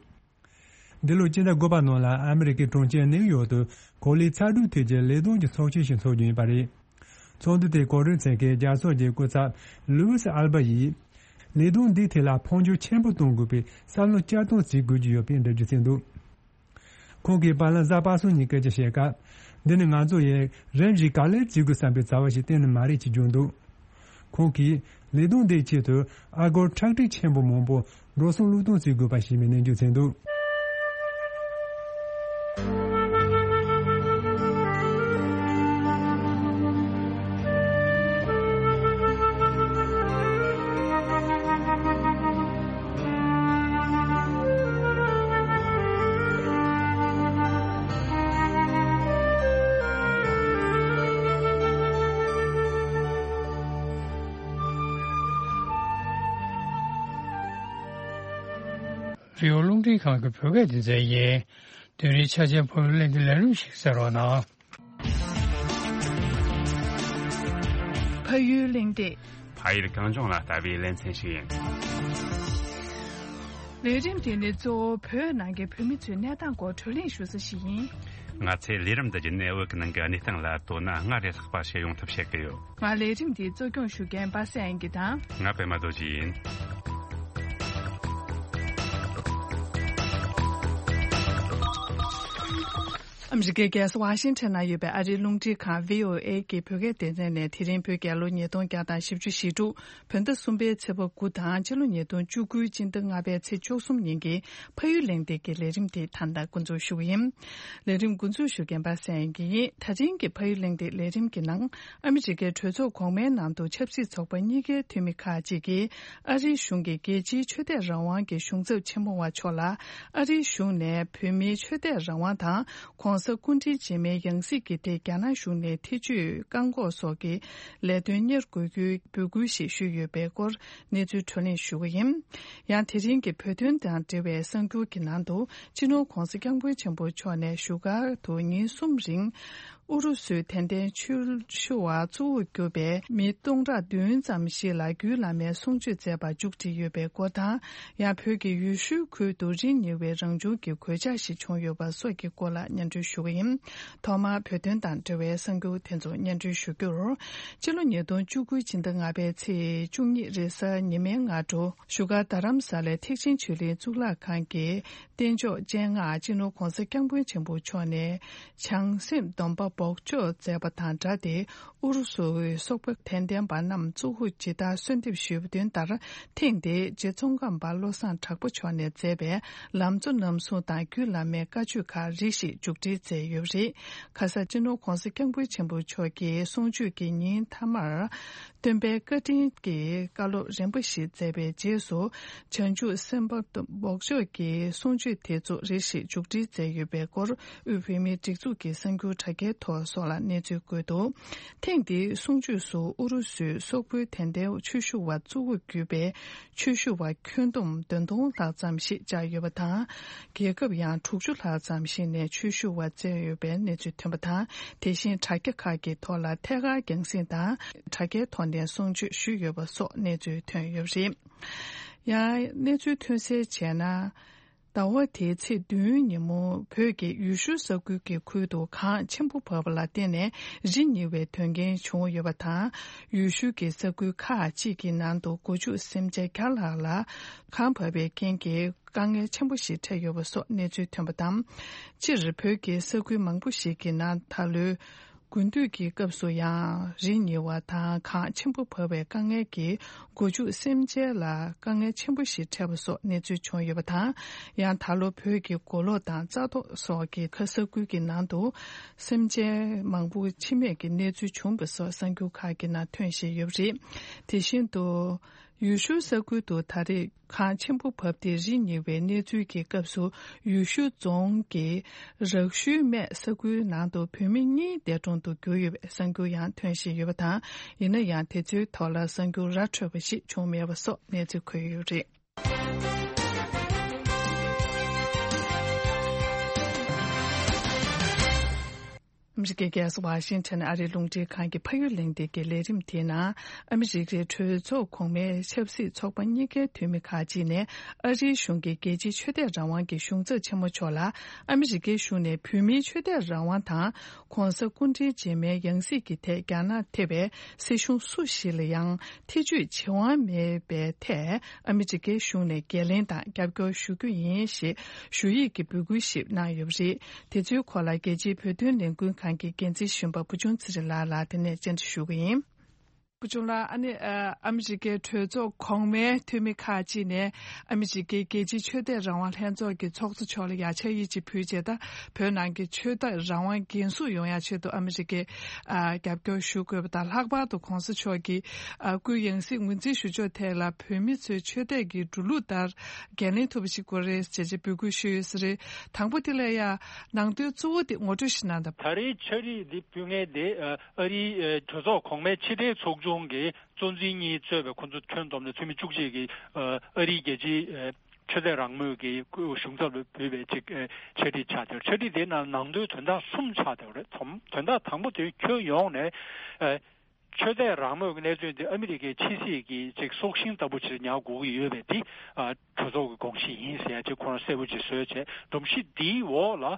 འདི་ལོའི་སྤྱི་ཟླ་དགུ་པ་ནང་ལ་ཨ་མི་རི་ཀའི་གྲོང་ཁྱེར་ནེའུ་ཡོག་ཏུ་གོ་ལའི་ཚ་དྲོད་ཐད་ཀྱི་ལས་དོན་གྱི་ཚོགས་ཆེན་ཞིག་འཚོགས་རྒྱུ་ཡིན་པ་རེད། ཚོགས་འདུ་དེའི་གོ་སྒྲིག་མཛད་མཁན་རྒྱལ་ཚོགས་ཀྱི་སྐུ་ཚབ་ལུའུ་སི་ཨལ་བ་ཡིས། ལས་དོན་འདིའི་ཐད་ལ་འཕོ་འགྱུར་ཆེན་པོ་གཏོང་དགོས་པའི་བསམ་བློ་བསྐྱར་གཏོང་བྱེད་དགོས་ཀྱི་ཡོད་པའི་འགྲེལ་བརྗོད་བྱས་འདུག་ཁོང་གིས་བར་ལམ་གཟའ་པ་སངས་ཉིན་སྐད་ཆ་བཤད་སྐབས། འདི་ནི་ང་ཚོ་ཡིས་རིམ་བཞིན་ག་ལེར་བྱེད་དགོས་བསམ་པའི་བྱ་བ་ཞིག་གཏན་ནས་མ་རེད་ཅེས་བརྗོད་འདུག་ཁོང་གིས་ལས་དོན་འདིའི་ཆེད་དུ་ཨ་སྒོར་ཁྲག་ཁྲིག་ཆེན་པོ་མང་པོ་འགྲོ་སོང་བློས་གཏོང་བྱེད་དགོས་པ་ཞེས་པའི་ནན་བརྗོད་བྱས་འདུག་རི་བོ་རླུང་འཕྲིན་ཁང་གི་བོད་སྐད་སྡེ་ཚན་ཡིན། དེ་རིང་ཆ་ཆེན་ཕ་ཡུལ་གླེང་སྟེགས་ལས་རིམ་ཞིག་གསན་རོགས་གནང་། ཕ་ཡུལ་གླེང་སྟེགས། ཕ་ཡུལ་གངས་ལྗོངས་ལ་ལྟ་བའི་ལེ་ཚན་ཞིག་ཡིན། ལས་རིམ་དེ་ནི་གཙོ་བོ་བོད་ནང་གི་བོད་མི་ཚོའི་གནས་སྟངས་སྐོར་བགྲོ་གླེང་ཞུ་ས་ཞིག་ཡིན། ང་ཚོས་ལས་རིམ་འདི་བརྒྱུད་ནས་བོད་ཀྱི་ནང་གི་གནས་སྟངས་ལ་དོ་སྣང་སྔར་ལས་ལྷག་པ་བྱེད་ཡོང་ཐབས་བྱེད་ཀྱི་ཡོད། ང་ལས་རིམ་འདི་གཙོ་སྐྱོང་ཞུ་མཁན་པ་སངས་དབྱངས་སྐྱིད་དང་། ང་པད་མ་རྡོ་རྗེ་ཡིན། ཨ་མི་རི་ཀའི་རྒྱལ་ས་ཝ་ཤིང་ཊོན་ན་ཡོད་པའི་ཨ་རིའི་རླུང་འཕྲིན་ཁང་བྷི་ཨོ་ཨེ་གི་བོད་སྐད་སྡེ་ཚན་ནས་དེ་རིང་བོད་རྒྱལ་ལོ་ཉིས་སྟོང་བརྒྱ་དང་བཞི་བཅུ་ཞེ་དྲུག་བོད་ཟླ་གསུམ་པའི་ཚེས་པ་དགུ་དང་ཕྱི་ལོ་ཉིས་སྟོང་བཅུ་དགུའི་སྤྱི་ཟླ་ལྔ་པའི་ཚེས་བཅུ་གསུམ་ཉིན་གྱི་ཕ་ཡུལ་གླེང་སྟེགས་ཀྱི་ལས་རིམ་དེ་ད་ལྟ་འགོ་འཛུགས་ཞུ་གི་ཡིན། ལས་རིམ་འགོ་འཛུགས་ཞུ་མཁན་པ་སངས་དབྱངས་སྐྱིད་ཡིན། ད་ཐེངས་ཀྱི་ཕ་ཡུལ་གླེང་སྟེགས་ལས་རིམ་གྱི་ནང་ཨ་མི་རི་ཀའི་གྲོས་ཚོགས་གོང་མའི་ནང་དུ་ཆབ་སྲིད་ཚོགས་པ་གཉིས་ཀའི་འཐུས་མི་ཁག་ཅིག་གིས་ཨ་རིའི་གཞུང་གིས་རྒྱལ་སྤྱིའི་ཆོས་དད་རང་དབང་གི་གཞུང་ཚབ་ཆེན་མོ་བ་མཆོག་ལ་ཨ་རིའི་གཞུང་ནས་བོད་མིའི་ཆོས་དད་རང་དབང་དང་། ༸གོང་ས་སྐུ་ཕྲེང་རྗེས་མའི་ཡང་སྲིད་ཀྱི་ཐད་རྒྱ་ནག་གཞུང་ནས་ཐེ་བྱུས་བཀག་འགོག་སོགས་ཀྱི་ལས་དོན་གཉེར་དགོས་རྒྱུའི་འབོད་སྐུལ་ཞིག་ཞུས་ཡོད་པའི་སྐོར་གནས་ཚུལ་བགྲོ་གླེང་ཞུ་གི་ཡིན། ཡང་དེ་རིང་གི་བོད་དོན་དང་འབྲེལ་བའི་གསར་འགྱུར་གྱི་ནང་དུ་སྤྱི་ནོར་༸གོང་ས་༸སྐྱབས་མགོན་ཆེན་པོ་མཆོག་ནས་བཞུགས་སྒར་དུ་ཉིན་གསུམ་རིང་ཨུ་རུ་སུའི་དད་ལྡན་ཆོས་ཞུ་བ་གཙོ་བོར་གྱུར་པའི་མི་སྟོང་ཕྲག་བདུན་ཙམ་ཞིག་ལ་རྒྱུད་བླ་མའི་གསུང་ཆོས་མཛད་པར་མཇུག་སྒྲིལ་ཡོད་པའི་སྐོར་དང་། ཡང་བོད་ཀྱི་ཡུལ་ཤུལ་ཁུལ་དུ་རི་ཉིལ་བའི་རང་བྱུང་གི་གོད་ཆག་ཞིག་བྱུང་ཡོད་པ་སོགས་ཀྱི་སྐོར་ལ་སྙན་སྒྲོན་ཞུ་གི་ཡིན། ཐོག་མར་བོད་དོན་དང་འབྲེལ་བའི་གསར་འགྱུར་དེ་ཚོ་སྙན་སྒྲོན་ཞུ་རྒྱུར། ཕྱི་ལོ་ཉིས་སྟོང་བཅུ་དགུ་ཕྱི་ཟླ་ལྔ་པའི་ཚེས་བཅུ་གཉིས་རེས་གཟའ་ཉི་མའི་སྔ་དྲོ་བཞུགས་སྒར་རྡ་རམ་ས་ལའི་ཐེག་ཆེན་ཆོས་གླིང་གཙུག་ལག་ཁང་གི་རྟེན་མཆོག་སྤྱན་སྔར་སྤྱི་ནོར་༸གོང་ས་༸སྐྱབས་མགོན་ཆེན་པོ་མཆོག་ནས་བྱང་སེམས་སྡོམ་པ་ འབོགས་འཇོག་མཛད་པ་དང་སྦྲགས་ཏེ། ཨུ་རུ་སུའི་སོག་པོ་དད་ལྡན་པ་རྣམས་གཙོ་བོ་ཇི་ལྟར་གསོལ་འདེབས་ཞུས་པ་དོན་ལྟར། ཐེངས་འདིའི་རྗེ་ཙོང་ཁ་པ་བློ་བཟང་གྲགས་པ་མཆོག་ནས་མཛད་པའི་ལམ་གཙོ་རྣམ་གསུམ་དང་རྒྱུད་བླ་མའི་བཀའ་ཆོས་ཁག་རེ་ཞིག་མཇུག་སྒྲིལ་མཛད་ཡོད་པ་རེད། ཁ་ས་སྤྱི་ནོར་༧གོང་ས་༧སྐྱབས་མགོན་ཆེན་པོ་མཆོག་གིས་གསུང་ཆོས་ཀྱི་ཉིན་མཐའ་མར། སྟོན་པའི་བཀའ་དྲིན་གྱི་བཀའ་སློབ་རིམ་པ་བཞི་མཛད་པའི་རྗེས་སུ། བྱང་ཆུབ་སེམས་དཔའ་འབོགས་ཆོག་གི་གསུང་ཆོས་དེ་ཚོ་རེ་ཞིག་མཇུག་སྒྲིལ་མཛད་ཡོད་པའི་སྐོར། དབུས་བོད་མིའི་སྒྲིག་འཛུགས་ཀྱི་གསར་འགྱུར་དྲ་རྒྱའི་ཐོག་སོགས་ལ་གནས་ཚུལ་བཀོད་འདུག་ཐེངས་འདིའི་གསུང་ཆོས་སུ་ཨུ་རུ་སུའི་སོག་པོའི་དད་ལྡན་ཆོས་ཞུ་བ་གཙོ་བོར་གྱུར་པའི་ཆོས་ཞུ་བ་ཁྱོན་བསྡོམས་བདུན་སྟོང་ལྷག་ཙམ་ཞིག་བཅར་ཡོད་པ་དང་། རྒྱལ་ཁབ་ཡང་དྲུག་ཅུ་ལྷག་ཙམ་ཞིག་ནས་ཆོས་ཞུ་བ་བཙལ་ཡོད་པའི་གནས་ཚུལ་ཐོན་པ་དང་། དེ་བཞིན་དྲ་རྒྱ་ཁག་གི་ཐོག་ལ་ཐད་ཀར་རྒྱང་སྲིང་དང་། དྲ་རྒྱའི་ཐོག་ནས་གསུང་ཆོས་ཞུས་ཡོད་པ་སོགས་གནས་ཚུལ་ཐོན་ཡོད་པ་རེད། ཡང་གནས་ཚུལ་ཐོན་གསལ་བྱས་ན། ཟླ་བ་དེའི་ཚེས་བདུན་ཉིན་མོ་བོད་ཀྱི་ཡུལ་ཤུལ་ས་ཁུལ་གྱི་ཁུལ་དུ་གངས་ཆེན་པོ་བབས་པ་ལ་བརྟེན་ནས་རི་ཉིལ་བའི་དོན་རྐྱེན་བྱུང་ཡོད་པ་དང་། ཡུལ་ཤུལ་གྱི་ས་ཁུལ་ཁག་ཅིག་གི་ནང་དུ་སྒོ་ཕྱུགས་སེམས་ཅན་བརྒྱ་ལྷག་ལ་གངས་བབས་པའི་རྐྱེན་གྱིས། དཀའ་ངལ་ཆེན་པོ་ཞིག་འཕྲད་ཡོད་པ་སོགས་གནས་ཚུལ་ཐོན་པ་དང་། སྤྱིར་བོད་ཀྱི་ས་ཁུལ་མང་པོ་ཞིག་གི་ནང་ད་ལོའི་དགུན་དུས་ཀྱི་སྐབས་སུ་ཡང་རི་ཉིལ་བ་དང་གངས་ཆེན་པོ་བབས་པའི་དཀའ་ངལ་གྱིས་སྒོ་ཕྱུགས་སེམས་ཅན་ལ་དཀའ་ངལ་ཆེན་པོ་ཞིག་འཕྲད་པ་སོགས་གནས་ཚུལ་བྱུང་ཡོད་པ་དང་། ཡང་ད་ལོ་བོད་ཀྱི་མགོ་ལོག་དང་རྩ་ཐོག་སོགས་ཀྱི་ཁ་ས་ཁུལ་གྱི་ནང་དུ་སེམས་ཅན་མང་པོ་འཆི་རྨས་ཀྱི་གནས་ཚུལ་བྱུང་བ་སོགས་གསར་འགྱུར་ཁག་གི་ནང་ཐོན་བཞིན་ཡོད་པ་རེད། དེ་བཞིན་དུ། ཡུལ་ཤུལ་ས་ཁུལ་དུ་ད་རེས་གངས་ཆེན་པོ་བབས་ཏེ་རི་ཉིལ་བའི་གནས་ཚུལ་གྱི་སྐབས་སུ། ཡུལ་ཤུལ་རྫོང་གི་རག་ཤུལ་སྨད་ས་ཁུལ་ནང་དུ་བོད་མི་གཉིས་འདས་གྲོངས་དུ་གྱུར་ཡོད་པའི་གསར་འགྱུར་ཡང་ཐོན་བཞིན་ཡོད་པ་དང་། ཡིན་ན་ཡང་དེ་ཚོའི་ཐོག་ལ་གསར་འགྱུར་ར་འཕྲོད་པ་ཞིག་བྱུང་མེད་པ་སོགས་གནས་ཚུལ་འཁོད་ཡོད་རེད། ཨ་མི་རི་ཀའི་རྒྱལ་ས་ཝ་ཤིང་ཊོན་ཨ་རིའི་རླུང་འཕྲིན་ཁང་གི་ཕ་ཡུལ་གླེང་སྟེགས་ཀྱི་ལས་རིམ་དེའི་ནང་། ཨ་མི་རི་ཀའི་གྲོས་ཚོགས་གོང་མའི་ཆབ་སྲིད་ཚོགས་པ་གཉིས་ཀའི་འཐུས་མི་ཁག་ཅིག་ནས། ཨ་རིའི་གཞུང་གིས་རྒྱལ་སྤྱིའི་ཆོས་དད་རང་དབང་གི་གཞུང་ཚབ་ཆེན་མོ་མཆོག་ལ། ཨ་མི་རི་ཀའི་གཞུང་ནས་བོད་མིའི་ཆོས་དད་རང་དབང་དང་། ྋགོང་ས་སྐུ་ཕྲེང་རྗེས་མའི་ཡང་སྲིད་ཀྱི་ཐད་རྒྱ་ནག་ཐེ་བའི་སྲིད་གཞུང་སུ་ཞིག་ལ་ཡང་ཐེ་བྱུས་བྱེད་དབང་མེད་པའི་ཐད། ཨ་མི་རི་ཀའི་གཞུང་ནས་འགན་ལེན་དང་རྒྱབ་སྐྱོར་ཞུ་རྒྱུ་ཡིན་ཞེས་ཞུ་ཡིག་གི་འབོད་སྐུལ་ཞིག་གནང་ཡོད་པ་རེད། དེ་ཚོའི་སྐོར་ལ་རྒྱལ་སྤྱིའི་བོད་དོན་ལས་འགུལ་ཁང་གི་འགན་འཛིན་གཞོན་པ་བུ་ཆུང་ཚེ་རིང་ལགས་ལ་དེ་ནས་བཅར་འདྲི་ཞུ་གི་ཡིན། བུ་ཆུང་ལགས། ཨ་ནི་ཨ་མི་རི་ཀའི་གྲོས་ཚོགས་གོང་མའི་འཐུས་མི་ཁག་ཅིག་ནས་ཨ་མི་རི་ཀའི་རྒྱལ་སྤྱིའི་ཆོས་དད་རང་དབང་ལྷན་ཚོགས་ཀྱི་ཚོགས་གཙོ་མཆོག་ལ་ཡ་ཆ་ཡིག་ཅིག་ཕུལ་རྗེས། ད་བོད་ནང་གི་ཆོས་དད་རང་དབང་འགན་སྲུང་ཡོང་ཡ་ཆེད་དུ་ཨ་མི་རི་ཀས་ཨ་རྒྱབ་སྐྱོར་ཞུ་དགོས་པ་དང་། ལྷག་པར་དུ་ྋགོང་ས་མཆོག་གིས་ཨ་སྐུའི་ཡང་སྲིད་ངོས་འཛིན་ཞུ་ཕྱོགས་ཐད་ལ་བོད་མི་ཚོའི་ཆོས་དད་ཀྱི་འགྲོ་ལུགས་ལྟར་འགན་ལེན་ཐུབ་པ་ཞིག་དགོས་རེད་ཅེས་འབོད་སྐུལ་ཞུས་ཡོད་ས་རེད། དང་པོ་དེ་ལ་ཡ་ནང་དོན་གཙོ་བོ་དེ་ངོ་སྤྲོད་ཞིག་གནང་དང་། ད་རེས་ཕྱག་བྲིས་འདི་ཕུལ་མཁན་དེ་ཨ་རིའི་ཨ་གྲོས་ཚོགས་གོང་མའི་ཕྱི་དྲིལ་ཚོགས་ཆུང་གི་གཙོ་འཛིན་གཉིས་གཙོས་པའི་ཁོང་ཚོ་ཁྱོན་བསྡོམས་ནས་འཐུས་མི་བཅུ་གཅིག་གིས་ཨ་རིའི་རྒྱལ་སྤྱིའི་ཨ་ཆོས་དད་རང་མོས་ཀྱི་གཞུང་ཚབ་ལ་ཕུལ་བའི་ཅིག་ཨ་ཕྱག་བྲིས་ཆགས་བསྡད་ཡོད། ཕྱག་བྲིས་དེའི་ནང་ནང་དོན་དོན་དག་གསུམ་ཆགས་བསྡད་ཡོད་རེད། དོན་དག་དང་པོ་དེ་ཁྱོན་ཡོངས་ནས་ཨ་ཆོས་དད་རང་མོས་ཀྱི་གནད་དོན་དེ་ཨ་མི་རི་ཀའི་ཕྱི་སྲིད་ཀྱི་ཅིག་སྲོག་ཤིང་ལྟ་བུ་ཅིག་ཉར་དགོས་ཀྱི་ཡོད་པའི་དེ་ཨ་གྲོས་ཚོགས་ཀྱི་དགོངས་གཞི་ཡིན་ཟེར་ཡ་ཅིག་ཁོ་རང་གསལ་པོ་ཅིག་བཟོས་བྱས། སྒྲོམ་གཞི་འདིའི་འོག་ལ་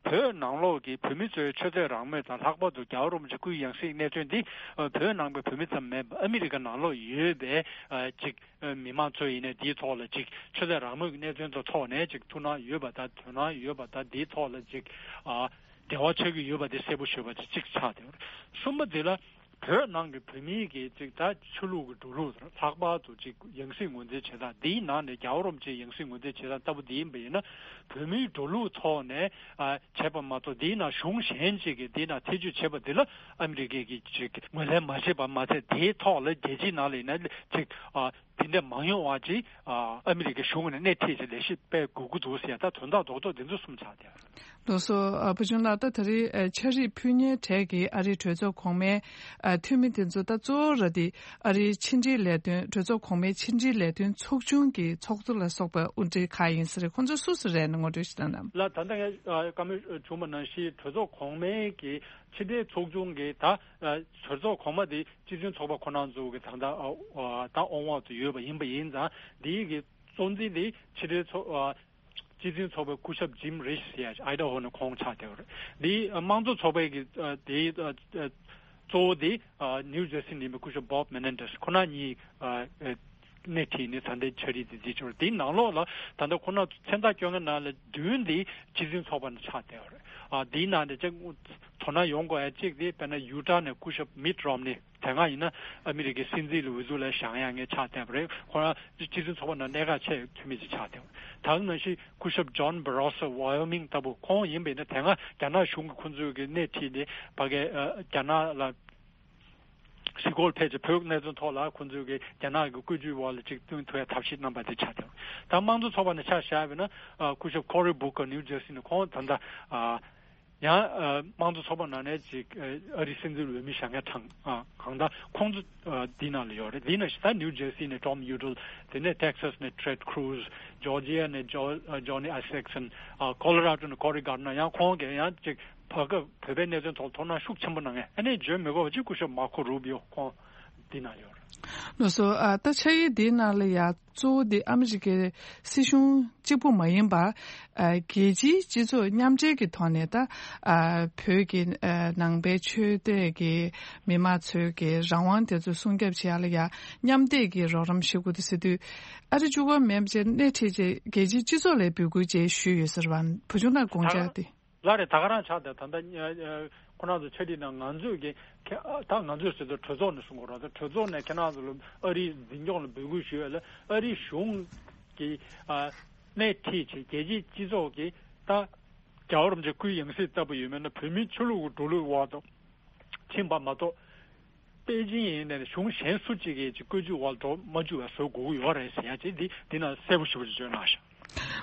བོད་ནང་ལོགས་ཀྱི་བོད་མི་ཚོའི་ཆོས་དད་རང་མོས་དང་། ལྷག་པར་དུ་རྒྱལ་བ་རིན་པོ་ཆེ་སྐུའི་ཡང་སྲིད་གནད་དོན་འདི་ཨ་བོད་ནང་པའི་བོད་མི་ཙམ་མིན་པར་ཨ་མི་རི་ཀ་ནང་ལོགས་ཡོད་པའི་ཨ་ཅིག་ཨ་མི་མང་ཚོ་ཡིན་ནའི་འདིའི་ཐོག་ལ་ཅིག་ཆོས་དད་རང་མོས་ཀྱི་གནད་དོན་དང་ཐོག་ནས་ཅིག་ཐུགས་སྣང་ཡོད་པ་དང་དོ་སྣང་ཡོད་པ་དང་། འདིའི་ཐོག་ལ་ཅིག་ཨ་འབྲེལ་བ་ཆགས་ཀྱི་ཡོད་པ་དེ་གསལ་པོ་ཞུས་པ་དེ་གཅིག་ཆགས་བསྡད་ཡོད་རེད། གསུམ་པ་དེ་ལ་བོད་ནང་གི་བོད་མིའི་གི་ཅིག་ད་ཆོས་ལུགས་ཀྱི་འགྲོ་ལུགས་དང་། ལྷག་པར་དུ་ཅིག་ཡང་སྲིད་ངོས་འཛིན་བྱེད་སྟངས་འདིའི་ནང་ནས་རྒྱལ་བ་རིན་པོ་ཆེའི་ཡང་སྲིད་ངོས་འཛིན་བྱེད་སྟངས་ལྟ་བུ་འདི་ཡིན་པ་ཡིན་ན། བོད་མིའི་འགྲོ་ལུགས་ཐོག་ནས་ཨ་བྱས་པ་མ་གཏོགས། འདིའི་ནང་གཞུང་གཞན་ཅིག་གིས་འདིའི་ནང་ཐེ་བྱུས་བྱས་པ་འདི་ལ་ཨ་མི་རི་ཀས་ཀྱིས་ཅིག་ངོས་ལེན་མ་བྱས་པ་མ་ཚད། དེའི་ཐོག་ལ་རྒྱལ་སྤྱིའི་ནང་ལ་ཡིན་ན་ཅིག་ཨ་དེ་འདྲ་མ་ཡོང་བ་ཅིག་ཨ་ཨ་མི་རི་ཀའི་གཞུང་ནས་སྣེ་ཁྲིད་ཅིག་ལས་གཞི་སྤེལ་དགོས་ཀྱི་འདུག་ཟེར་ཡ། ད་དོན་དག་རྡོག་རྡོག་འདི་ཚོ་གསུམ་ཆགས་བསྡད་ཡོད་རེད། ལགས་སོ། ཨ་བུ་ཆུང་ལགས། ད་ད་རེས་ཨ་ཕྱག་བྲིས་ཕུལ་མཁན་གྲས་ཀྱི་ཨ་རིའི་གྲོས་ཚོགས་གོང་མའི་ཨ་འཐུས་མི་དེ་ཚོ་ད་གཙོ་བོ་ར་དེ་ཨ་རིའི་ཕྱི་འབྲེལ་ལས་དོན། གྲོས་ཚོགས་གོང་མའི་ཕྱི་འབྲེལ་ལས་དོན་ཚོགས་ཆུང་གི་ཚོགས་གཙོ་ལ་སོགས་པ་དབུ་ཁྲིད་ཁག་ཡིན་ས་རེད། ཁོང་ཚོ་སུ་སུ་རེད་ན་ངོ་སྤྲོད་ཞིག་གནང་དང་། ལགས། ད་ལྟ་ངས་ཨ་བཀའ་མོལ་བྱུང་བ་ནང་བཞིན་གྲོས་ཚོགས་གོང་མའི་གི་ཕྱི་འབྲེལ་ཚོགས་ཆུང་གི་ད་ཨ་གྲོས་ཚོགས་གོང་མ་དེ་སྤྱི་མཐུན་ཚོགས་པ་ཁོ་རང་ཚོ་གི་ད་ལྟ་ཨ་ཨ་ད་དབང་འོག་ཏུ་ཡོད་པ་ཡིན་པ་ཡིན་ཙང་། འདིའི་གི་གཙོ་འཛིན་དེ་ཕྱི་འབྲེལ་ཚོགས་ཨ་སྤྱི་མཐུན་ཚོགས་པའི་སྐུ་ཞབས་ཇིམ་རིཆ་ཟེར་ཡ་ཅིག་ཨའི་ཌ་ཧོ་ནས་ཁོང་ཆགས་བསྡད་ཡོད་རེད། འདི་ཨ་དམངས་གཙོ་ཚོགས་པའི་གི་ཨ་དེའི་ཨ་ཨ་གཙོ་བོ་དེ་ཨ་ནིའུ་ཇར་སི་ནས་ཡིན་པའི་སྐུ་ཞབས་བོབ་མེ་ནེན་ཌེས། ཁོ་རང་གཉིས་ཨ་ཨ་ སྣེ་ཁྲིད་ནས་ད་ལྟའི་ཕྱག་བྲིས་དེ་བྲིས་ཆོག་རེད། དེའི་ནང་ལོགས་ལ་ད་ལྟ་ཁོ་ན་མཚན་རྟགས་བསྐྱོན་མཁན་ནང་ལ་བདུན་དེ་སྤྱི་མཐུན་ཚོགས་པ་ནས་ཆགས་བསྡད་པ་རེད། ཨ་དེའི་ནང་ནས་ཅིག་དོ་སྣང་ཡོང་དགོས་ཡ་གཅིག་དེ་དཔེར་ན་ཡུ་ཊ་ནས་སྐུ་ཞབས་མིཊ་རོམ་ནི་དེ་སྔ་ཡིན་ན་ཨ་མི་རི་ཀའི་སྲིད་འཛིན་ལ་འོས་བསྡུ་ལ་བཞེངས་ཡ་ངས་ཆགས་བསྡད་པ་རེད། ཁོ་རང་སྤྱི་མཐུན་ཚོགས་པ་ནང་གནད་འགག་ཆེ་འཐུས་མི་ཅིག་ཆགས་བསྡད་པ་རེད། ད་ག་ནང་བཞིན་སྐུ་ཞབས་ཇོན་བྷ་རོ་སོ་ཝ་ཡོ་མིང་ལྟ་བུ་ཁོང་ཡིན་པས་ན་དེ་སྔ་རྒྱ་ནག་གཞུང་གིས་ཁོང་ཚོའི་གི་སྣེ་ཁྲིད་ནས་ཕ་གི་ཨ་རྒྱ་ནག་ལ་གཞིས་སྐོར་ཕེབས་ཀྱི་བོད་གནད་དོན་ཐོག་ལ་ཁོང་ཚོས་ཀྱི་རྒྱ་ནག་གི་བཀོད་ཇུས་འོག་ལ་ཅིག་བསྟུན་ཐུབ་ཡ་ཐབས་ཤེས་གནང་པ་དེ་ཆགས་ཐུབ། ད་དམངས་གཙོ་ཚོགས་པ་ནས་ཆ་བཞག་པ་ཡིན་ན་ཨ་སྐུ་ཞབས་ཁོ་རི་བུ་ཀར་ནིའུ་ཇར་སི་ནས་ཁོང་ད་ལྟ་ཨ་ཡང་ཨ་དམངས་གཙོ་ཚོགས་པ་ནང་ནས་ཅིག་ཨ་རིའི་སྲིད་འཛིན་འོས་མི་བཞེངས་མཁན་གྲངས་ཨ་གང་ལྟར་ཁོང་ཚོ་ཨ་འདི་ནང་ལ་ཡོད་རེད། འདི་ནང་བཞིན་ད་ནིའུ་ཇར་སི་ནས་ཊོམ་ཡུ་ཌལ། དེ་ནས་ཊེག་སཱས་ནས་ཊེཌ་ཁུ་རུ་ཛི། ཇོར་ཇི་ཡ་ནས་ཇོ་ཨ་ཇོ་ནི་ཨའི་སེག་སན། ཨ་ཁོ་ལོ་ར་ཌོ་ནས་ཀོ་རི་གར་ནར། ཡང་ཁོང་གིས་ཡང་ཅིག་བར་སྐབས་བོད་པའི་གནད་དོན་ཐོག་དོ་སྣང་ཤུགས་ཆེན་པོ་གནང་མཁན། ཨ་ནི་བརྗོད་མི་དགོས་པ་ཅིག་སྐུ་ཞབས་མར་ཁོ་རུ་བི་ཡོ་ཁོང་འདི་ན་ཡོད་རེད། ལགས་སོ། ཨ་ད་ཕྱག་ཡིག་འདིའི་ནང་ལ་ཡང་གཙོ་བོ་འདི་ཨ་མི་རི་ཀའི་སྲིད་གཞུང་གཅིག་པུ་མ་ཡིན་པར་ཨ་རྒྱལ་སྤྱིའི་སྤྱི་ཚོགས་མཉམ་འབྲེལ་གྱི་ཐོག་ནས་ད་ཨ་བོད་ཀྱི་ཨ་ནང་པའི་ཆོས་དད་ཀྱི་མི་མང་ཚོའི་གི་རང་དབང་དེ་ཚོ་སྲུང་སྐྱོབ་བྱེད་ཡ་ལ་ཡང་མཉམ་འདེགས་ཀྱི་རོགས་རམ་ཞུ་དགོས་འདུག་ཟེར་དུས། ཨ་རི་གཅིག་པོ་མིན་པ་བྱས་སྣེ་ཁྲིད་བྱས་རྒྱལ་སྤྱིའི་སྤྱི་ཚོགས་ལ་འབོད་སྐུལ་བྱས་ཞུས་ཡོད་ཟེར་བ། བུ་ཆུང་ལགས་དགོངས་འཆར་དེ། ལགས་རེད། ད་ག་རང་ཆགས་ཏེ་ད་ལྟ་ཁོ་རང་ཚོ་ཕྱག་བྲིས་ནང་ང་ཚོས་ཀྱི་ཁྱེད་ད་ང་ཚོས་ཟེར་དུས་གྲོས་ཚོགས་ནས་གསུང་དགོས་རེད། ད་གྲོས་ཚོགས་ནས་ཁྱེད་རང་ཚོ་ལ་ཨ་རིའི་འཛིན་སྐྱོང་ལ་འབོད་སྐུལ་ཞུ་ཡ་ལ་ཨ་རིའི་གཞུང་གི་སྣེ་ཁྲིད་བྱས་རྒྱལ་སྤྱིའི་སྤྱི་ཚོགས་ཀྱི་ད་རྒྱལ་བ་རིན་པོ་ཆེ་སྐུའི་ཡང་སྲིད་ལྟ་བུ་ཡོད་མེད་ན་བོད་མིའི་ཆོས་ལུགས་ཀྱི་འགྲོ་ལུགས་འོག་ཏུ་ཕྱིན་པ་མ་གཏོགས། པེ་ཅིན་ཡིན་ནའི་གཞུང་གཞན་སུ་གཅིག་གིས་ཀྱི་བཀོད་ཇུས་འོག་འགྲོ་མ་བཅུག་པ་བཟོ་དགོས་ཀྱི་ཡོད་རེད་ཟེར་ཡ་ཅིག་འདི་འདི་ནང་གསལ་པོ་ཞེ་པོ་ཅིག་བརྗོད་གནང་ཤག་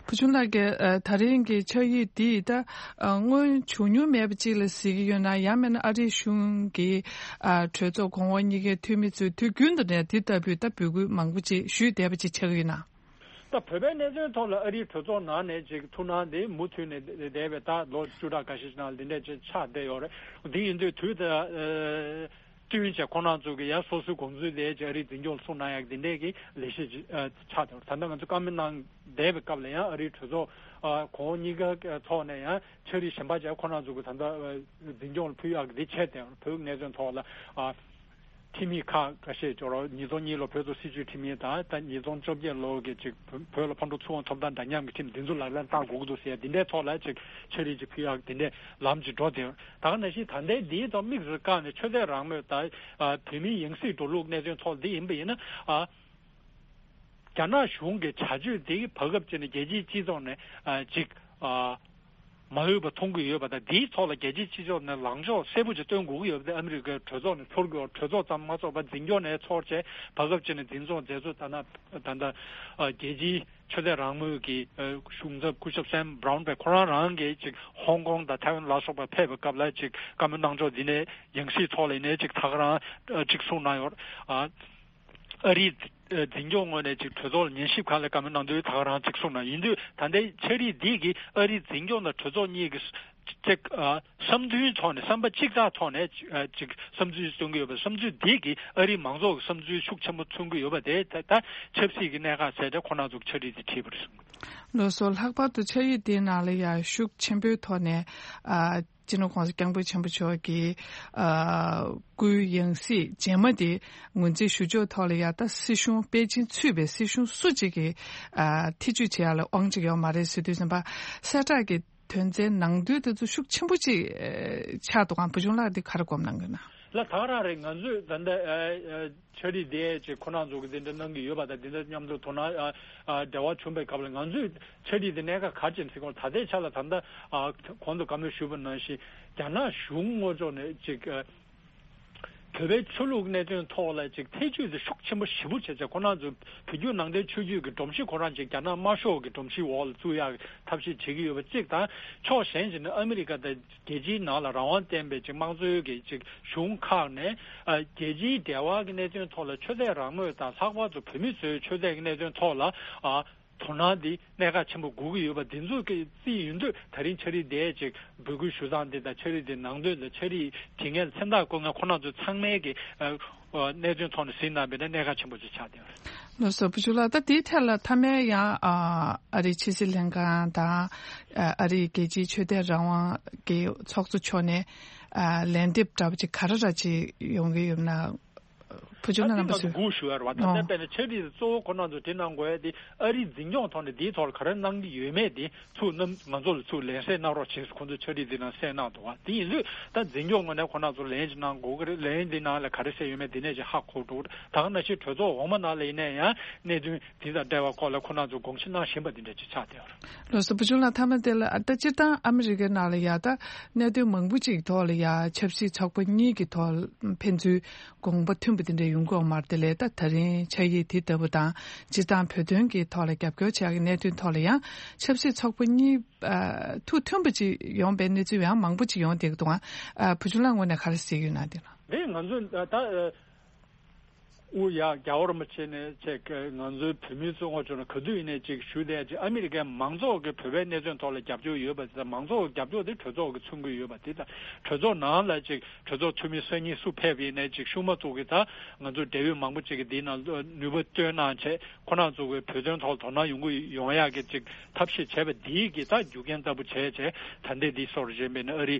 བུ་ཆུང་ལགས་ཀྱིས་ཨ་ད་རིང་གི་ཕྱག་ཡིག་འདི་ད་ཨ་སྔོན་བྱུང་མྱོང་མེད་པ་ཅིག་ལ་གཟིགས་ཀྱི་ཡོད་ན། ཡང་མིན་ན་ཨ་རིའི་གཞུང་གི་ཨ་གྲོས་ཚོགས་གོང་འོག་གཉིས་ཀའི་འཐུས་མི་ཚོས་དུས་རྒྱུན་དུ་ནས་འདི་ལྟ་བུའི་ད་འབོད་སྐུལ་མང་པོ་ཅིག་ཞུས་བསྡད་པ་ཅིག་ཆགས་ཀྱི་ཡོད་ན། ད་བོད་པའི་གནད་དོན་ཐོག་ལ་ཨ་རིའི་གྲོས་ཚོགས་ནང་ནས་ཅིག་ཐུགས་སྣང་དེ་མུ་མཐུད་ནས་བསྡད་པའི་ད་ལོ་བཅུ་ཕྲག་འགའ་ཤས་ཤིག་ནང་འདི་འདྲས་ཅིག་ཆགས་བསྡད་ཡོད་རེད། འདི་ཡིན་དུས་དུས་ད་ཨ་བསྟུན་བྱས་ཁོང་རྣམ་ཚོ་གི་ཡང་སོ་སོའི་དགོངས་ཚུལ་དེ་ཅིག་ཨ་རིའི་འཛིན་སྐྱོང་ལ་གསུངས་གནང་ཡག་འདི་འདྲས་ཀྱི་ལས་གཞི་ཅིག་ཨ་ཆགས་བསྡད་ཡོད་རེད། ད་ལྟ་ང་ཚོ་བཀའ་མོལ་གནང་བསྡད་པའི་སྐབས་ལ་ཡང་ཨ་རིའི་གྲོས་ཚོགས་ཨ་གོང་འོག་གཉིས་ཀ་ཐོག་ནས་ཡང་ཕྱག་བྲིས་གཞན་པ་ཅིག་ཁོང་རྣམ་ཚོ་གི་ད་ལྟ་ཨ་འཛིན་སྐྱོང་ལ་ཕུལ་ཡག་གི་འདི་བྱས་བསྡད་ཡོད་རེད། བོད་གནད་དོན་ཐོག་ལ་ཨ། ཁྲིམས་ཡིག་ཁག་ཁ་ཤས་སྦྱོར་བ། ཉིས་སྟོང་གཉིས་ལོ་བོད་དུ་སྲིད་བྱུས་ཁྲིམས་ཡིག་དང་། ད་ཉིས་སྟོང་བཅོ་བརྒྱད་ལོ་གི་ཅིག་བོད་ལ་ཕར་འགྲོ་ཚུར་འོང་ཐོབ་ཐང་འདྲ་མཉམ་གྱི་ཁྲིམས་འདི་ཚོ་ལག་ལེན་བསྟར་དགོས་ཀྱི་འདུག་ཟེར་ཡ་འདི་འདྲའི་ཐོག་ལ་ཅིག་ཕྱག་བྲིས་ཅིག་ཕུལ་ཡག་འདི་འདྲའི་ལམ་ཅིག་འགྲོ་བསྡད་ཡོད། ད་ག་ནང་བཞིན་ད་ལྟའི་འདིའི་ཐོག་དམིགས་སུ་བཀར་ནས་ཆོས་དད་རང་མོས་དང་ཨ་བོད་མིའི་ཡང་སྲིད་འགྲོ་ལུགས་གནད་དོན་ཐོག་འདི་ཡིན་པ་ཡིན་ན། ཨ་རྒྱ་ནག་གཞུང་གི་བྱ་སྤྱོད་འདི་བར་སྐབས་ཅིག་ནས་རྒྱལ་སྤྱིའི་སྤྱི་ཚོགས་ནས་ཨ་ཅིག་ཨ། མ་འོས་པ་མཐོང་གི་ཡོད་པ་དང་། འདིའི་ཐོག་ལ་རྒྱལ་སྤྱིའི་སྤྱི་ཚོགས་ནས་ལངས་ཕྱོགས་གསལ་པོ་ཅིག་སྟོན་དགོས་ཀྱི་ཡོད་པ་དེ་ཨ་མི་རི་ཀའི་གྲོས་ཚོགས་ནས་ཚོར་གྱི་ཡོད། གྲོས་ཚོགས་ཙམ་མ་ཚོགས་པར་འཛིན་སྐྱོང་ནས་ཚོགས་བྱས་བར་སྐབས་ཅིག་ནས་འཛིན་བཟུང་མཛད་ཚུལ། ད་ནི་ད་ལྟ་རྒྱལ་སྤྱིའི་ཆོས་དད་རང་མོས་ཀྱི་གཞུང་ཚབ་སྐུ་ཞབས་སེམ་བྷ་རའུན་བས་ཁོ་རང་རང་གིས་ཅིག་ཧོང་ཀོང་དང་ཐའེ་ཝན་ལ་སོགས་པར་ཕེབས་པའི་སྐབས་ལ་ཅིག་བཀའ་མོལ་གནང་ཕྱོགས་འདི་ནས་ཡང་སྲིད་ཐོག་ལ་ཡིན་ནའི་ཅིག་ད་ག་རང་ཅིག་གསུངས་གནང་ཡོད། ཨ་རིའི་འཛིན་སྐྱོང་ངོས་ནས་ཅིག་གྲོས་ཚོགས་ལ་ཉན་ཞིབ་ཁང་ལ་བཀའ་མོལ་གནང་དུས་ད་ག་རང་ཅིག་གསུངས་གནང་། ཡིན་དུས་ད་ལྟའི་ཕྱག་བྲིས་འདི་གིས་ཨ་རིའི་འཛིན་སྐྱོང་དང་གྲོས་ཚོགས་གཉིས་ཀྱི་ཅིག་ཨ་བསམ་ཚུལ་ཐོག་ནས། བསམ་པ་གཅིག་ཚགས་ཐོག་ནས་ཅིག་བསམ་ཚུལ་མཚོན་གྱི་ཡོད་པ། བསམ་ཚུལ་འདི་གིས་ཨ་རིའི་མང་ཚོགས་ཀྱི་བསམ་ཚུལ་ཤུགས་ཆེན་པོ་མཚོན་གྱི་ཡོད་པ་དེ་ད་ད་ཆབ་སྲིད་ཀྱི་གནད་འགག་བྱས་ཏེ་ཁོ་རང་ཚོ་ཕྱག་བྲིས་འདི་བྲིས་པ་རེད་གསུངས། ལགས་སོ། ལྷག་པར་དུ་ཕྱག་ཡིག་འདིའི་ནང་ལ་ཡང་ཤུགས་ཆེན་པོའི་ཐོག་ནས་ཨ། སྤྱི་ནོར་༸གོང་ས་༸སྐྱབས་མགོན་ཆེན་པོ་མཆོག་གིས་ཨ་སྐུའི་ཡང་སྲིད་རྗེས་མ་དེ་ངོས་འཛིན་ཞུ་ཕྱོགས་ཐོག་ལ་ཡ། ད་སྲིད་གཞུང་པེ་ཅིན་ཚུད་པའི་སྲིད་གཞུང་སུ་གཅིག་གིས་ཨ་ཐེ་བྱུས་བྱེད་ཡ་ལ་དབང་ཆ་ཡོད་མ་རེད་ཟེར་དུས་ཙམ་པ། གསལ་བསྒྲགས་ཀྱི་དོན་ཚན་ནང་དོན་དེ་ཚོ་ཤུགས་ཆེན་པོ་ཅིག་ཨ་ཆགས་འདུག་གམ། བུ་ཆུང་ལགས་འདི་ག་རེ་སྒོམ་གནང་གི་ན། ལགས། ད་ག་རང་རེད། ང་ཚོས་ད་ལྟ་ཨ་ཨ་ཕྱག་བྲིས་དེ་ཅིག་ཁོ་རང་ཚོ་གི་འདི་འདྲ་གནང་གི་ཡོད་པ་དང་། འདི་འདྲ་མཉམ་དུ་དོ་སྣང་ཨ་ཨ་འབྲེལ་བ་བྱུང་བའི་སྐབས་ལ་ང་ཚོས་ཕྱག་བྲིས་དེ་གནད་འགག་ག་རེ་བྱས་ནས་ཟེར་གོང་ད་ལྟའི་ཆ་ལ་ད་ལྟ་ཨ་གོང་དུ་བཀའ་མོལ་ཞུས་པ་ནང་བཞིན་རྒྱ་ནག་གཞུང་ངོས་ཕྱོགས་ནས་ཅིག་ཨ་བོད་པའི་ཆོས་ལུགས་གནད་དོན་ཐོག་ལ་ཅིག་ཐེ་བྱུས་དེ་ཤུགས་ཆེན་པོ་ཞེ་པོ་བྱས་བྱས། ཁོ་རང་ཚོ་བོད་བརྒྱུད་ནང་བསྟན་ཆོས་བརྒྱུད་ཀྱི་སྒྲོམ་གཞི་ཁོ་རང་ཅིག་རྒྱ་ནག་དམར་ཤོག་གི་སྒྲོམ་གཞིའི་འོག་ལ་བཙུགས་ཡག་གི་ཐབས་ཤེས་བྱེད་ཀྱི་ཡོད་པ་གཅིག་དང་། ཕྱོགས་གཞན་ཞིག་ནས་ཨ་མི་རི་ཀ་དང་རྒྱལ་སྤྱིའི་ནང་ལ་རང་དབང་ལྡན་པའི་ཅིག་དམངས་གཙོའི་གི་ཅིག་གཞུང་ཁག་ནས་ཨ་རྒྱལ་སྤྱིའི་འབྲེལ་བ་གི་གནད་དོན་ཐོག་ལ་ཆོས་དད་རང་མོས་དང་། ལྷག་པར་དུ་བོད་མི་ཚོའི་ཆོས་དད་ཀྱི་གནད་དོན་ཐོག་ལ་ཨ་དོ་སྣང་འདི་གནད་འགག་ཆེན་པོ་དགོས་ཀྱི་ཡོད་པ་འདི་ཚོ་གི་རྩིས་ཡིན་དུས། ད་རིང་ཕྱག་བྲིས་དེ་ཅིག་འབོད་སྐུལ་ཞུ་སྟངས་འདི་དང་། ཕྱག་བྲིས་དེ་ནང་དོན་དང་། ཕྱག་བྲིས་བྲིས་མཁན་ལ་མཚན་རྟགས་བཀོད་མཁན་ཁོ་རང་ཚོ་ཚང་མའི་གི་ཨ་ཨ་གནད་དོན་ཐོག་ནས་གཟིགས་གནང་བས་ན་གནད་འགག་ཆེན་པོ་ཅིག་ཆགས་བསྡད་ཡོད་རེད། ལགས་སོ། བུ་ཆུང་ལགས། ད་དེའི་ཐད་ལ་མཐའ་མའི་ཡང་ཨ་ཨ་རིའི་ཕྱི་སྲིད་ལྷན་ཁང་དང་ཨ་ཨ་རིའི་རྒྱལ་སྤྱིའི་ཆོས་དད་རང་དབང་གི་ཚོགས་གཙོ་མཆོག་ནས་ཨ་ལན་འདེབས་འདྲ་པོ་ཅིག་ག་རེ་འདྲ་ཅིག་ཡོང་གི་ཡོད་ན། བུ་ཆུང་ལགས། རྣམ་པ་ཚོས་ང་ཚོ་སྒུག་ཞུ་ཡ་རེད་བ། ད་ལྟ་དཔེར་ན་ཕྱག་བྲིས་གཙོ་བོ་ཁོ་རང་ཚོ་དེ་གནང་དགོས་ཡ་དེ་ཨ་རིའི་འཛིན་སྐྱོང་ཐོག་ནས་དེའི་ཐོག་ལ་ག་རེ་གནང་གི་ཡོད་མེད་དེ་ཚུར་གནང་། ང་ཚོ་ལ་ཚུར་ལན་གསལ་གནང་རོགས་བྱེད་ཟེར། ཁོང་ཚོས་ཕྱག་བྲིས་དེ་ནང་གསལ་གནང་འདུག་བ། དེ་ཡིན་དུས་ད་འཛིན་སྐྱོང་ངོས་ནས་ཁོ་རང་ཚོ་ལན་ཅིག་གནང་དགོས་ཀྱི་རེད། ལན་དེ་ནང་ལ་ག་རེ་གསལ་ཡོད་མེད་དེ་ནས་ཅིག་ཧ་གོ་འགྲོ་གི་རེད། ད་ག་ནང་བཞིན་གྲོས་ཚོགས་འོག་མ་ནང་ལ་ཡིན་ན་ཡང་གནད་དོན་དེ་དང་འབྲེལ་བ་སྐོར་ལ་ཁོ་རང་ཚོ་དགོངས་ཞུ་གནང་བཞིན་པ་དེ་འདྲ་ཅིག་ཆགས་བསྡད་ཡོད་རེད། ལགས་སོ། བུ་ཆུང་ལགས། མཐའ་མ་དེ་ལ་ད་སྤྱིར་བཏང་ཨ་མི་རི་ཀའི་ནང་ལ་ཡ་ད་གནད་དོན་མང་པོ་ཅིག་ཐོག་ལ་ཡ་ཆབ་སྲིད་ཚོགས་པ་གཉིས་ཀྱི་ཐོག་ཕན་ཚུན་དགོངས་པ་མཐུན་པ་དེ་འདྲ་ཡོང་གི་ཡོད་མ་རེད། དེ་ལས་ད་ད་རིང་ཕྱག་ཡིག་དེ་ལྟ་བུ་དང་སྤྱིར་བཏང་བོད་དོན་གྱི་ཐོག་ལ་རྒྱབ་སྐྱོར་བྱེད་ཡག་གི་གནད་དོན་ཐོག་ལ་ཡང་ཆབ་སྲིད་ཚོགས་པ་གཉིས་ཨ་ཐུགས་མཐུན་པ་ཅིག་ཡོང་པའི་གནས་ཚུལ་ཡང་མང་པོ་ཅིག་ཡོང་བསྡད་ཀྱི་འདུག་ཨ། བུ་ཆུང་ལགས་ངོས་ནས་ག་རེ་གཟིགས་ཡོད་ན་དེ་ལ། རེད། ང་ཚོ་ད་ཨ་དབུ་ཡག་རྒྱལ་བ་རིན་པོ་ཆེ་ནས་བཅས་ང་ཚོའི་བོད་མིའི་བཙོན་ཁང་ཕྱོགས་ནས་ག་དུས་ཡིན་ནས་ཅིག་ཞུ་བསྡད་ཅིག་ཨ་མི་རི་ཀའི་མང་ཚོགས་ཀྱི་བོད་པའི་གནས་ཚུལ་ཐོག་ལ་རྒྱབ་སྐྱོར་ཡོད་པ་དེ་དང་། མང་ཚོགས་ཀྱི་རྒྱབ་སྐྱོར་དེ་གྲོས་ཚོགས་ཀྱིས་མཚོན་གྱི་ཡོད་པ་དེ་དང་། གྲོས་ཚོགས་ནང་ལ་ཅིག་གྲོས་ཚོགས་འཐུས་མི་སང་ཉིན་སུ་ཕེབས་ཡིན་ནས་ཅིག་ཤུགས་མ་བཙུགས་ཀྱི་ད་ང་ཚོ་འབྲེལ་ཡོད་མང་པོ་ཅིག་གིས་འདིའི་ནང་ནུས་པ་བཏོན་གནང་བྱས། ཁོ་རང་ཚོ་གི་བོད་དོན་ཐོག་དོ་སྣང་ཡོང་གི་ཡོང་ཡག་གི་ཅིག་ཐབས་ཤེས་བྱས་པ་འདིའི་གི་ད་རྒྱུ་རྐྱེན་ལྟ་བུ་བྱས་བྱས་ད་ལྟའི་འདི་སོར་བཞིན་པའི་ནི་ཨ་རི་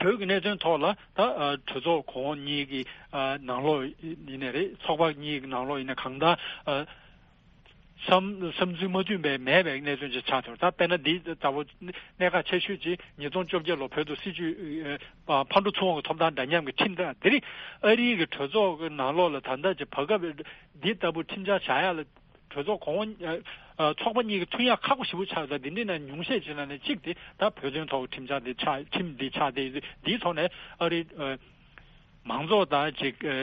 བོད་ཀྱི་གནད་དོན་ཐོག་ལ་ད་ཨ་གྲོས་ཚོགས་གོང་འོག་གཉིས་ཀྱི་ཨ་ནང་ལོགས་ཡིན་ནའི་རེད། ཚོགས་པ་གཉིས་ཀྱི་ནང་ལོགས་ཡིན་ནའི་གང་ལྟར་ཨ་བསམ་བསམ་ཚུལ་མ་མཐུན་པའི་མེད་པའི་གནད་དོན་ཅིག་ཆགས་ཐུབ། ད་དཔེར་ན་འདི་ལྟ་བུ་གནད་འགག་ཆེ་ཤོས་ཅིག་ཉིས་སྟོང་བཅོ་བརྒྱད་ལོ་བོད་དུ་སྲིད་བྱུས་ཨ་ཕར་འགྲོ་ཚུར་འོང་གི་ཐོབ་ཐང་འདྲ་མཉམ་གྱི་ཁྲིམས་ཐག་དེ་རིང་ཨ་རིའི་གི་གྲོས་ཚོགས་ཀྱི་ནང་ལོགས་ལ་ད་ལྟ་ཅིག་བར་སྐབས་འདི་ལྟ་བུ་ཁྲིམས་འཆར་བཞག་ཡག་ལ། གྲོས་ཚོགས་གོང་འོག་ཨ་ཚོགས་པ་གཉིས་ཀྱི་མཐུན་ཡག་ཁག་པོ་ཞེ་པོ་ཆགས་ཡོད། ད་འདི་འདྲའི་ནང་ཉུང་ཤས་ཅིག་ལ་ནས་གཅིག་དེ་ད་བོད་དོན་ཐོག་གི་ཁྲིམས་འཆར་འདི་ཆགས། ཁྲིམས་འདི་ཆགས་ཏེ། འདིའི་ཐོག་ནས་ཨ་རི་ཨ་མང་ཚོགས་དང་ཅིག་ཨ་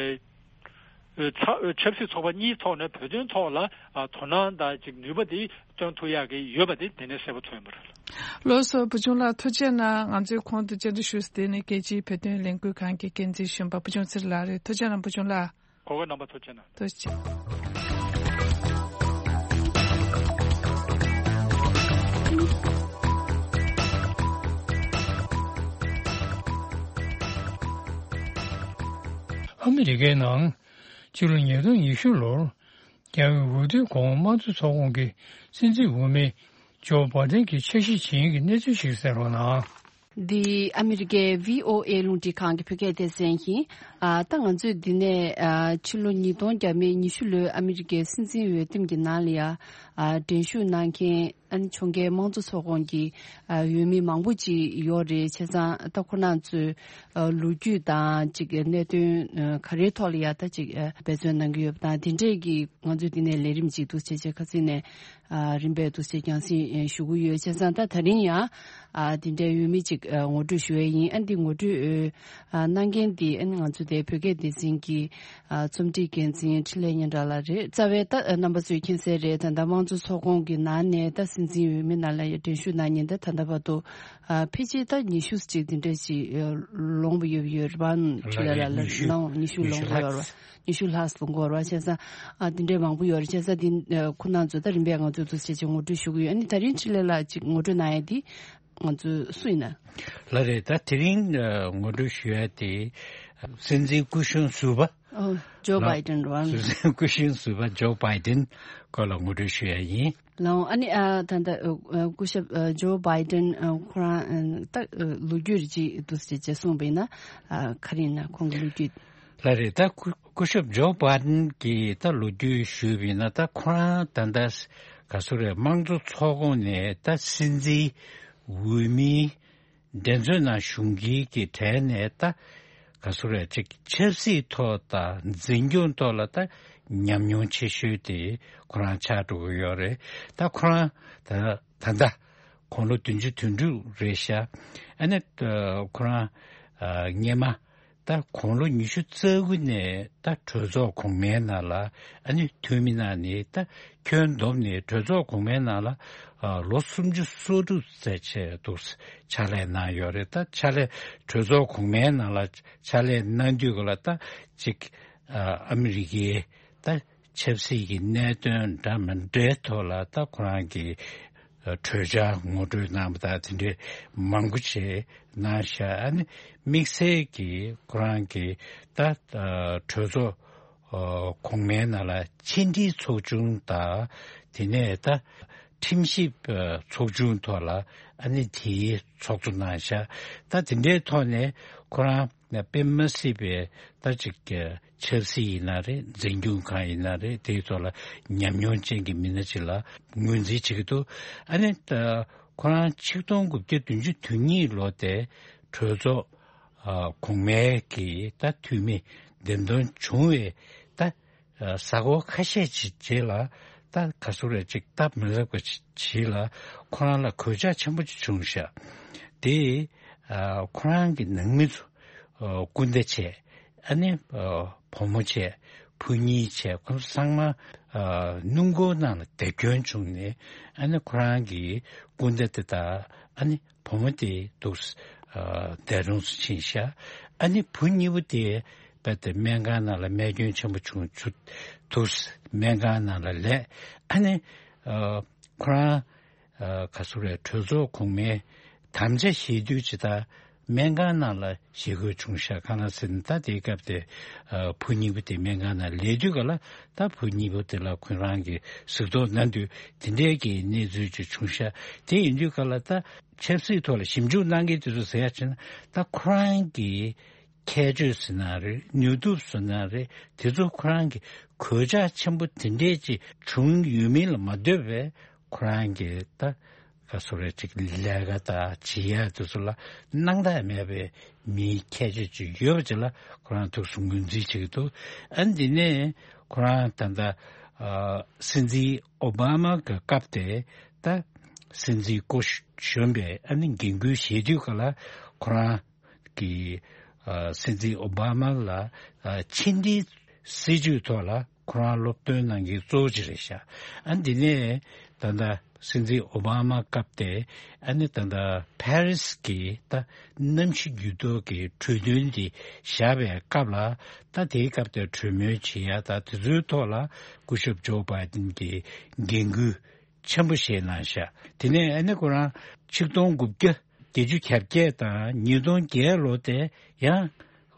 ཨ་ཚ་ཆབ་སྲིད་ཚོགས་པ་གཉིས་ཐོག་ནས་བོད་དོན་ཐོག་ལ་ཨ་དོ་སྣང་དང་ཅིག་ནུས་པ་དེ་བཏོན་ཐུབ་ཡག་གི་ཡོད་པ་དེ་དེ་ནས་གསལ་པོ་མཚོན་པ་རེད། ལགས་སོ། བུ་ཆུང་ལགས་ཐུགས་རྗེ་གནང་། ང་ཚོའི་གོང་དུ་བཅར་འདྲི་ཞུས་དེ་ནི་རྒྱལ་སྤྱིའི་བོད་དོན་ལས་འགུལ་ཁང་གི་འགན་འཛིན་གཞོན་པ་བུ་ཆུང་ཚེ་རིང་ལགས་རེད། ཐུགས་རྗེ་གནང་བུ་ཆུང་ལགས། གོ་སྐབས་གནང་བར་ཐུགས་རྗེ་གནང་། ཐུགས་རྗེ་ཆེ། ཨ་མི་རི་ཀའི་ནང་ཕྱི་ལོ་ཉིས་སྟོང་ཉི་ཤུ་ལོར་རྒྱ་བོད་འོས་བསྡུའི་གོང་དམངས་གཙོ་ཚོགས་ཁོངས་ཀྱི་སྲིད་འཛིན་འོས་མི་ཇོ་བྷ་དན་གྱི་འཆར་གཞི་ཇི་ཡིན་གྱི་གནས་ཚུལ་ཞིག་གསན་རོགས་གནང་། འདི་ཨ་མི་རི་ཀའི་བྷི་ཨོ་ཨེ་རླུང་འཕྲིན་ཁང་གི་བོད་སྐད་སྡེ་ཚན་ཡིན། ཨ་ད་ང་ཚོས་འདི་ནས་ཨ་ཕྱི་ལོ་ཉིས་སྟོང་བརྒྱ་མེད་ཉི་ཤུ་ལོའི་ཨ་མི་རི་ཀའི་སྲིད་འཛིན་འོས་འདེམས་ཀྱི་ནང་ལ་ཡ་ཨ་འགྲན་ཞུགས་གནང་མཁན་ཨ་ནི་ཕྱོགས་འགལ་དམངས་གཙོ་ཚོགས་ཁོངས་ཀྱི་ཨ་འོས་མི་མང་པོ་ཅིག་ཡོད་རེད། བྱས་ཙང་ད་ཁོ་རང་ཚོའི་ཨ་ལོ་རྒྱུས་དང་ཅིག་གནད་དོན་ཨ་ག་རེའི་ཐོག་ལ་ཡ་ད་ཅིག་ཨ་འབད་བརྩོན་གནང་གི་ཡོད་པ་དང་། དེ་འདྲས་ཀྱི་ང་ཚོས་འདི་ནས་ལས་རིམ་ཅིག་འདུག་བྱས་བྱས་ཁ་སང་ནས་ཨ་རིམ་པས་འདུག་སེ་རྒྱང་སྲིང་ཨེ་ཞུ་གི་ཡོད། བྱས་ཙང་ད་ད་རིང་ཡང་ཨ་དེ་འདྲའི་འོས་མི་ཅིག་ཨ་ངོ་སྤྲོད་ཞུ་ཡས་ཡིན། ཨ་འདི་ངོ་སྤྲོད་ཨ་གནང་མཁན་འདི་ཨ་ནི་ང་ཚོ་དེ་བོད་སྐད་སྡེ་ཚན་གྱི་ཨ་རྩོམ་སྒྲིག་འགན་འཛིན་འཕྲིན་ལས་སྙན་གྲགས་ལགས་རེད། རྩ་བའི་ད་ཨ་རྣམ་པ་ཚོས་མཁྱེན་གསལ་རེད། ད་ལྟ་དམངས་གཙོ་ཚོགས་ཁོངས་ཀྱི་ནང་ནས་ད་སྲིད་འཛིན་འོས་མི་ནང་ལ་ཡ་འགྲན་ཞུགས་གནང་མཁན་ད་ད་ལྟ་བར་དུ་ཨ་ཕལ་ཆེར་ད་ཉི་ཤུ་ཅིག་དེ་འདྲ་ཅིག་ཨ་ལོངས་པ་ཡོད་ཡོད་རེད་པ། འཕྲིན་ལས་ལགས་ལ་ཉི་ཤུ། ནང་ཉི་ཤུ་ལོངས་པ་ཡོད་རེད་པ། ཉི་ཤུ་ལྷག་ཙམ་འགོར་བ་བྱས་ཙང་། ཨ་དེ་འདྲའི་མང་པོ་ཡོད་རེད། བྱས་ཙང་དེ་ཨ་ཁོ་རང་ཚོ་ད་རིམ་པས་ང་ཚོས་འདུག་སེ་བྱས་བྱས་ངོ་སྤྲོད་ཞུ་གི་ཡོད། ཨ་ནི་ད་རིང་འཕྲིན་ལས་ལགས་ཅིག་ངོ་སྤྲོད་གནང་ཡ་དེ་ང་ཚོ་སུ་ཡིན་ན། ལགས་རེད། ད་དེ་རིང་ཨ་ངོ་སྤྲོད་ཞུ་ཡ་དེ་སྲིད་འཛིན་སྐུ་གཞོན་ཟུར་པ། ཨོ་ཇོ་ལགས། བྷའི་ཌེན་རེད་པ། སྲིད་འཛིན་སྐུ་གཞོན་ཟུར་པ་ཇོ་བྷའི་ཌེན་སྐོར་ལ་ངོ་སྤྲོད་ཞུ་ཡ་ཡིན། ལགས། ཨ་ནི་ཨ་ད་ལྟ་ཨ་སྐུ་ཞབས་ཨ་ཇོ་བྷའི་ཌེན་ཨ་ཁོ་རང་ཨ་ད་ཨ་ལོ་རྒྱུས་ཅིག་འདུག་སེ་བྱས་གསུངས་པ་ཡིན་ན་ཨ་ག་རེ་ཡིན་ན་ཁོང་གི་ལོ་རྒྱུས། ལགས་རེད། ད་སྐུ་སྐུ་ཞབས་ཇོ་བྷའི་ཌེན་གྱི་ད་ལོ་རྒྱུས་ཞུས་པ་ཡིན་ན། ད་ཁོ་རང་ད་ལྟ་ག་ཚོད་རེད། དམངས་གཙོ་ཚོགས་ཁོངས་ནས་ད་སྲིད་འཛིན་འོས་མིའི་འགྲན་རྩོད་ནང་ཞུགས་མཁན་གྱི་གྲས་ནས་ད་ག་ཚོད་རེད། ཅིག་ཆབ་སྲིད་ཐོག་དང་འཛིན་སྐྱོང་ཐོག་ལ་ད་ཉམས་མྱོང་ཆེ་ཤོས་དེ་ཁོ་རང་ཆགས་འགྲོ་གི་ཡོད་རེད། ད་ཁོ་རང་ད་ད་ལྟ་དགུང་ལོ་བདུན་ཅུ་དོན་དྲུག་རེད་ཤག་ཨ་ནི་ཁོ་རང་ཨ་སྔས་མ་ད་དགུང་ལོ་ཉི་ཤུ་རྩ་དགུ་ནས་ད་གྲོས་ཚོགས་གོང་མའི་ནང་ལ་ཨ་ནི་འཐུས་མི་གནང་ནས། ད་ཁྱོན་བསྡོམས་ནས་གྲོས་ཚོགས་གོང་མའི་ནང་ལ་ཨ་ལོ་སུམ་ཅུ་སོ་དྲུག་ཙམ་བྱས་འདུག་ཕྱག་ལས་གནང་ཡོད་རེད། ད་ཕྱག་ལས་གྲོས་ཚོགས་གོང་མའི་ནང་ལ་ཕྱག་ལས་གནང་དུས་ག་ལ་ད་ཅིག་ཨ་ཨ་མི་རི་ཀའི་ད་ཆབ་སྲིད་ཀྱི་གནད་དོན་འདྲ་མི་འདྲའི་ཐོག་ལ་ད་ཁོ་རང་གིས་གྲོས་འཆར་ངོ་སྤྲོད་གནང་བ་དང་དེ་འདྲའི་མང་པོ་ཞིག་གནང་ཤག་ཨ་ནི་དམིགས་བསལ་གྱིས་ཁོ་རང་གིས་ད་གྲོས་ཚོགས་གོང་མའི་ནང་ལ་ཕྱི་འབྲེལ་ཚོགས་ཆུང་དང་། དེ་ནས་ད་ཁྲིམས་ཞིབ་ཚོགས་ཆུང་ཐོག་ལ་ཨ་ནི་དེའི་ཚོགས་གཙོ་གནང་ཤག་ད་དེ་འདྲའི་ཐོག་ནས་ཁོ་རང་ དཔེ་མ་སྲིད་པའི་ད་ཅིག་ཆབ་སྲིད་ཡིན་ན་རེད། འཛིན་སྐྱོང་ཁང་ཡིན་ན་རེད། དེའི་ཐོག་ལ་ཉམས་མྱོང་ཅན་གྱི་མི་སྣ་ཅིག་ལ་ངོས་འཛིན་བྱེད་ཀྱི་འདུག་ཨ་ནི་ད་ཁོ་རང་ཆིག་སྟོང་དགུ་བརྒྱ་བདུན་ཅུ་དོན་གཉིས་ལོ་དེ་གྲོས་ཚོགས་ཨ་གོང་མའི་གི་ད་འཐུས་མི་འདེམས་ཐོན་བྱུང་བའི་ད་ཨ་གཟའ་འཁོར་ཁ་ཤས་ཅིག་རྗེས་ལ་ད་ག་ཚོད་རེད་ཅིག་སྟབས་མི་ལེགས་པ་ཅིག་ལ་ཁོ་རང་ལ་གོད་ཆག་ཆེན་པོ་ཅིག་བྱུང་ཤག་དེ་ཨ་ཁོ་རང་གི་ནང་མི་ཚོ་ཨ་སྐུར་འདེབས་བྱས། ཨ་ནི་ཨ་བུ་མོ་བྱས། བུ་གཉིས་བྱས། ཁོ་ཚོ་ཚང་མ་ཨ་སྣུམ་འཁོར་ནང་ལ་རྡེབ་སྐྱོན་བྱུང་ནས། ཨ་ནི་ཁོ་རང་གི་སྐུར་འདེབས་དེ་དག་ཨ་ནི་བུ་མོ་དེ་འདུག་ཨ་འདས་གྲོངས་སུ་ཕྱིན་ཤག་ཨ་ནི་བུ་གཉིས་པོ་དེ་རྦད་དེ་སྨན་ཁང་ནང་ལ་རྨས་སྐྱོན་ཆེན་པོ་བྱུང་ཚུལ་འདུག་སྨན་ཁང་ནང་ལ་ལས། ཨ་ནི་ཨ་ཁོ་རང་ཨ་ག་ཚོད་རེད། གྲོས་ཚོགས་གོང་མའི་དམ་བཅའ་བཞེས་དུས་ཇི་ལྟར་སྨན་ཁང་ནང་ལ་བཞེས་དགོས་བྱུང་ཤག་གང་ལ་ཟེར་ན། ད་དེའི་སྐབས་དེ་ཨ་བུ་གཉིས་པོ་དེ་སྨན་ཁང་ནང་ལས་དུས་ག་ལ་ད་བུ་གཉིས་པོ་དེ་ལ་ཁོ་རང་གིས་གཟིགས་རྟོག་གནང་དུས་དེ་འདྲའི་གི་གནས་ཚུལ་ཅིག་བྱུང་ཤག་དེ་ཡིན་དུས་ག་ལ་ད་ཆབ་སྲིད་ཐོག་ལ་ཞིབ་འཇུག་གནང་མཁན་དེ་ཚོ་ཟེར་ཡ་བྱས་ན། ད་ཁོ་རང་གི་ཁྱད་ཆོས་ཟེར་ན་རེད། ནུས་སྟོབས་ཟེར་ན་རེད། དེ་ཚོ་ཁོ་རང་གི་གོད་ཆག་ཆེན་པོ་དེ་འདྲས་ཅིག་བྱུང་ཡོད་མིན་ལ་མ་ལྟོས་པའི་ཁོ་རང་གི་ད་ག་ཚོད་རེད་ཅིག་ལས་ཀ་དང་བྱེད་ཡ་དེ་ཚོ་ལ་སྣང་དག་མེད་པའི་མིའི་ཁྱད་ཆོས་ཅིག་ཡོད་པ་ཅིག་ལ་ཁོ་རང་ཐུགས་སུ་ངོས་འཛིན་བྱེད་ཀྱི་འདུག་ཨ་འདི་ནས་ཁོ་རང་ད་ལྟ་ཨ་སྲིད་འཛིན་ཨོ་བྷ་མ་གི་སྐབས་དེ་ད་སྲིད་འཛིན་སྐུ་གཞོན་པའི་ཨ་ནི་འགན་ཁུར་བཞེས་དུས་ག་ལ་ཁོ་རང་གི་ཨ་སྲིད་འཛིན་ཨོ་བྷ་མ་ལ་ཨ་ཕྱི་འབྲེལ་སྲིད་ཇུས་ཐོག་ལ་ཁོ་རང་སློབ་སྟོན་གནང་མཁན་གཙོ་བོ་ཅིག་རེད་ཤག་ཨ་འདི་ནས་ད་ལྟ་སྲིད་འཛིན་ཨོ་བྷ་མ་སྐབས་དེ་ཨ་ནི་ད་ལྟ་ཕ་རི་སི་གི་ད་གནམ་གཤིས་འགྱུར་ལྡོག་གི་གྲོས་མཐུན་དེ་བཞག་པའི་སྐབས་ལ། ད་དེའི་སྐབས་དེ་གྲོས་མོལ་བྱེད་ཡ་ད་དེ་ཚོའི་ཐོག་ལ་སྐུ་ཞབས་ཇོ་བྷའི་ཏིན་གྱིས་འགན་ཁུར་ཆེན་པོ་བཞེས་གནང་ཤག་དེ་ནས་ཨ་ནི་ཁོ་རང་ཆིག་སྟོང་དགུ་བརྒྱ་བརྒྱད་ཅུ་གྱ་བརྒྱད་དང་ཉིས་སྟོང་བརྒྱད་ལོ་དེ་ཡང་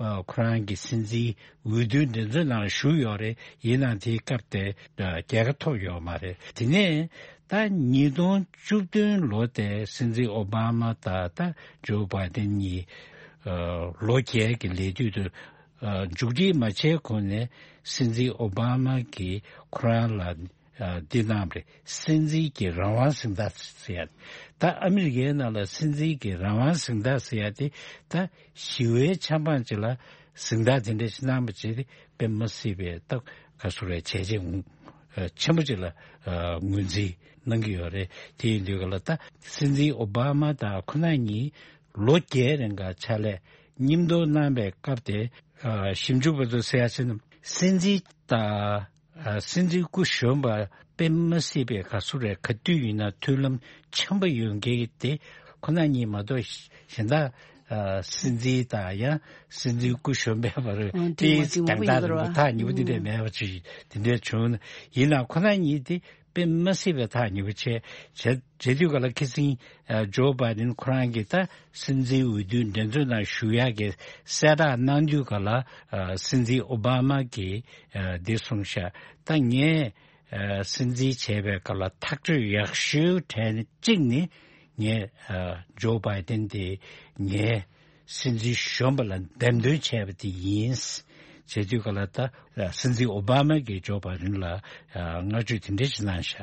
ཨ་ཁོ་རང་གི་སྲིད་འཛིན་འོས་བསྡུའི་འགྲན་རྩོད་ནང་ཞུགས་ཡོད་རེད། ཡིན་ནའང་དེའི་སྐབས་དེ་ཨ་རྒྱལ་ཁ་ཐོབ་ཡོད་མ་རེད། དེ་ནས་ད་ཉིས་སྟོང་བཅུ་བདུན་ལོ་དེ་སྲིད་འཛིན་ཨོ་བྷ་མ་དང་ད་ཇོ་བྷའི་ཏིན་གཉིས་ཨ་ལོ་བརྒྱད་ཀྱི་ལས་དུས་དུ་ཨ་མཇུག་སྒྲིལ་མ་བྱས་གོང་ནས་སྲིད་འཛིན་ཨོ་བྷ་མ་གིས་ཁོ་རང་ལ་ཨ་འདི་གནང་བ་རེད། སྲིད་འཛིན་གྱི་རང་དབང་གཟེངས་རྟགས་ཟེར་ཡ། ད་ཨ་མི་རི་ཀའི་ནང་ལ་སྲིད་འཛིན་གྱི་རང་དབང་གཟེངས་རྟགས་ཟེར་ཡ་དེ་ད་ཞི་བའི་ཆབ་འབངས་ཅིག་ལ་གཟེངས་རྟགས་དེ་འདྲ་ཞིག་གནང་བ་བྱས་ཏེ་དཔེ་མ་སྲིད་པའི་ད་ག་ཚོད་རེད་བྱས་རྗེས་ཨ་ཆེན་པོ་ཅིག་ལ་ཨ་ངོས་འཛིན་གནང་གི་ཡོད་རེད། དེ་ཡིན་དུས་ག་ལ་ད་སྲིད་འཛིན་ཨོ་བྷ་མ་དང་ཁོ་རང་གཉིས་ལོ་བརྒྱད་རིང་ག་ཕྱག་ལས་མཉམ་དུ་གནང་བའི་སྐབས་དེ་ཨ་ཞིབ་འཇུག་པ་ཚོས་ཟེར་ཡ་ཕྱིན་ན། སྲིད་འཛིན་དང་ཨ་སྲིད་འཛིན་སྐུ་གཞོན་པ་དཔེ་མ་སྲིད་པའི་ག་ཚོད་རེད། ག་དུས་ཡིན་ན་མཐུན་ལམ་འཆམ་པོ་ཡོད་མཁན་དེ་ཁོ་ན་གཉིས་མ་གཏོགས་གཞན་དག་ཨ་སྲིད་འཛིན་དང་ཡང་སྲིད་འཛིན་སྐུ་གཞོན་པའི་བར་ཨ་དེའི་འགྲན་ཟླ་རིང་པོ་ཐག་ཉེ་པོ་དེ་འདྲ་མེད་པ་ཅིག་དེ་འདྲ་བྱུང་ན། ཡིན་ནའང་ཁོ་ན་གཉིས་དེ་དཔེ་མ་སྲིད་པའི་ཐག་ཉེ་པོ་བྱས་བྱས་བྱས་དུས་ག་ལ་ཁ་སང་ཨ་ཇོ་བྷའི་ཏིན་ཁོ་རང་གིས་ད་སྲིད་འཛིན་འོས་བསྡུའི་འགྲན་རྩོད་ནང་ཞུགས་ཡག་གི་གསལ་བསྒྲགས་གནང་དུས་ག་ལ་ཨ་སྲིད་འཛིན་ཨོ་བྷ་མ་གིས་ཨ་འདི་གསུངས་ཤག་ད་ངས་ཨ་སྲིད་འཛིན་བྱས་པའི་སྐབས་ལ་ཐག་གཅོད་ཡག་ཤོས་གྲས་ནི་གཅིག་ནི་ངས་ཨ་ཇོ་བྷའི་ཏིན་དེ་ངའི་སྲིད་འཛིན་གཞོན་པ་ལ་འདེམས་ཐོན་བྱས་པ་དེ་ཡིན། བྱས་དུས་ག་ལ་ད་སྲིད་འཛིན་ཨོ་བྷ་མ་གིས་ཇོ་བྷའི་ཏིན་ལ་ཨ་བསྔགས་བརྗོད་དེ་འདྲ་ཞིག་གནང་ཤག་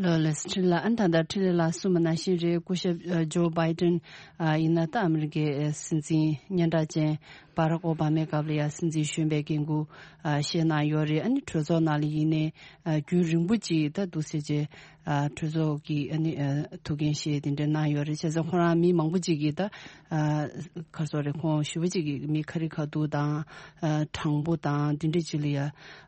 ལགས་ལགས་སོ། འཕྲིན་ལས། ཨ་ནི་ད་ལྟ་འཕྲིན་ལས་ལགས་གསུངས་པ་ནང་བཞིན་རེད། སྐུ་ཞབས་ཨ་ཇོ་བྷའི་ཏིན་ཨ་ཡིན་ན་ད་ཨ་མི་རི་ཀའི་ཨ་སྲིད་འཛིན་སྙན་གྲགས་ཅན་བྷ་རག་ཨོ་བྷ་མའི་སྐབས་ལ་ཡང་སྲིད་འཛིན་གཞོན་པའི་འགན་ཁུར་ཨ་བཞེས་གནང་ཡོད་རེད། ཨ་ནི་གྲོས་ཚོགས་ནང་ལ་ཡིན་ནའི་ཨ་རྒྱུན་རིང་པོ་ཅིག་ད་འདུག་སེ་བྱས་ཨ་གྲོས་ཚོགས་ཀྱི་ཨ་ནི་ཨ་ཐུགས་འགན་བཞེས་དེ་འདྲ་གནང་ཡོད་རེད། བྱས་ཙང་ཁོ་རང་མི་མང་པོ་ཅིག་གིས་ད་ཨ་ག་རེ་ཟེར་དགོས་རེད། ཁོང་ཞེ་པོ་ཅིག་གིས་མི་ཁ་རི་ཁ་ཐུག་དང་ཨ་དྲང་པོ་དང་དེ་འདྲ་ཅིག་ལ་ཡ།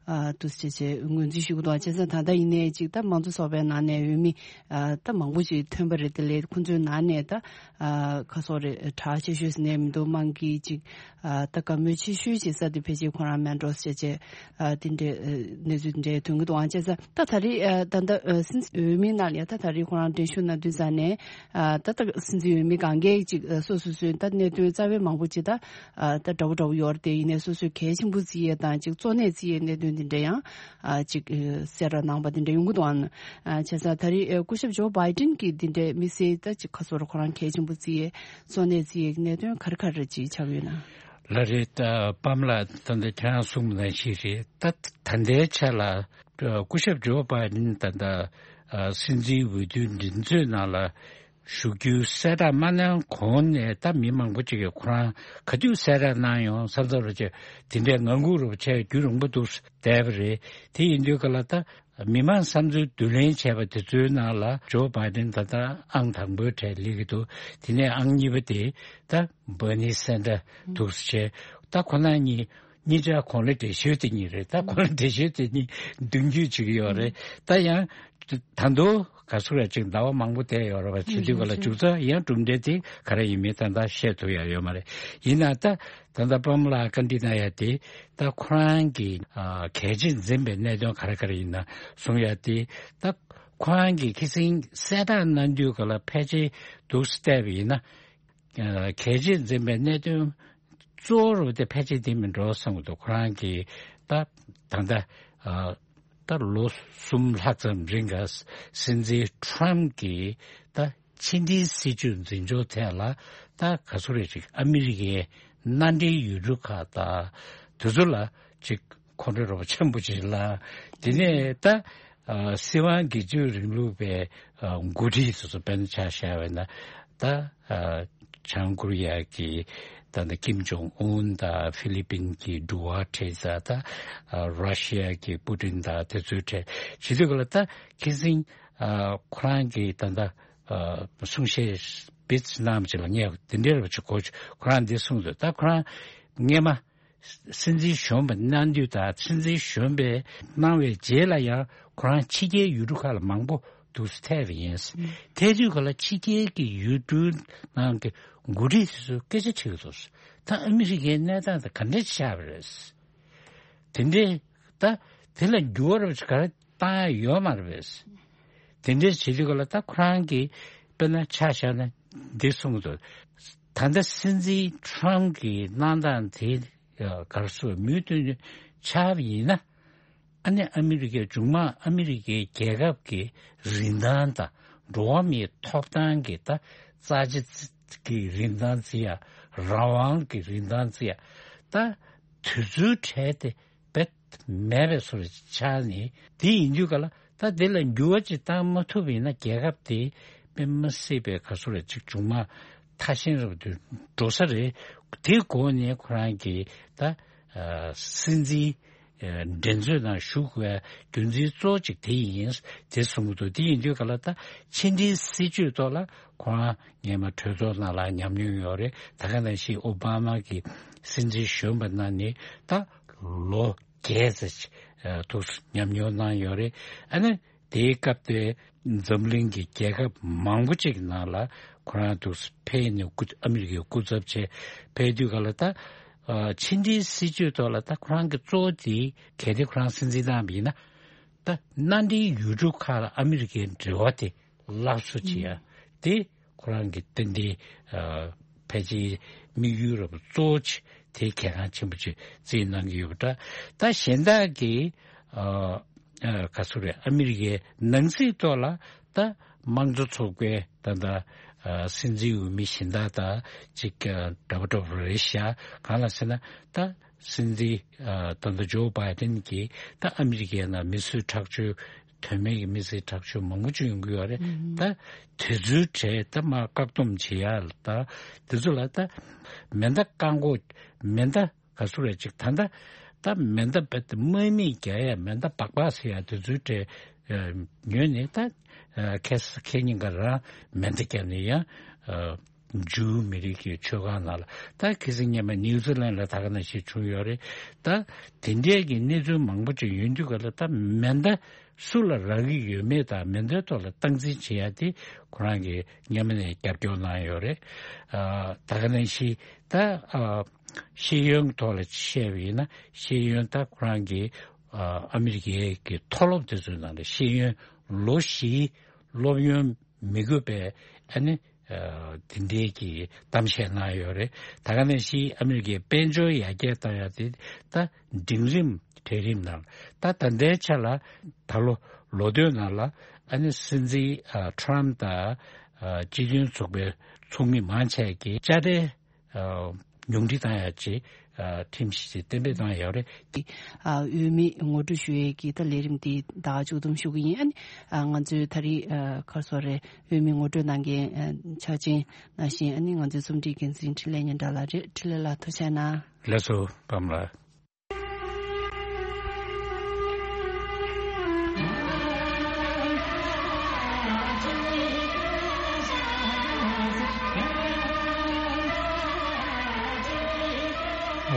ཨ་འདུག་སེ་བྱས་ངོས་འཛིན་ཞུ་གི་འདུག་བྱས་ཙང་ད་ལྟ་ཡིན་ནའི་ཅིག་ད་དམངས་གཙོ་ཚོགས་པའི་ནང་ནས་འོས་མི་ཨ་ད་མང་པོ་ཅིག་ཐོན་པ་རེད། དེ་ལས་ཁོང་ཚོའི་ནང་ནས་ད་ཨ་ག་རེ་ཟེར་དགོས་རེད། གྲགས་ཆེ་ཤོས་ཟེར་ནའི་མི་འདུག་དམངས་ཀྱི་ཅིག་ཨ་ད་དགའ་མོས་ཆེ་ཤོས་ཅིག་ས་དེ་ཕལ་ཆེར་ཁོ་རང་མེན་ཌོ་སི་བྱས་བྱས་ཨ་དེ་འདྲའི་ཨ་གནས་ཚུལ་དེ་འདྲའི་ཐོན་གི་འདུག་བྱས་ཙང་ད་ད་རེས་ཨ་ད་ལྟ་ཨ་སྲིད་འཛིན་འོས་མིའི་ནང་ལ་ཡ་ད་ད་རེས་ཁོ་རང་འགྲན་ཞུགས་གནང་དུས་ཙང་ནས་ཨ་ད་ད་སྲིད་འཛིན་འོས་མི་སྒང་གའི་ཅིག་ཨ་སོ་སོ་སོའི་ད་གནད་དོན་རྩ་བའི་མང་པོ་ཅིག་ད། ཨ་ད་འདྲ་བོ་འདྲ་བོ་ཡོད་རེད་དེ། ཡིན་ནའི་སོ་སོས་གལ་ཆེན་པོ་བརྩི་ཡས་དང་ཅིག་གཙོ་གནད་བརྩི་ཡས་གནད་དོན་འདི་འདྲ་ཡང་ཨ་ཅིག་ཨ་གསལ་བསྒྲགས་གནང་བ་འདི་འདྲ་ཡོང་གི་འདུག་ཨང་། ཨ་བྱས་ཙང་ད་རེས་ཨ་སྐུ་ཞབས་ཇོ་བྷའི་ཏིན་གྱིས་འདི་འདྲའི་དམིགས་བསལ་ད་ཅིག་ཁ་སོར་ཁོ་རང་གལ་ཆེན་པོ་བརྩི་ཡས་གཙོ་གནད་བརྩི་ཡས་ཀྱི་གནད་དོན་ག་རེ་ག་རེ་ཅིག་ཆགས་ཡོད་ན། ལ་རེད། ད་པམ་ལ་ད་ལྟ་ཁྱེད་རང་གསུངས་ནང་བཞིན་རེད། ད་ད་ལྟའི་ཆ་ལ་སྐུ་ཞབས་ཇོ་བྷའི་ཌེན་ད་ལྟ་སྲིད་འཛིན་འོས་བསྡུའི་འགྲན་རྩོད་ནང་ལ་ཞུགས་རྒྱུའི་གསལ་བསྒྲགས་མ་གནང་གོང་ནས། ད་མི་མང་པོ་ཅིག་གིས་ཁོ་རང་ག་དུས་གསལ་བསྒྲགས་གནང་ཡོང་བསམ་བསམ་རེ་བྱས། དེ་འདྲའི་ངང་སྒུག་རུ་བྱས་རྒྱུན་རིང་པོ་འདུག་བསྡད་པ་རེད། དེ་ཡིན་དུས་ག་ལ་ད་མི་མང་བསམ་ཚུལ་བསྡུ་ལེན་བྱས་པ་དེ་ཚོའི་ནང་ལ་ཇོ་བྷའི་ཌེན་ད་ལྟ་ཨང་དང་པོའི་གྲས་སླེབས་ཀྱི་འདུག་དེ་ནས་ཨང་གཉིས་པ་དེ་ད་བྷར་ནི་སན་ཌར་འདུག་བྱས། ད་ཁོ་རང་གཉིས་གཉིས་ཆ་གོང་ལ་འགྲེལ་བཤད་དེ་གཉིས་རེད། ད་གོང་ལ་འགྲེལ་བཤད་དེ་གཉིས་མདུན་སྐྱོད་བྱེད་ཀྱི་ཡོད་རེད། ད་ཡང་ད་དུང་ག་ཚོད་རེ་ཅིག་ཟླ་བ་མང་པོ་བསྡད་ཡོད་རེད་པ། བྱེད་དུས་ག་ལ་མཇུག་མཇུག་རྩ་ཡང་གྲུབ་འབྲས་དེ་ག་རེ་ཡིན་མིན་ད་ལྟ་བཤད་ཐུབ་ཡ་ཡོད་མ་རེད། ཡིན་ན་ད་ད་ལྟ་པམ་ལ་ཀན་ཌི་ན་ཡ་དེ་ད་ཁོ་རང་གི་ཨ་གལ་ཆེ་འཛིན་པའི་གནད་དོན་ག་རེ་ག་རེ་ཡིན་ན་གསུང་ཡ་དེ། ད་ཁོ་རང་གི་ཁ་སང་གསལ་བསྒྲགས་གནང་དུས་ག་ལ་ཕལ་ཆེར་འདུག་སེ་བལྟས་པ་ཡིན་ན། ཨ་གལ་ཆེ་འཛིན་པའི་གནད་དོན་གཙོ་བོ་རུ་དེ་ཕལ་ཆེར་དེ་མིན་འགྲོ་བསམ་གྱི་འདུག་ཁོ་རང་གིས་ད་ད་ལྟ་ཨ་ད་ལོ་གསུམ་ལྷག་ཙམ་རིང་ག་སྲིད་འཛིན་ཊམ་གྱིས་ད་ཕྱི་འབྲེལ་སྲིད་ཇུས་འཛིན་སྐྱོང་ཐད་ལ་ད་ག་ཚོད་རེ་ཅིག་ཨ་མི་རི་ཀའི་མནའ་འབྲེལ་ཡུལ་གྲུ་ཁག་དང་དེ་ཚོ་ལ་ཅིག་ཁོང་ཁྲོ་རོགས་པ་ཆེན་པོ་ཅིག་ལ། དེ་ནས་ད་ཨ་སྲིད་དབང་སྒེར་གཅོད་རིང་ལུགས་པའི་ཨ་འགོ་ཁྲིད་སོ་སོ་དཔེར་ན་ཆ་བཞག་པ་ཡིན་ན། ད་ཨ་བྱང་ཀོ་རི་ཡ་གི་ད་ལྟ་ཀིམ་ཇོང་ཨུན་དང་ཧྥི་ལི་པིན་གྱི་ཌུ་ཝ་ཊེ་དང་། ད་ཨ་ར་ཤི་ཡ་གི་པུ་ཏིན་དང་དེ་ཚོའི་གྲས་བྱེད་དུས་ག་ལ་ད་ཁ་སང་ཨ་ཁོ་རང་གིས་ད་ལྟ་ཨ་གསུང་བཤད་སྤེལ་གནང་བ་ཅིག་ལ་ངས་དེ་འདྲའི་རུ་ཅིག་གོ། ཁོ་རང་འདི་གསུངས་འདུག་ད་ཁོ་རང་སྔས་མ་སྲིད་འཛིན་གཞོན་པ་གནང་དུས་དང་། སྲིད་འཛིན་གཞོན་པས་གནང་བའི་རྗེས་ལ་ཡང་ཁོ་རང་ཕྱི་རྒྱལ་ཡུལ་གྲུ་ཁག་ལ་མང་པོ་འདུག་སེ་ཐད་པ་ཡིན། ཐད་དུས་ག་ལ་ཕྱི་རྒྱལ་གྱི་ཡུལ་གྲུའི་ནང་གི་འགོ་ཁྲིད་དེ་ཚོས་སྐད་ཆ་དྲིས་འདུག་ད་ཨ་མི་རི་ཀའི་གནས་སྟངས་དེ་ག་འདྲ་ཆགས་པ་རེད། དེ་འདྲའི་ད་དེ་ལ་འགྱུར་བ་རབ་ཅིག་ག་རེ་བཏང་ཡ་ཡོད་མ་རེད་པས། དེ་འདྲའི་བྱེད་དུས་ག་ལ་ད་ཁོ་རང་གིས་དཔེར་ན་ཆ་བཞག་ན་འདི་གསུངས་འདུག་ད་ལྟ་སྲིད་འཛིན་ཊམ་གྱི་གནང་སྟངས་དེ་ག་རེ་ཟེར་མུ་མཐུད་ནས་ཆགས་པ་ཡིན་ན། ཨ་ནི་ཨ་མི་རི་ཀའི་མཇུག་མ་ཨ་མི་རི་ཀའི་རྒྱལ་ཁབ་ཀྱི་རིན་ཐང་དང་འགྲོ་བ་མིའི་ཐོབ་ཐང་གི་ད་རྩ་ཆེ་གི་རིན་ཐང་བརྩི་ཡ། རང་དབང་གི་རིན་ཐང་བརྩི་ཡ། ད་དུས་ཚོད་བྲལ་ཏེ་རྦད་མེད་པའི་བཟོ་འདྲ་ཆགས་ནས། དེ་ཡིན་དུས་ག་ལ་ད་དེ་ལ་འགྱུར་བ་ཅིག་བཏང་མ་ཐུབ་པ་ཡིན་ན་རྒྱལ་ཁབ་དེ་དཔེ་མི་སྲིད་པའི་ག་ཚོད་རེ་ཅིག་མཇུག་མ་ཐ་ཞན་རབ་ཏུ་འགྲོ་ས་རེད། དེ་སྒོ་ནས་ཁོ་རང་གིས་ད་ཨ་སྲིད་འཛིན་ཨ་འགྲན་རྩོད་ནང་ཞུགས་པའི་རྒྱུ་མཚན་གཙོ་བོ་གཅིག་དེ་ཡིན། དེ་གསུངས་འདུག་དེ་ཡིན་དུས་ག་ལ་ད་ཕྱི་འབྲེལ་སྲིད་ཇུས་ཐོག་ལ་ཁོ་རང་སྔས་མ་གྲོས་ཚོགས་ནང་ལ་ཉམས་མྱོང་ཡོད་རེད། ད་ག་ནང་བཞིན་ཨོ་བྷ་མ་གི་སྲིད་འཛིན་གཞོན་པ་གནང་ནས་ད་ལོ་བརྒྱད་ཙམ་ཨ་ཐུག་ཉམས་མྱོང་གནང་ཡོད་རེད། ཨ་ནི་དེའི་སྐབས་དེ་འཛམ་གླིང་གི་རྒྱལ་ཁབ་མང་པོ་ཅིག་ནང་ལ་ཁོ་རང་འདུག་ཕེབས་ནས་སྐུ་ཨ་མི་རི་ཀའི་སྐུ་ཚབ་བྱས་ཕེབས་དུས་ག་ལ་ད་ཨ་ཕྱི་འབྲེལ་སྲིད་ཇུས་ཐོག་ལ་ད་ཁོ་རང་གི་གཙོ་བོ་དེ་གལ་ཏེ་ཁོ་རང་སྲིད་འཛིན་གནང་བ་ཡིན་ན། ད་མནའ་འབྲེལ་ཡུལ་གྲུ་ཁག་ལ་ཨ་མི་རི་ཀའི་འབྲེལ་བ་དེ་སླར་གསོ་བྱེད་ཡ་དེ་ཁོ་རང་གི་ཏན་ཏན་ཨ་ཕལ་ཆེར་དམིགས་ཡུལ་རབ་གཙོ་བོ་ཆེ་དེ་གལ་འགངས་ཆེན་པོ་ཅིག་བརྩིས་གནང་གི་ཡོད་པ་འདྲ། ད་གཞན་དག་གི་ཨ་ཨ་ག་ཚོད་རེད། ཨ་མི་རི་ཀའི་ནང་སྲིད་ཐོག་ལ་ད་དམངས་གཙོ་ཚོགས་པའི་ད་ལྟ་ཨ་སྲིད་འཛིན་འོས་མི་གཞན་དག་དང་ཅིག་ཨ་འདྲ་པོ་འདྲ་པོ་རེད་ཤག་གང་ལ་ཟེར་ན་ད་སྲིད་འཛིན་ཨ་ད་ལྟ་ཇོ་བྷའི་ཌེན་གྱིས་ད་ཨ་མི་རི་ཀའི་ནང་མི་གསོད་ཁྲག་སྦྱོར། དོན་མེད་ཀྱི་མི་གསོད་ཁྲག་སྦྱོར་མང་པོ་ཅིག་ཡོང་གི་ཡོད་རེད། ད་དེ་ཚོའི་གྲས་ད་མར་བཀག་སྡོམ་བྱེད་ཡ་ལ་ད་དེ་ཚོ་ལ་ད་མེ་མདའ་བཀག་འགོག་མེ་མདའ་ག་ཚོད་རེད་ཅིག་ད་ལྟ་ད་མེ་མདའ་རྦད་དེ་དམག་མི་རྒྱག་ཡ་མེ་མདའ་སྦག་སྦག་ཟེར་ཡ་དེ་ཚོའི་གྲས་ཨ་ཉོས་ནས་ད་ཨ་ཁ་ས་ཁ་ཉིན་ག་རང་མེ་མདའ་བརྒྱབ་ནས་ཡང་ཨ་ཇུའུ་མི་རིགས་ཀྱི་ཆོས་ཁང་ནང་ལ། ད་ཁ་སང་སྔོན་མ་ནིའུ་ཛི་ལན་ལ་ད་ག་ནང་བཞིན་བྱུང་ཡོད་རེད། ད་དེ་འདྲའི་གི་གནས་ཚུལ་མང་པོ་ཅིག་ཡོང་དུས་ག་ལ་ད་མེ་མདའ་སུ་ལ་རག་གི་ཡོད་མེད་དང་མེ་མདའི་ཐོག་ལ་སྟངས་འཛིན་བྱེད་ཡ་དེ་ཁོ་རང་གིས་སྔོན་མ་ནས་རྒྱབ་སྐྱོར་གནང་ཡོད་རེད། ཨ་ད་ག་ནང་བཞིན་ད་ཨ་ཤེས་ཡོན་ཐོག་ལ་བཤད་པ་ཡིན་ན་ཤེས་ཡོན་ད་ཁོ་རང་གིས་ཨ་ཨ་མི་རི་ཀའི་གི་མཐོ་སློབ་དེ་ཚོའི་ནང་ལ་ཤེས་ཡོན་ལོ་བཞིའི་སློབ་ཡོན་མི་དགོས་པའི་ཨ་ནི་ཨ་དེ་འདྲའི་གི་གཏམ་བཤད་གནང་ཡོད་རེད། ད་ག་ནང་བཞིན་ཨ་མི་རི་ཀའི་དཔལ་འབྱོར་ཡར་རྒྱས་བཏང་ཡ་དེ་ད་འབྲིང་རིམ་གྲལ་རིམ་ནང་ད་ད་ལྟའི་ཆ་ལ་ད་ལོ་ལོ་སྟོད་ནང་ལ་ཨ་ནི་སྲིད་འཛིན་ཨ་ཊམ་དང་ཨ་སྤྱི་མཐུན་ཚོགས་པའི་ཚོགས་མི་མང་ཆེ་གིས་དཔྱ་ཁྲལ་ཨ་ ཉུང་འཕྲི་བཏང་ཡག་ཅིག་ཨ་ཁྲིམས་གཞི་ཅིག་གཏན་འབེབས་བཏང་ཡག་རེད། ཨ་འོས་མི་ངོ་སྤྲོད་ཞུ་ཡས་ཀྱི་ད་ལས་རིམ་དེ་ད་ག་མཇུག་བསྡོམས་ཞུ་གི་ཡིན། ཨ་ནི་ཨ་ང་ཚོའི་ད་རེས་ཨ་ག་རེ་ཟེར་རེད། འོས་མི་ངོ་སྤྲོད་གནང་མཁན་ཨ་ཕྱག་ཆེན་ནང་བཞིན། ཨ་ནི་ང་ཚོའི་རྩོམ་སྒྲིག་འགན་འཛིན་འཕྲིན་ལས་སྙན་གྲགས་ལགས་རེད། འཕྲིན་ལས་ལགས་ཐུགས་རྗེ་གནང་། ལགས་སོ་པདྨ་ལགས།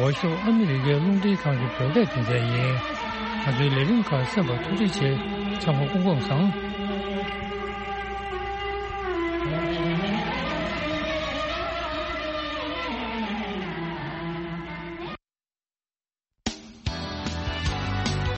འོག་ཞོགས་ཨ་མི་རི་ཀའི་རླུང་འཕྲིན་ཁང་གི་བོད་སྐད་སྡེ་ཚན་ཡིན། ང་ཚོའི་ལས་རིམ་ཁག་གསན་པར་ཐུགས་རྗེ་ཆེ། ཚང་མ་སྐུ་ཁམས་བཟང་།